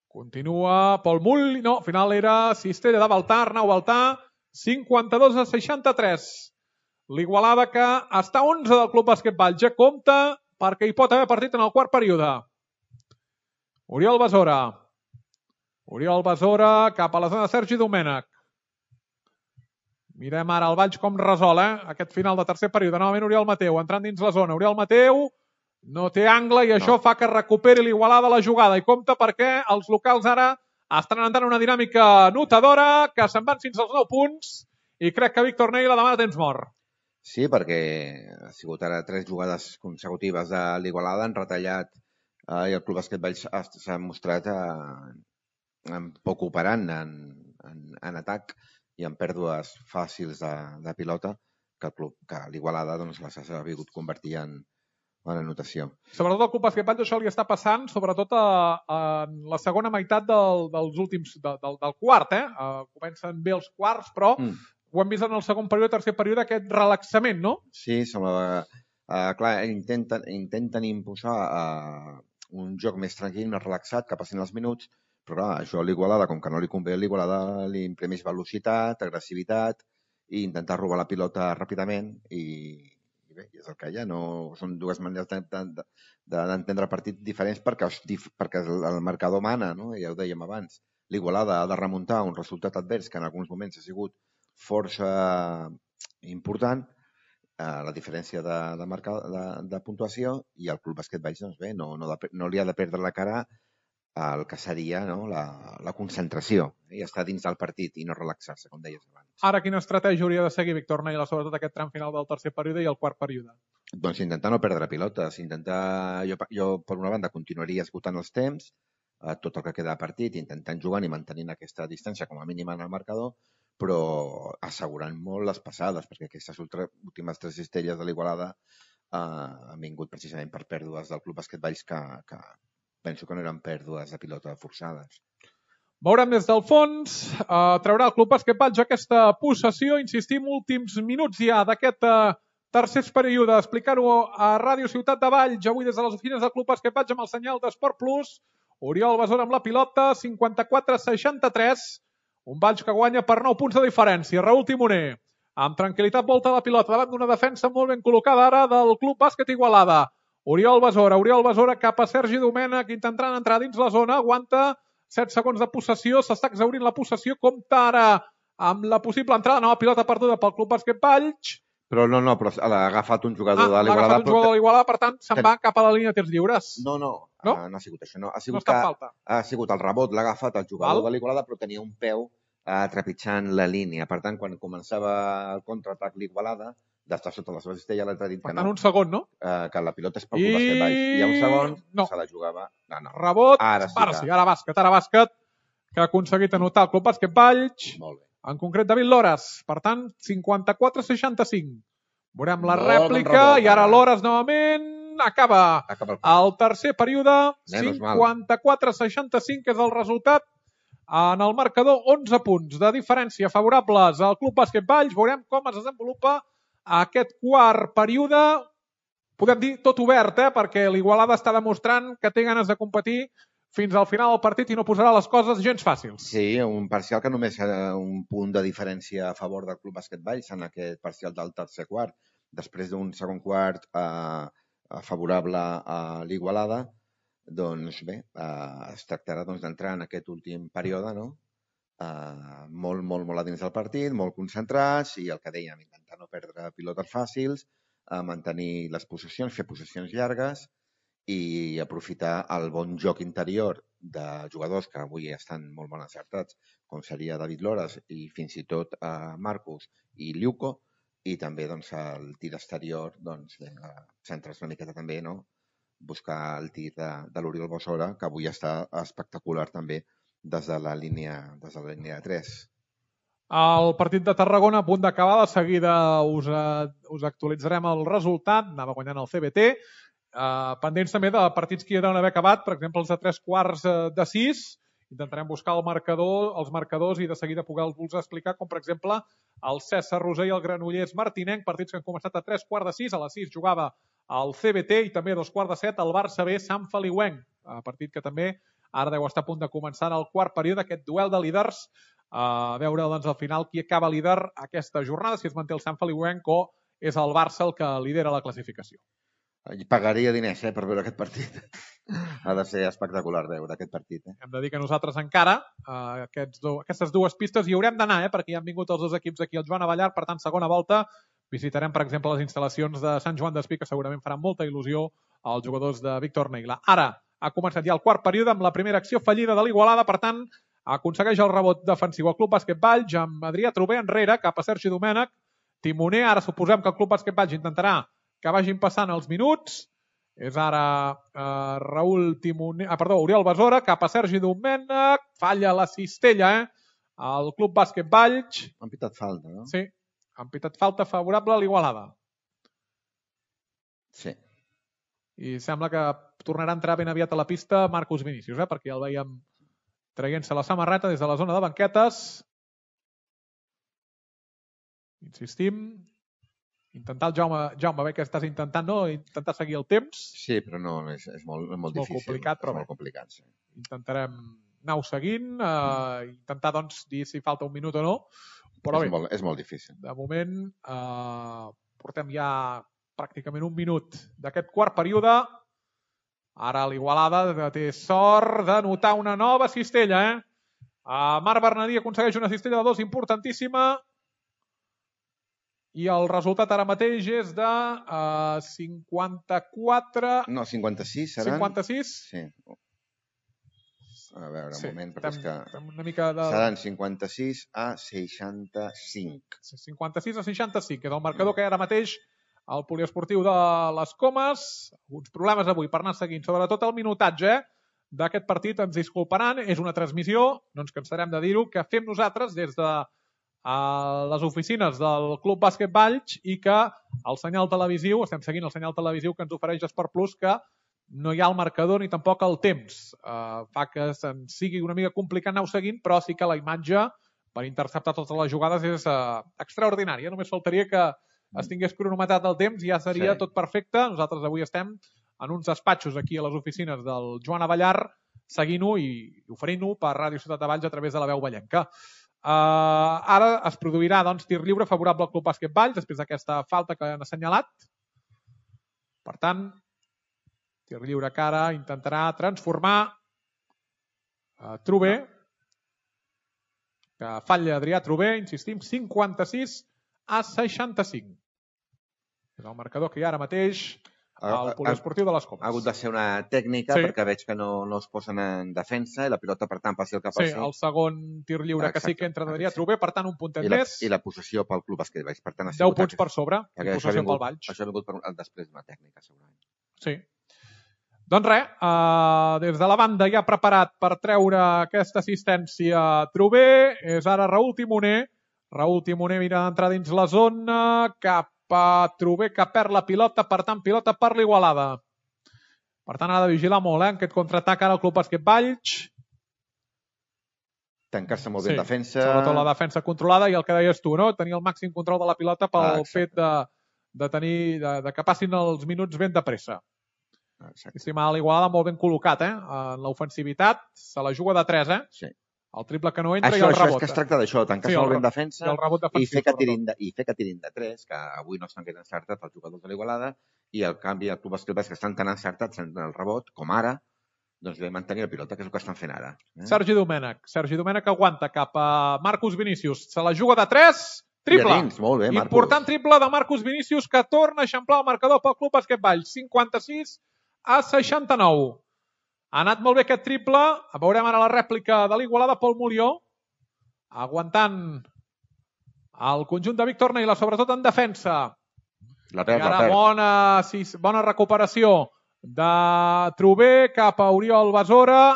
continua Pol Mull, no, al final era Cistella de Baltar, Arnau Baltar, cinquanta-dos a seixanta-tres. L'Igualada que està onze del Club Bàsquet Valls, ja compta perquè hi pot haver partit en el quart període. Oriol Besora. Oriol Besora cap a la zona de Sergi Domènech. Mirem ara el Valls com resol, eh? Aquest final de tercer període. Novament Oriol Mateu, entrant dins la zona. Oriol Mateu no té angle i això no. fa que recuperi l'Igualada la jugada. I compta perquè els locals ara estan entrant una dinàmica notadora, que se'n van fins als nou punts, i crec que Víctor Neila demana temps mort. Sí, perquè ha sigut ara tres jugades consecutives de l'Igualada, han retallat eh, i el Club Bàsquet Valls s'ha mostrat eh, en poc operant en, en, en atac i en pèrdues fàcils de, de pilota que, el club, que l'Igualada doncs, les ha sabut convertir en, en anotació. Sobretot al Club Bàsquet Valls això li està passant, sobretot a, a la segona meitat del, dels últims, de, del, del quart. Eh? Uh, comencen bé els quarts, però mm. ho hem vist en el segon període, tercer període, aquest relaxament, no? Sí, semblava... Uh, clar, intenten, intenten imposar uh, un joc més tranquil, més relaxat, que passin els minuts, però clar, això a l'Igualada, com que no li convé, l'Igualada li imprimeix velocitat, agressivitat i intentar robar la pilota ràpidament i, i bé, és el que hi ha. No, són dues maneres d'entendre de, de, el partit diferents perquè, perquè el marcador mana, no? Ja ho dèiem abans. L'Igualada ha de remuntar un resultat advers que en alguns moments ha sigut força important, eh, la diferència de, de, marca, de, de puntuació, i el Club Bàsquet Valls doncs bé, no, no, de, no li ha de perdre la cara el que seria no, la, la concentració i estar dins del partit i no relaxar-se, com deies abans. Ara, quina estratègia hauria de seguir Víctor Neila, sobretot aquest tram final del tercer període i el quart període? Doncs intentar no perdre pilotes, intentar... Jo, jo per una banda, continuaria esgotant els temps, eh, tot el que queda de partit, intentant jugant i mantenint aquesta distància com a mínima en el marcador, però assegurant molt les passades, perquè aquestes últimes tres cistelles de l'Igualada eh, han vingut precisament per pèrdues del Club Bàsquet Valls que, que penso que no eren pèrdues de pilota forçades. Veurem des del fons, eh, traurà el Club Bàsquet Valls aquesta possessió, insistim, últims minuts ja d'aquest eh, tercer període, explicar-ho a Ràdio Ciutat de Valls, avui des de les oficines del Club Bàsquet Valls amb el senyal d'Esport Plus. Oriol Besora amb la pilota, cinquanta-quatre a seixanta-tres, un Valls que guanya per nou punts de diferència. Raül Timoner, amb tranquil·litat, volta la pilota davant d'una defensa molt ben col·locada ara del Club Bàsquet Igualada. Oriol Besora, Oriol Besora cap a Sergi Domènech, intentant entrar dins la zona, aguanta set segons de possessió, s'està exhaurint la possessió, compta ara amb la possible entrada, nova pilota perduda pel Club Bàsquet Valls. Però no, no, però l'ha agafat un jugador ah, de l'Igualada. L'ha agafat un jugador de l'Igualada, per tant, se'n va cap a la línia de tirs lliures. No, no, no, no ha sigut això. No, ha sigut, no que, falta. Ha sigut el rebot, l'ha agafat el jugador Val? de l'Igualada, però tenia un peu eh, trepitjant la línia. Per tant, quan començava el contraatac l'Igualada, d'estar sota la seva cistella, l'altre dit que per tant, no. un segon, no? Eh, que la pilota és pel Club Bàsquet Valls. I un segon no. se la jugava. No, no. Rebot, ara sí, ara, sí, ara bàsquet, ara bàsquet, que ha aconseguit anotar el Club Bàsquet Valls. Molt bé. En concret, David Lores. Per tant, cinquanta-quatre a seixanta-cinc. Veurem la Molt rèplica bon rebot, i ara Lores novament acaba, acaba el, el tercer període. Menos cinquanta-quatre a seixanta-cinc és el resultat En el marcador, onze punts de diferència favorables al Club Bàsquet Valls. Veurem com es desenvolupa aquest quart període. Podem dir tot obert, eh? Perquè l'Igualada està demostrant que té ganes de competir fins al final del partit i no posarà les coses gens fàcils. Sí, un parcial que només ha un punt de diferència a favor del Club Bàsquet Valls en aquest parcial del tercer quart. Després d'un segon quart eh, favorable a l'Igualada, doncs bé, eh, es tractarà doncs, d'entrar en aquest últim període, no? Eh, molt, molt, molt a dins del partit, molt concentrats i el que dèiem, intentar no perdre pilotes fàcils, eh, mantenir les possessions, fer possessions llargues i aprofitar el bon joc interior de jugadors que avui estan molt ben acertats, com seria David Loras i fins i tot eh, Marcus i Liuco, i també doncs, el tir exterior, doncs, bé, centres una miqueta també, no? Buscar el tir de, de l'Oriol Bossora, que avui està espectacular també des de la línia, des de la línia de tres. El partit de Tarragona a punt d'acabar, de seguida us, uh, us actualitzarem el resultat, anava guanyant el C B T, uh, pendents també de partits que ja deuen haver acabat, per exemple els de tres quarts uh, de sis, intentarem buscar el marcador, els marcadors i de seguida poder-vos explicar, com per exemple el César Roser i el Granollers Martinenc, partits que han començat a tres quarts de sis, a les sis jugava el C B T i també a dos quarts de set el Barça B Sant Feliuenc, partit que també ara deu estar a punt de començar el quart període, aquest duel de líders, a veure doncs, al final qui acaba líder aquesta jornada, si es manté el Sant Feliuenc o és el Barça el que lidera la classificació. Pagaria diners eh, per veure aquest partit. Ha de ser espectacular veure aquest partit. Eh? Hem de dir que nosaltres encara, eh, aquests do, aquestes dues pistes hi haurem d'anar, eh, perquè ja han vingut els dos equips aquí al Joan Avellar, per tant, segona volta, visitarem, per exemple, les instal·lacions de Sant Joan d'Espí, que segurament faran molta il·lusió als jugadors de Víctor Neila. Ara ha començat ja el quart període amb la primera acció fallida de l'Igualada, per tant, aconsegueix el rebot defensiu al Club Bàsquet Valls amb Adrià Trober enrere, cap a Sergi Domènech, timoner. Ara suposem que el Club Bàsquet Valls intentarà que vagin passant els minuts. És ara eh, Raül Timoner, ah, perdó, Oriol Besora, cap a Sergi Domènech, falla la cistella, eh? El Club Bàsquet Valls. Han pitat falta, no? Sí, han pitat falta favorable a l'Igualada. Sí. I sembla que tornarà a entrar ben aviat a la pista Marcus Vinícius, eh? Perquè el veiem traient-se la samarreta des de la zona de banquetes. Insistim. Intentar el Jaume, Jaume, bé que estàs intentant, no? Intentar seguir el temps. Sí, però no, és, és molt, és molt és difícil. Molt complicat, però és molt complicat, sí. Intentarem anar-ho seguint, eh, intentar doncs dir si falta un minut o no. Però és, bé, molt, és molt difícil. De moment eh, portem ja pràcticament un minut d'aquest quart període. Ara l'Igualada té sort de notar una nova cistella, eh? Uh, Marc Bernadí aconsegueix una cistella de dos importantíssima i el resultat ara mateix és de uh, cinquanta-quatre... No, cinquanta-sis seran... cinquanta-sis? Sí. A veure, un sí, moment, perquè estem, és que... Una mica de... Seran cinquanta-sis a seixanta-cinc. cinquanta-sis a seixanta-cinc, que és el marcador que hi ha ara mateix al poliesportiu de les Comes. Alguns problemes avui per anar seguint, sobretot el minutatge d'aquest partit, ens disculparan. És una transmissió, no ens cansarem de dir-ho, que fem nosaltres des de a les oficines del Club Bàsquet Valls i que el senyal televisiu, estem seguint el senyal televisiu que ens ofereix Esport Plus, que no hi ha el marcador ni tampoc el temps. Uh, fa que se'n sigui una mica complicat anar-ho seguint, però sí que la imatge per interceptar totes les jugades és uh, extraordinària. Només faltaria que es tingués cronometrat el temps i ja seria sí. Tot perfecte. Nosaltres avui estem en uns despatxos aquí a les oficines del Joan Avellar seguint-ho i oferint-ho per Ràdio Ciutat de Valls a través de la veu vallenca. Uh, ara es produirà doncs, tir lliure favorable al Club Bàsquet Valls després d'aquesta falta que han assenyalat. Per tant, tir lliure que ara intentarà transformar uh, Trober, que falla Adrià Trober, insistim, cinquanta-sis a seixanta-cinc. És el marcador que hi ha ara mateix al poliesportiu de les Comes. Ha hagut de ser una tècnica sí. perquè veig que no, no es posen en defensa i la pilota, per tant, passi el que passi. Sí, el segon tir lliure Exacte. Que sí que entra d'Adrià Trober, per tant, un puntet I la, més. I la possessió pel Club Bàsquet Valls. Per tant, deu punts per sobre, i possessió pel Valls. Això ha vingut per, després d'una tècnica, segurament. Sí. Doncs res, uh, des de la banda ja preparat per treure aquesta assistència Trober, és ara Raül Timoner. Raül Timoner mira d'entrar dins la zona, cap a Trober que perd la pilota, per tant, pilota per l'Igualada. Per tant, ha de vigilar molt, eh, aquest contraatac ara al Club Bàsquet Valls. tancar-se molt bé en defensa. Sobretot la defensa controlada i el que deies tu, no? Tenir el màxim control de la pilota pel ah, fet de, de tenir de, de que passin els minuts ben de pressa. Estimar l'Igualada molt ben col·locat, eh? En l'ofensivitat se la juga de tres, eh? Sí. El triple que no entra això, i el això rebot. És que es tracta d'això, tancar-se sí, molt bé en defensa i, el rebot defensiu, i, fer que tirin de, i fer que tirin de tres, que avui no estan gaire encertats els jugadors de l'Igualada, i al canvi el Club Bàsquet que estan tan encertats en el rebot, com ara, doncs ve mantenir la pilota, que és el que estan fent ara. Eh? Sergi Domènech. Sergi Domènech aguanta cap a Marcus Vinícius. Se la juga de tres, triple. Dins, molt bé, Marcus. Important triple de Marcus Vinícius, que torna a eixamplar el marcador pel Club Bàsquet Valls. cinquanta-sis a seixanta-nou. Ha anat molt bé aquest triple. Veurem ara la rèplica de l'Igualada, Pol Molió, aguantant el conjunt de Víctor Neila, sobretot en defensa. La perd, I ara la perd. bona, sí, bona recuperació de Trubé cap a Oriol Besora.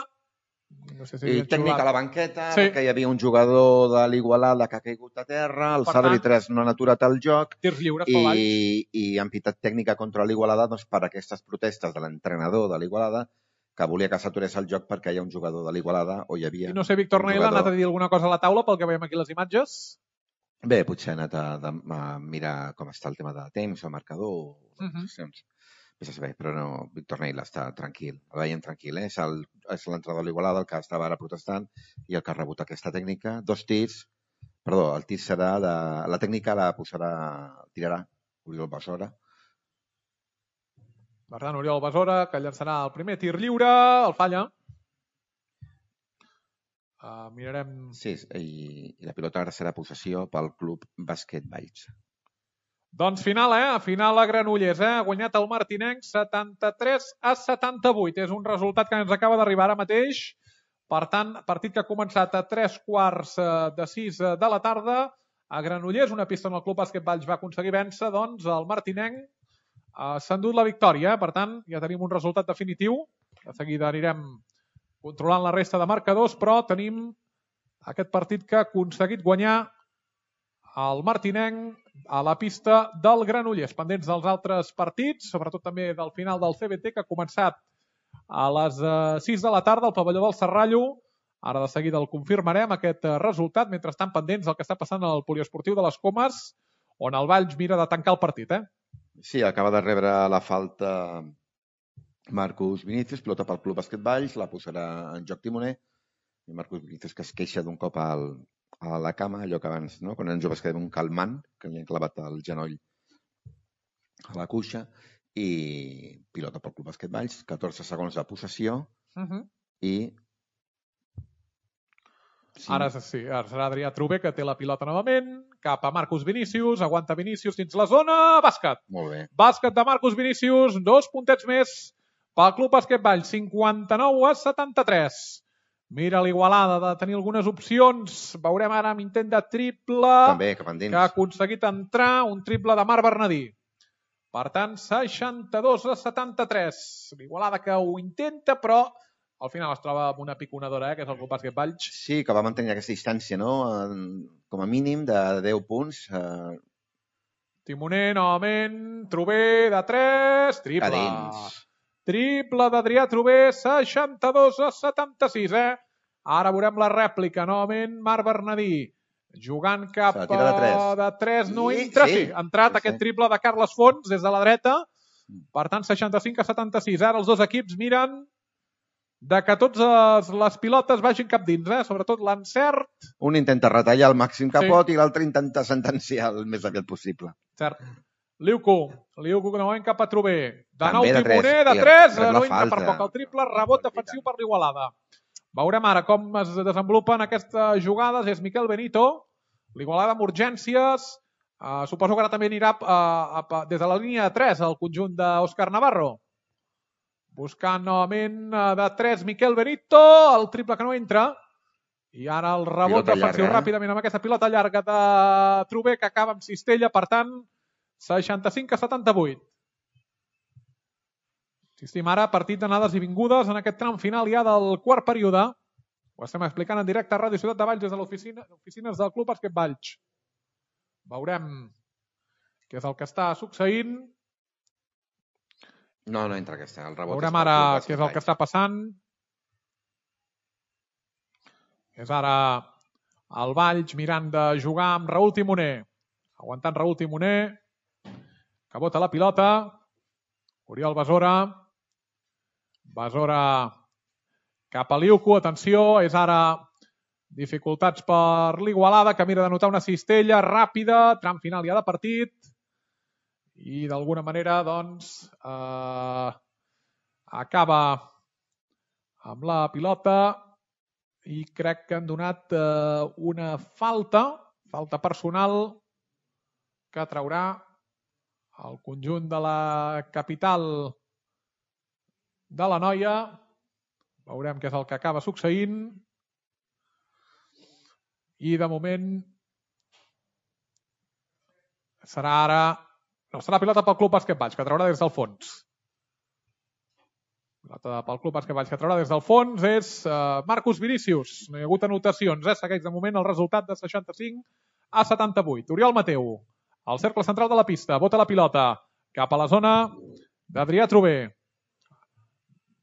No sé si I tècnica a la banqueta, sí. perquè hi havia un jugador de l'Igualada que ha caigut a terra, el Sadri tres no han aturat el joc, tirs lliures i, i han pitat tècnica contra l'Igualada doncs, per aquestes protestes de l'entrenador de l'Igualada, que volia que s'aturés el joc perquè hi ha un jugador de l'Igualada, o hi havia... I no sé, Víctor Neila ha anat a dir alguna cosa a la taula pel que veiem aquí les imatges? Bé, potser ha anat a, a, a mirar com està el tema de temps, el marcador, uh -huh. posicions. Bé, però no, Víctor Neila està tranquil, el veiem tranquil, eh? És l'entrenador de l'Igualada el que estava ara protestant i el que ha rebut aquesta tècnica. Dos tirs, perdó, el tir serà de... La tècnica la posarà, tirarà Oriol Besora. Per tant, Oriol Besora, que llançarà el primer tir lliure, el falla. Uh, mirarem... Sí, i, i la pilota ara serà possessió pel Club Bàsquet Valls. Doncs final, eh? Final a Granollers, eh? Ha guanyat el martinenc setanta-tres a setanta-vuit. És un resultat que ens acaba d'arribar ara mateix. Per tant, partit que ha començat a tres quarts de sis de la tarda a Granollers, una pista on el Club Bàsquet Valls va aconseguir vèncer, doncs el martinenc Uh, s'ha endut la victòria, per tant ja tenim un resultat definitiu. De seguida anirem controlant la resta de marcadors, però tenim aquest partit que ha aconseguit guanyar el martinenc a la pista del Granollers. Pendents dels altres partits, sobretot també del final del C B T, que ha començat a les uh, sis de la tarda al pavelló del Serrallo. Ara de seguida el confirmarem, aquest uh, resultat. Mentrestant, pendents del que està passant al poliesportiu de les Comes, on el Valls mira de tancar el partit, eh? Sí, acaba de rebre la falta Marcus Vinícius, pilota pel Club Bàsquet Valls, la posarà en joc Timoner, i Marcus Vinícius que es queixa d'un cop al, a la cama, allò que abans, no? Quan eren joves que un calmant, que li han clavat el genoll a la cuixa, i pilota pel Club Bàsquet Valls, catorze segons de possessió, uh -huh. i... Sí. Ara sí, ara serà Adrià Trubé, que té la pilota novament, cap a Marcus Vinícius, aguanta Vinícius dins la zona, bàsquet. Molt bé. Bàsquet de Marcus Vinícius, dos puntets més pel Club Bàsquet Valls, cinquanta-nou a setanta-tres. Mira l'Igualada de tenir algunes opcions, veurem ara amb intent de triple, també, cap endins, que ha aconseguit entrar, un triple de Marc Bernadí. Per tant, seixanta-dos a setanta-tres. L'Igualada que ho intenta, però al final es troba amb una piconadora, eh, que és el Club Bàsquet Valls. Sí, que va mantenir aquesta distància, no? Com a mínim de deu punts. Eh... Timoner, novament, Trubé de tres, triple. Cadins. Triple d'Adrià Trubé, seixanta-dos a setanta-sis, eh? Ara veurem la rèplica, novament, Marc Bernadí, jugant cap a de tres. de tres, no entra, sí, ha entrat sí, aquest sí. triple de Carles Fons des de la dreta, per tant, seixanta-cinc a setanta-sis. Ara els dos equips miren de que totes les pilotes vagin cap dins, eh? Sobretot l'encert. Un intenta retallar el màxim que sí. pot i l'altre intenta sentenciar el més aviat possible. Cert. Liuco, Liuco que novament cap a Trubé. De nou de Timoner, de tres, no entra per poc el triple, rebot defensiu per l'Igualada. Veurem ara com es desenvolupen aquestes jugades. És Miquel Benito, l'Igualada amb urgències. Uh, suposo que ara també anirà uh, uh, des de la línia de tres el conjunt d'Òscar Navarro. Buscant novament de tres Miquel Benito, el triple que no entra. I ara el rebot pilota defensiu llarga, eh? Ràpidament amb aquesta pilota llarga de Trubé que acaba amb cistella, per tant, seixanta-cinc a setanta-vuit. Assistim ara a partit d'anades i vingudes en aquest tram final ja del quart període. Ho estem explicant en directe a Ràdio Ciutat de Valls des de l'oficina, oficines del Club Bàsquet Valls. Veurem què és el que està succeint. No, no entra aquesta. El rebot Veurem ara què és el que està passant. És ara el Valls mirant de jugar amb Raül Timoner. Aguantant Raül Timoner, que bota la pilota. Oriol Besora. Besora cap a Liuco. Atenció, és ara dificultats per l'Igualada, que mira d'anotar una cistella ràpida, tram final ja de partit. I d'alguna manera, doncs, eh, acaba amb la pilota i crec que han donat eh, una falta, falta personal, que traurà el conjunt de la capital de la Noia. Veurem què és el que acaba succeint. I de moment serà ara... No, serà pilota pel Club Bàsquet Valls, que traurà des del fons. Pilota pel Club Bàsquet Valls, que traurà des del fons, és uh, Marcus Vinícius. No hi ha hagut anotacions, eh? Segueix de moment el resultat de seixanta-cinc a setanta-vuit. Oriol Mateu, al cercle central de la pista, bota la pilota cap a la zona d'Adrià Trober.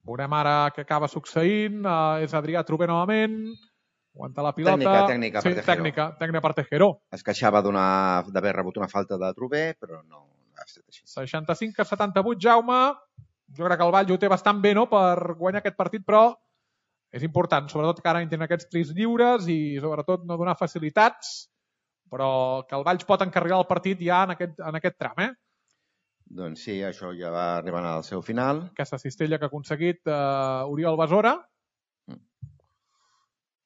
Veurem ara què acaba succeint. Uh, és Adrià Trober novament. Aguanta la pilota. Tècnica, tècnica sí, per Tejero. Tècnica, tècnica per Tejero. Es queixava d'haver rebut una falta de Trober, però no ha estat així. seixanta-cinc a setanta-vuit, Jaume. Jo crec que el Valls ho té bastant bé, no?, per guanyar aquest partit, però és important, sobretot que ara tenen aquests trios lliures i sobretot no donar facilitats, però que el Valls pot encarrilar el partit ja en aquest, en aquest tram, eh? Doncs sí, això ja va arribant al seu final. Aquesta cistella que ha aconseguit eh, Oriol Besora. Mm.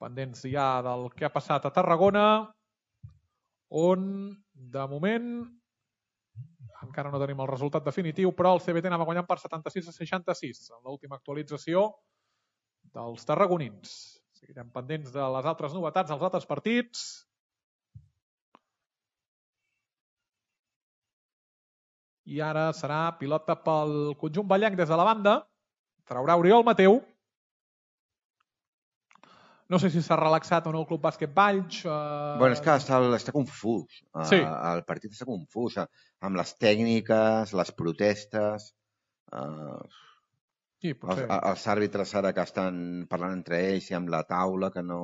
Pendents ja del que ha passat a Tarragona, on, de moment, encara no tenim el resultat definitiu, però el C B T anava guanyant per setanta-sis a seixanta-sis en l'última actualització dels tarragonins. Seguirem pendents de les altres novetats, dels altres partits. I ara serà pilota pel conjunt ballenc des de la banda. Traurà Oriol Mateu. No sé si s'ha relaxat o no el Club Bàsquet Valls. Uh... Bueno, és que està, està confús. Sí. Uh, el partit està confús. Uh, amb les tècniques, les protestes... Uh, sí, potser. els, els àrbitres ara que estan parlant entre ells i amb la taula, que no,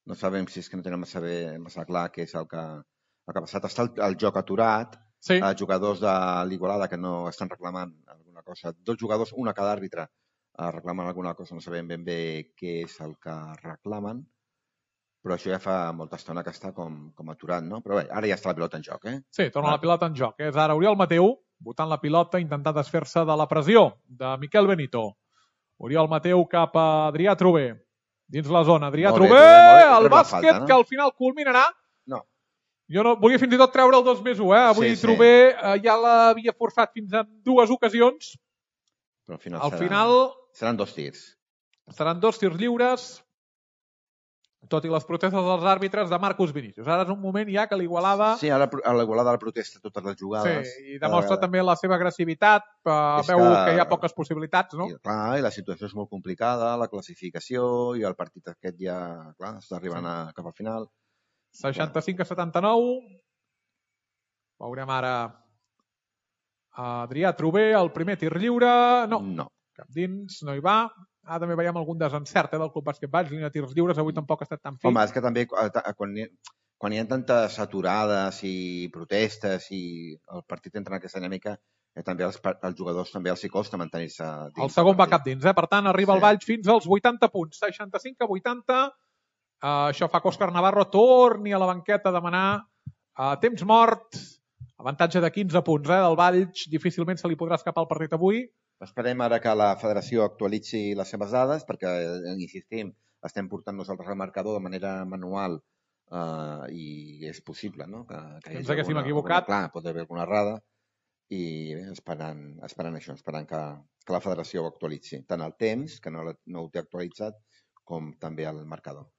no sabem si és que no tenen massa, bé, massa clar què és el que, el que ha passat. Està el, el joc aturat. Sí. Els jugadors de l'Igualada que no estan reclamant alguna cosa. Dos jugadors, una cada àrbitre, reclamen alguna cosa, no sabem ben bé què és el que reclamen, però això ja fa molta estona que està com, com aturat, no? Però bé, ara ja està la pilota en joc, eh? Sí, torna ah. la pilota en joc. És ara Oriol Mateu, botant la pilota, intentant desfer-se de la pressió de Miquel Benito. Oriol Mateu cap a Adrià Trober. Dins la zona, Adrià molt Trober, bé, molt bé, el bàsquet falta, no? Que al final culminarà. No. Jo no, volia fins i tot treure el dos més u, eh? Avui sí, Trober sí. eh, ja l'havia forçat fins a dues ocasions. Però al final, al serà, final seran dos tirs. Seran dos tirs lliures, tot i les protestes dels àrbitres de Marcus Vinícius. Ara és un moment ja que l'Igualada... Sí, ara l'Igualada la protesta totes les jugades. Sí, i demostra uh, també la seva agressivitat, uh, veu que, que hi ha poques possibilitats, no? I, clar, i la situació és molt complicada, la classificació, i el partit aquest ja, clar, està arribant sí. a, cap al final. seixanta-cinc a setanta-nou. Veurem ara Adrià Trober, el primer tir lliure. No, no. Cap dins, no hi va. Ara també veiem algun desencert eh, del Club Bàsquet Valls, línia de tirs lliures, avui tampoc ha estat tan fi. Home, és que també quan hi, quan hi ha tantes aturades i protestes i el partit entra en aquesta dinàmica, eh, també els, els jugadors també els hi costa mantenir-se dins. El segon va cap dins, eh? Per tant, arriba sí. el Valls fins als vuitanta punts, seixanta-cinc a vuitanta. Uh, això fa que Òscar Navarro torni a la banqueta a demanar uh, temps mort, avantatge de quinze punts eh, del Valls, difícilment se li podrà escapar el partit avui. Esperem ara que la federació actualitzi les seves dades perquè, insistim, estem portant nosaltres al marcador de manera manual uh, i és possible, no? Que, que ens haguéssim equivocat. Alguna, clar, pot haver alguna errada i bé, esperant, esperant això, esperant que, que la federació ho actualitzi, tant el temps, que no, no ho té actualitzat, com també el marcador.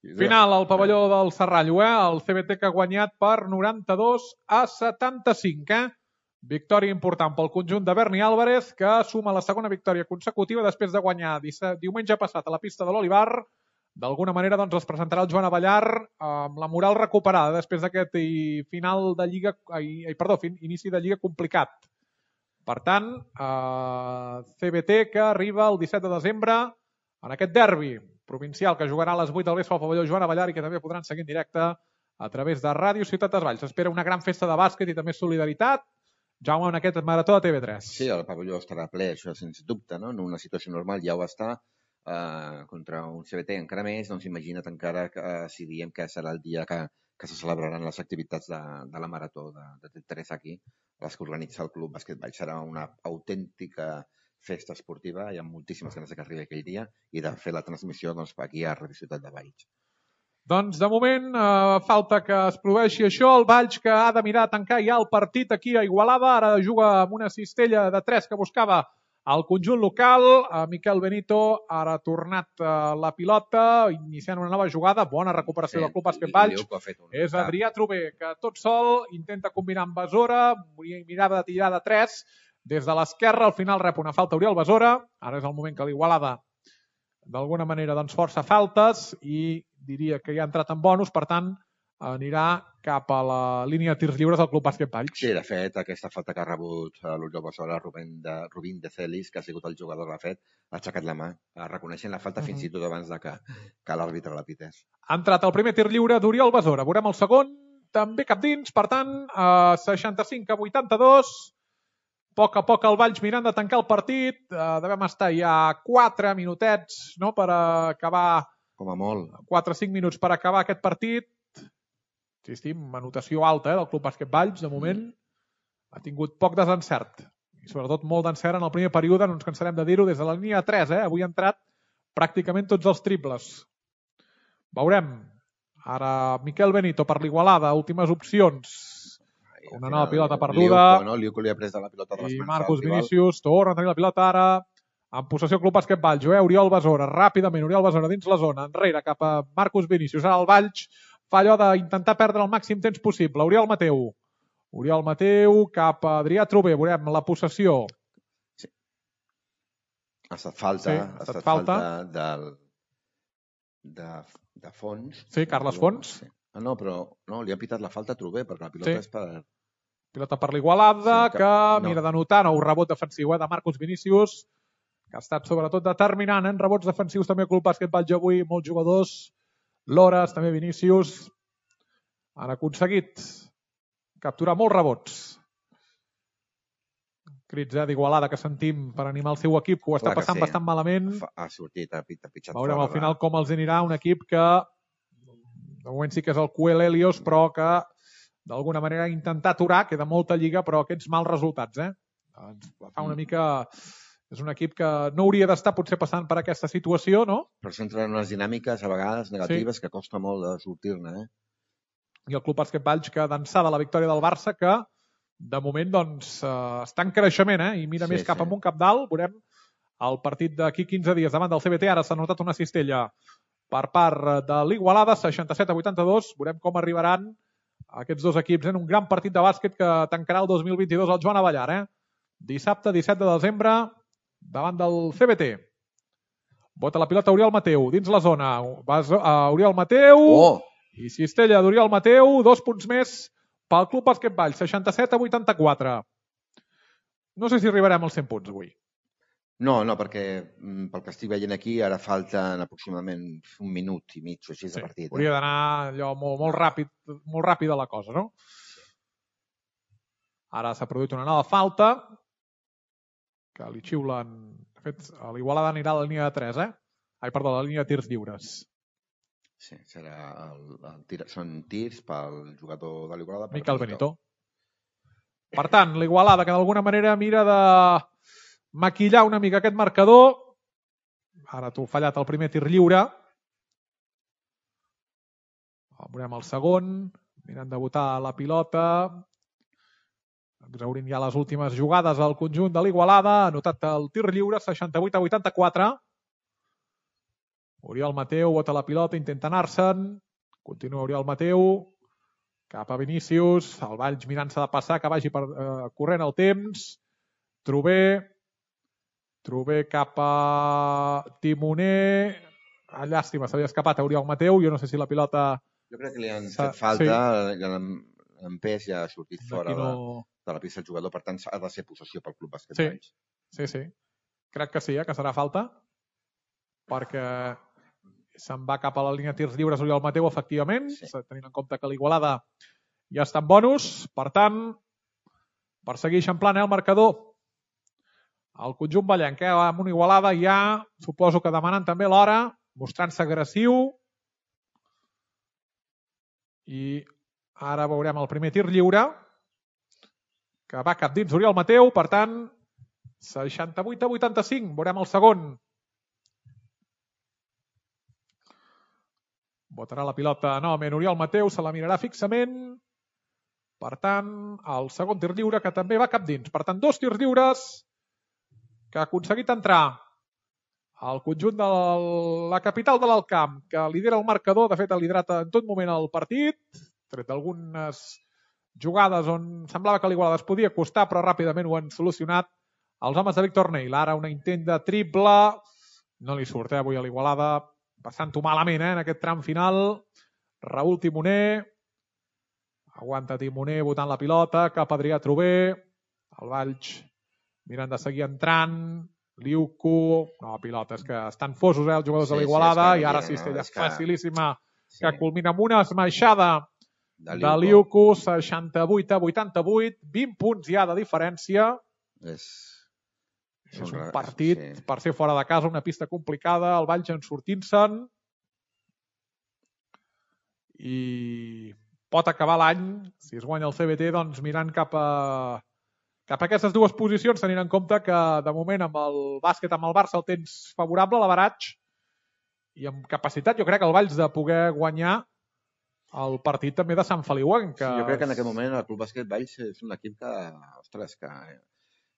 Final al pavelló del Serrallo, eh? El C B T que ha guanyat per noranta-dos a setanta-cinc, eh? Victòria important pel conjunt de Berni Álvarez, que suma la segona victòria consecutiva després de guanyar diumenge passat a la pista de l'Olivar. D'alguna manera doncs, es presentarà el Joan Avellar amb la moral recuperada després d'aquest final de Lliga, ai, perdó, inici de Lliga complicat. Per tant, eh, C B T que arriba el disset de desembre en aquest derbi provincial que jugarà a les vuit del vespre al pavelló Joan Abellar i que també podran seguir en directe a través de Ràdio Ciutat dels Valls. S'espera una gran festa de bàsquet i també solidaritat. Jaume, en aquest marató de T V tres. Sí, el pavelló estarà ple, això sens dubte, no? En una situació normal ja ho està, eh, contra un C B T encara més, doncs imagina't encara que, eh, si diem que serà el dia que, que se celebraran les activitats de, de la marató de, de T V tres aquí, les que organitza el Club Bàsquet Valls. Serà una autèntica festa esportiva, hi ha moltíssimes ganes que arribi aquell dia i de fer la transmissió doncs, aquí a Ràdio Ciutat de Valls. Doncs de moment eh, falta que es produeixi això, el Valls que ha de mirar a tancar ja el partit aquí a Igualada, ara juga amb una cistella de tres que buscava el conjunt local, eh, Miquel Benito ara ha tornat eh, la pilota, iniciant una nova jugada, bona recuperació sí, del Club Bàsquet Valls, és Adrià Trové, que tot sol intenta combinar amb Besora, mirava de tirar de tres, des de l'esquerra, al final rep una falta Oriol Besora, ara és el moment que l'Igualada d'alguna manera doncs, força faltes i diria que ja ha entrat en bonus, per tant anirà cap a la línia de tirs lliures del Club Bàsquet Valls. Sí, de fet, aquesta falta que ha rebut l'Oriol Besora, Rubén de, Rubín de Celis, que ha sigut el jugador que l'ha fet, ha aixecat la mà, reconeixent la falta uh -huh. fins i tot abans de que, que l'àrbitre la pités. Ha entrat el primer tir lliure d'Oriol Besora, veurem el segon, també cap dins, per tant, a seixanta-cinc a vuitanta-dos, a poc a poc el Valls mirant de tancar el partit, eh, devem estar ja quatre minutets no, per acabar... Com a molt. quatre o cinc minuts per acabar aquest partit. Insistim, anotació alta eh, del Club Bàsquet Valls, de moment. Mm. Ha tingut poc desencert. I sobretot molt d'encert en el primer període, no ens cansarem de dir-ho, des de la línia tres. Eh? Avui ha entrat pràcticament tots els triples. Veurem. Ara Miquel Benito per l'Igualada, últimes opcions. Una nova pilota perduda. Liuco, no? Liuco li ha pres de la pilota de les I mans. Marcus Vinícius torna a tenir la pilota ara. En possessió Club Bàsquet Valls. Eh? Oriol Besora, ràpidament. Oriol Besora dins la zona. Enrere cap a Marcus Vinícius. Ara el Valls fa allò d'intentar perdre el màxim temps possible. Oriol Mateu. Oriol Mateu cap a Adrià Trové. Veurem la possessió. Sí. Ha estat falta. Sí, ha estat falta, falta del, de, de Fons. Sí, Carles Fons. Sí. Ah, no, però no, li ha pitat la falta a Trové, perquè la pilota sí. és per... Pilota per l'Igualada, sí, que, que no. mira de notar nou rebot defensiu eh, de Marcus Vinícius, que ha estat sobretot determinant en rebots defensius també al Club Bàsquet Valls avui, molts jugadors, Lores, també Vinícius, han aconseguit capturar molts rebots. Crits eh, d'Igualada que sentim per animar el seu equip, que ho està Clar passant sí. bastant malament. Ha sortit, ha pitjat Veurem al final com els anirà un equip que de moment sí que és el Cuel Helios, però que d'alguna manera ha intentat aturar, queda molta lliga, però aquests mals resultats, eh? Ens fa una mica... És un equip que no hauria d'estar potser passant per aquesta situació, no? Però s'entra en unes dinàmiques a vegades negatives sí. que costa molt de sortir-ne, eh? I el Club Bàsquet Valls que d'ençà de la victòria del Barça que de moment doncs està en creixement, eh? I mira sí, més cap sí. amunt, cap dalt. Veurem el partit d'aquí quinze dies davant del C B T. Ara s'ha notat una cistella per part de l'Igualada, seixanta-set a vuitanta-dos. Veurem com arribaran aquests dos equips en un gran partit de bàsquet que tancarà el dos mil vint-i-dos al Joan Abellar. Eh? Dissabte, disset de desembre, davant del C B T. Bota la pilota Oriol Mateu, dins la zona. Vas a Oriol Mateu oh. i cistella d'Oriol Mateu, dos punts més pel Club Bàsquet Valls, seixanta-set a vuitanta-quatre. No sé si arribarem als cent punts avui. No, no, perquè pel que estic veient aquí ara falten aproximadament un minut i mig o així de sí, partit. Hauria eh? d'anar allò molt, molt ràpid, molt ràpida la cosa, no? Ara s'ha produït una nova falta que li xiulen... De fet, l'Igualada anirà a la línia de tres, eh? Ai, perdó, a la línia de tirs lliures. Sí, serà el, el tir, són tirs pel jugador de l'Igualada. Miquel Benito. Per tant, l'Igualada que d'alguna manera mira de maquillar una mica aquest marcador. Ara t'ho fallat el primer tir lliure. Veurem el segon. Mirant de botar la pilota. Exhaurint ja les últimes jugades al conjunt de l'Igualada. Ha anotat el tir lliure, seixanta-vuit a vuitanta-quatre. Oriol Mateu bota la pilota, intenta anar-se'n. Continua Oriol Mateu. Cap a Vinícius. El Valls mirant-se de passar, que vagi per, eh, corrent el temps. Trové. Trové cap a Timoner. Ah, llàstima, s'havia escapat a Oriol Mateu. Jo no sé si la pilota... Jo crec que li han fet falta. Sí. L'empès ja ha sortit fora no... de, de la pista del jugador. Per tant, ha de ser possessió pel Club Bàsquet Valls. Sí, sí, sí. Crec que sí, eh, que serà falta. Perquè se'n va cap a la línia de tirs lliures Oriol Mateu, efectivament, Sí. tenint en compte que l'Igualada ja està en bonus. Per tant, per seguir eixamplant el marcador, el conjunt ballenc, eh, amb una Igualada ja, suposo que demanant també l'hora, mostrant-se agressiu. I ara veurem el primer tir lliure, que va cap dins Oriol Mateu, per tant, seixanta-vuit a vuitanta-cinc. Veurem el segon. Botarà la pilota novament Oriol Mateu, se la mirarà fixament. Per tant, el segon tir lliure, que també va cap dins. Per tant, dos tirs lliures que ha aconseguit entrar al conjunt de la capital de l'Alt Camp, que lidera el marcador, de fet ha liderat en tot moment el partit, tret d'algunes jugades on semblava que l'Igualada es podia costar, però ràpidament ho han solucionat els homes de Víctor Neil. Ara un intent de triple, no li surt eh, avui a l'Igualada, passant-ho malament eh, en aquest tram final. Raül Timoner, aguanta Timoner botant la pilota, cap a Adrià Trober, el Valls mirant de seguir entrant, Liuco, no, pilota, és que estan fosos eh, els jugadors Sí, de l'Igualada, sí, és que i ara no, cistella és que- facilíssima, Sí. que culmina amb una esmaixada De de Liuco, seixanta-vuit a vuitanta-vuit, vint punts ja de diferència. És... És un Són- partit sí. per ser fora de casa, una pista complicada, el Valls en sortint-se'n, i pot acabar l'any, si es guanya el C B T, doncs mirant cap a cap a aquestes dues posicions, tenint en compte que de moment amb el bàsquet, amb el Barça, el tens favorable, l'averatge, i amb capacitat, jo crec, el Valls de poder guanyar el partit també de Sant Feliu. Que... Sí, jo crec que en aquest moment el Club Bàsquet Valls és un equip que, ostres, que,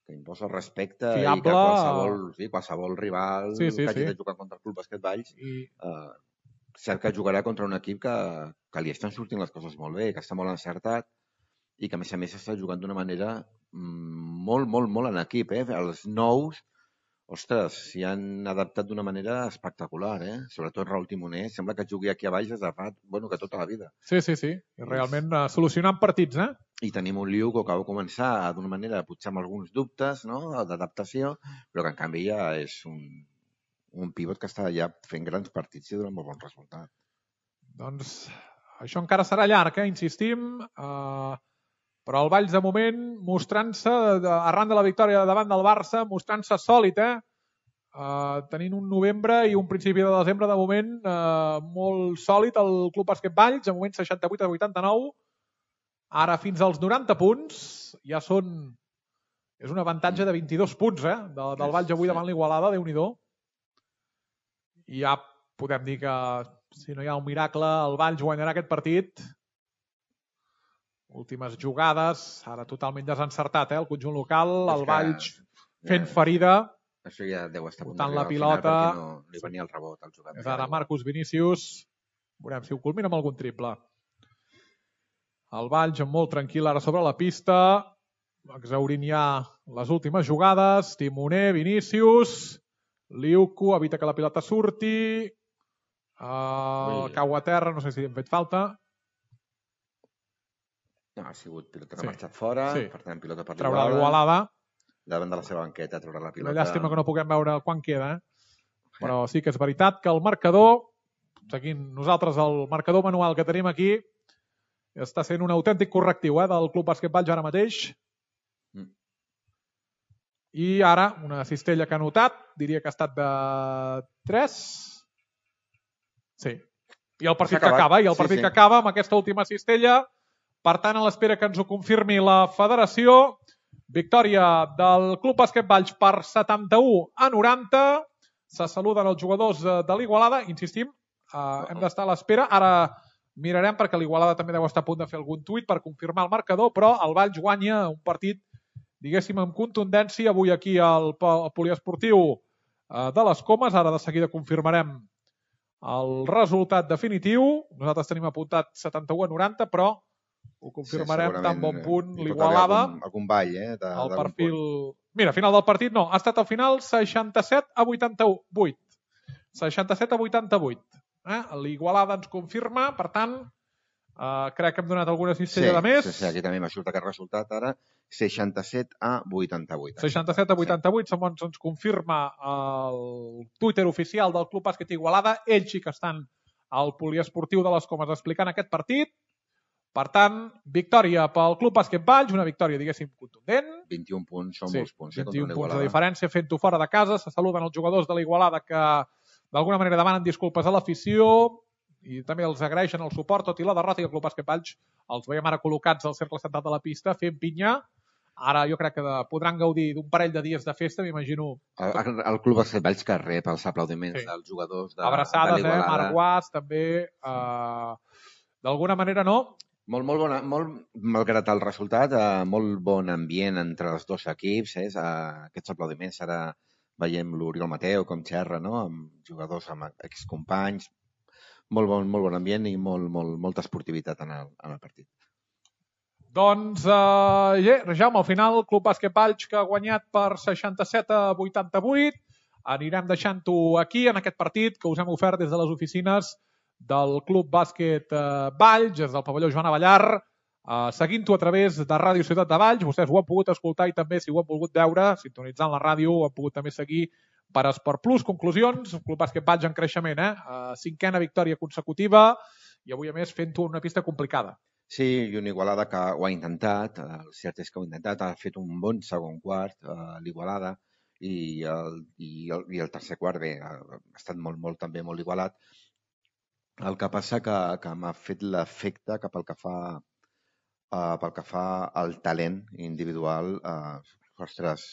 que imposa respecte Fiable. i que qualsevol, sí, qualsevol rival Sí, sí, que hagi sí. de jugar contra el Club Bàsquet Valls I... eh, cert que jugarà contra un equip que, que li estan sortint les coses molt bé, que està molt encertat i que a més a més està jugant d'una manera mm, molt, molt, molt en equip. Eh? Els nous, ostres, s'hi han adaptat d'una manera espectacular. Eh? Sobretot Raül Timoner, sembla que jugui aquí a baix des de fa, bueno, que tota la vida. Sí, sí, sí. I realment uh, solucionant partits, eh? I tenim un Liu que va començar d'una manera, potser amb alguns dubtes, no?, d'adaptació, però que en canvi ja és un, un pivot que està ja fent grans partits i donant molt bon resultat. Doncs això encara serà llarg, eh? Insistim. Uh, però el Valls, de moment, mostrant-se, arran de la victòria davant del Barça, mostrant-se sòlid, eh? Uh, tenint un novembre i un principi de desembre, de moment, uh, molt sòlid el Club Bàsquet Valls, de moment seixanta-vuit a vuitanta-nou. Ara fins als noranta punts, ja són... És un avantatge de vint-i-dos punts, eh? De, del Valls avui davant l'Igualada, Déu-n'hi-do. I ja podem dir que, si no hi ha un miracle, el Valls guanyarà aquest partit. Últimes jugades, ara totalment desencertat, eh? El conjunt local, el Valls fent ferida. Això ja deu estar a punt Botant d'arribar la al pilota. final perquè no li venia el rebot al jugador. És ara Marcus Vinícius. Veurem si ho culmina amb algun triple. El Valls molt tranquil ara sobre la pista, exhaurint ja les últimes jugades. Timoner, Vinícius, Liuco, evita que la pilota surti, uh, cau a terra, no sé si hem fet falta. No, ha sigut pilota que Sí. ha marxat fora, Sí. per tant, pilota per Traurà l'Igualada. davant de la seva banqueta, traurà la pilota. Una llàstima que no puguem veure quan queda, eh? Però sí que és veritat que el marcador, seguint nosaltres el marcador manual que tenim aquí, està sent un autèntic correctiu eh, del Club Bàsquet Valls ara mateix. Mm. I ara, una cistella que ha notat, diria que ha estat de tres. Sí. I el partit que acaba, i el Sí, partit sí. que acaba amb aquesta última cistella. Per tant, a l'espera que ens ho confirmi la federació, victòria del Club Bàsquet Valls per setanta-u a noranta. Se saluden els jugadors de l'Igualada. Insistim, eh, hem d'estar a l'espera. Ara mirarem perquè l'Igualada també deu estar a punt de fer algun tuit per confirmar el marcador, però el Valls guanya un partit, diguéssim, amb contundència avui aquí al poliesportiu de les Comes. Ara de seguida confirmarem el resultat definitiu. Nosaltres tenim apuntat setanta-u a noranta, però ho confirmarem Sí, tan bon punt hi pot l'Igualada. haver Algun, algun ball, eh? De, El d'algun perfil... punt. Mira, final del partit no. Ha estat al final seixanta-set a vuitanta-vuit. seixanta-set a vuitanta-vuit. Eh? L'Igualada ens confirma, per tant, Uh, crec que hem donat alguna cistella sí, de més. Sí, sí, aquí també m'ha sortit aquest resultat ara, seixanta-set a vuitanta-vuit. seixanta-set a vuitanta-vuit, sí. Segons ens confirma el Twitter oficial del Club Bàsquet Igualada. Ells sí que estan al poliesportiu de les Comes explicant aquest partit. Per tant, victòria pel Club Bàsquet Valls, una victòria, diguéssim, contundent. vint-i-un punts, són sí, molts punts. vint-i-un eh, punts de diferència, fent-ho fora de casa. Se saluden els jugadors de l'Igualada que d'alguna manera demanen disculpes a l'afició i també els agraeixen el suport, tot i la derrota, i el Club Bàsquet Valls els veiem ara col·locats al cercle central de la pista fent pinya. Ara jo crec que de, podran gaudir d'un parell de dies de festa, m'imagino. El, el, el Club Bàsquet Valls que rep els aplaudiments sí. dels jugadors de, abraçades, de l'Igualada. Eh? Marc Guas, també. Eh, D'alguna manera, no? Molt, molt bona, molt, malgrat el resultat, eh, molt bon ambient entre els dos equips. Eh? Aquests aplaudiments ara veiem l'Oriol Mateu com xerra, no? Amb jugadors, amb excompanys. Molt bon, molt bon ambient i molt, molt, molta esportivitat en el, en el partit. Doncs, eh, yeah, Jaume, al final, el Club Bàsquet Valls que ha guanyat per seixanta-set a vuitanta-vuit. Anirem deixant-ho aquí, en aquest partit que us hem ofert des de les oficines del Club Bàsquet eh, Valls, des del pavelló Joan Avellar, eh, seguint-ho a través de Ràdio Ciutat de Valls. Vostès ho han pogut escoltar i també, si ho han volgut veure, sintonitzant la ràdio, ho han pogut també seguir per Esport Plus. Conclusions, el Club Bàsquet Valls en creixement, eh? Uh, cinquena victòria consecutiva i avui, a més, fent-ho una pista complicada. Sí, i una Igualada que ho ha intentat, el cert és que ho ha intentat, ha fet un bon segon quart, uh, l'Igualada, i el, i, el, i el tercer quart, bé, ha estat molt, molt, també molt igualat. El que passa que, que m'ha fet l'efecte que pel que fa, uh, pel que fa al talent individual, uh, ostres,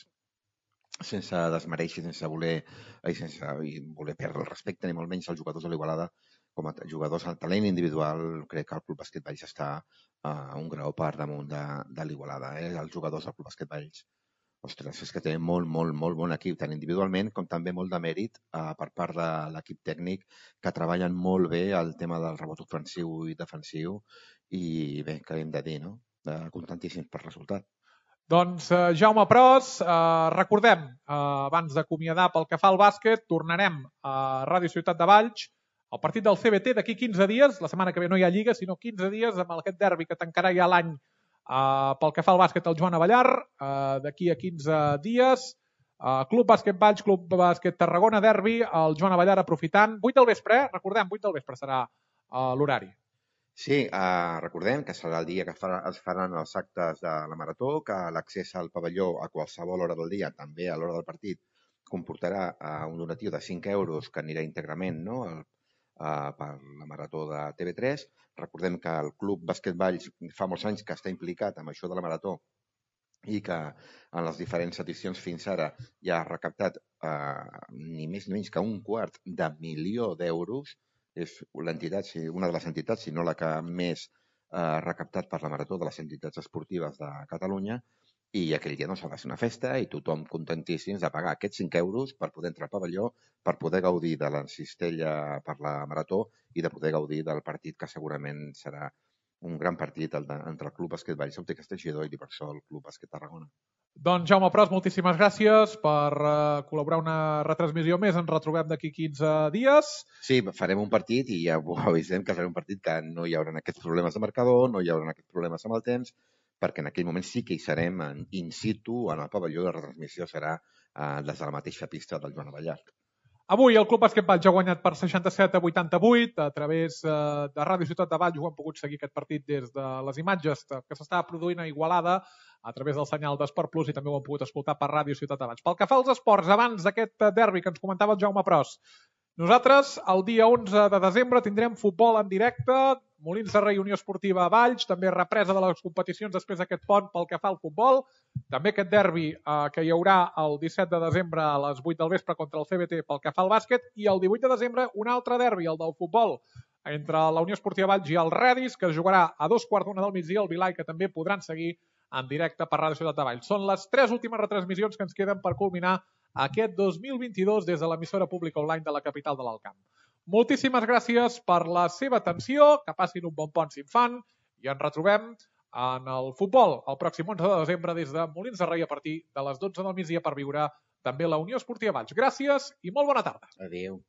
sense desmereixer, sense voler, i sense voler perdre el respecte, ni molt menys als jugadors de l'Igualada, com a jugadors al talent individual, crec que el Club Bàsquet Valls està a un grau per damunt de, de l'Igualada. Eh? Els jugadors del Club Bàsquet Valls, ostres, és que té molt, molt, molt bon equip, tant individualment com també molt de mèrit eh, per part de l'equip tècnic, que treballen molt bé el tema del rebot ofensiu i defensiu, i bé, què hem de dir, no? Eh, contentíssims per resultat. Doncs, eh, Jaume Pros, eh, recordem, eh, abans d'acomiadar pel que fa al bàsquet, tornarem a Ràdio Ciutat de Valls, el partit del C B T d'aquí quinze dies, la setmana que ve no hi ha Lliga, sinó quinze dies, amb aquest derbi que tancarà ja l'any eh, pel que fa al bàsquet al Joan Avellar, eh, d'aquí a quinze dies, eh, Club Bàsquet Valls, Club Bàsquet Tarragona, derbi, el Joan Avellar aprofitant, vuit del vespre, eh? Recordem, vuit del vespre serà eh, l'horari. Sí, eh, recordem que serà el dia que farà, es faran els actes de la Marató, que l'accés al pavelló a qualsevol hora del dia, també a l'hora del partit, comportarà eh, un donatiu de cinc euros que anirà íntegrament, no?, el, eh, per la Marató de T V tres. Recordem que el Club Bàsquet Valls fa molts anys que està implicat amb això de la Marató i que en les diferents edicions fins ara ja ha recaptat eh, ni més ni menys que un quart de milió d'euros. És l'entitat, una de les entitats, si no la que més ha eh, recaptat per la Marató de les entitats esportives de Catalunya, i aquell dia no s'ha de fer una festa i tothom contentíssims de pagar aquests cinc euros per poder entrar al pavelló, per poder gaudir de la cistella per la Marató i de poder gaudir del partit que segurament serà un gran partit entre el Club Bàsquet Valls, Òptica Teixidor i l'Ibersol Club Bàsquet Tarragona. Doncs Jaume Pros, moltíssimes gràcies per uh, col·laborar una retransmissió més. Ens retrobem d'aquí quinze dies. Sí, farem un partit i ja ho avisem que serà un partit que no hi haurà aquests problemes de marcador, no hi haurà aquests problemes amb el temps, perquè en aquell moment sí que hi serem en in situ, en el pavelló. La retransmissió serà uh, des de la mateixa pista del Joan Avellar. Avui el Club Bàsquet Valls ha guanyat per seixanta-set a vuitanta-vuit. A través eh, de Ràdio Ciutat de Valls ho han pogut seguir aquest partit des de les imatges que s'estava produint a Igualada a través del senyal d'Esport Plus, i també ho han pogut escoltar per Ràdio Ciutat de Valls. Pel que fa als esports, abans d'aquest derbi que ens comentava el Jaume Pros, nosaltres el dia onze de desembre tindrem futbol en directe, Molins de Rei, Unió Esportiva a Valls, també represa de les competicions després d'aquest pont pel que fa al futbol, també aquest derbi eh, que hi haurà el disset de desembre a les vuit del vespre contra el C B T pel que fa al bàsquet, i el divuit de desembre un altre derbi, el del futbol, entre la Unió Esportiva Valls i el Redis, que es jugarà a dos quarts d'una del migdia al Vilai, que també podran seguir en directe per Ràdio Ciutat de Valls. Són les tres últimes retransmissions que ens queden per culminar aquest dos mil vint-i-dos des de l'emissora pública online de la capital de l'Alt Camp. Moltíssimes gràcies per la seva atenció, que passin un bon pont si en fan, i ens retrobem en el futbol el pròxim onze de desembre des de Molins de Rei a partir de les dotze del migdia per viure també la Unió Esportiva Valls. Gràcies i molt bona tarda. Adéu.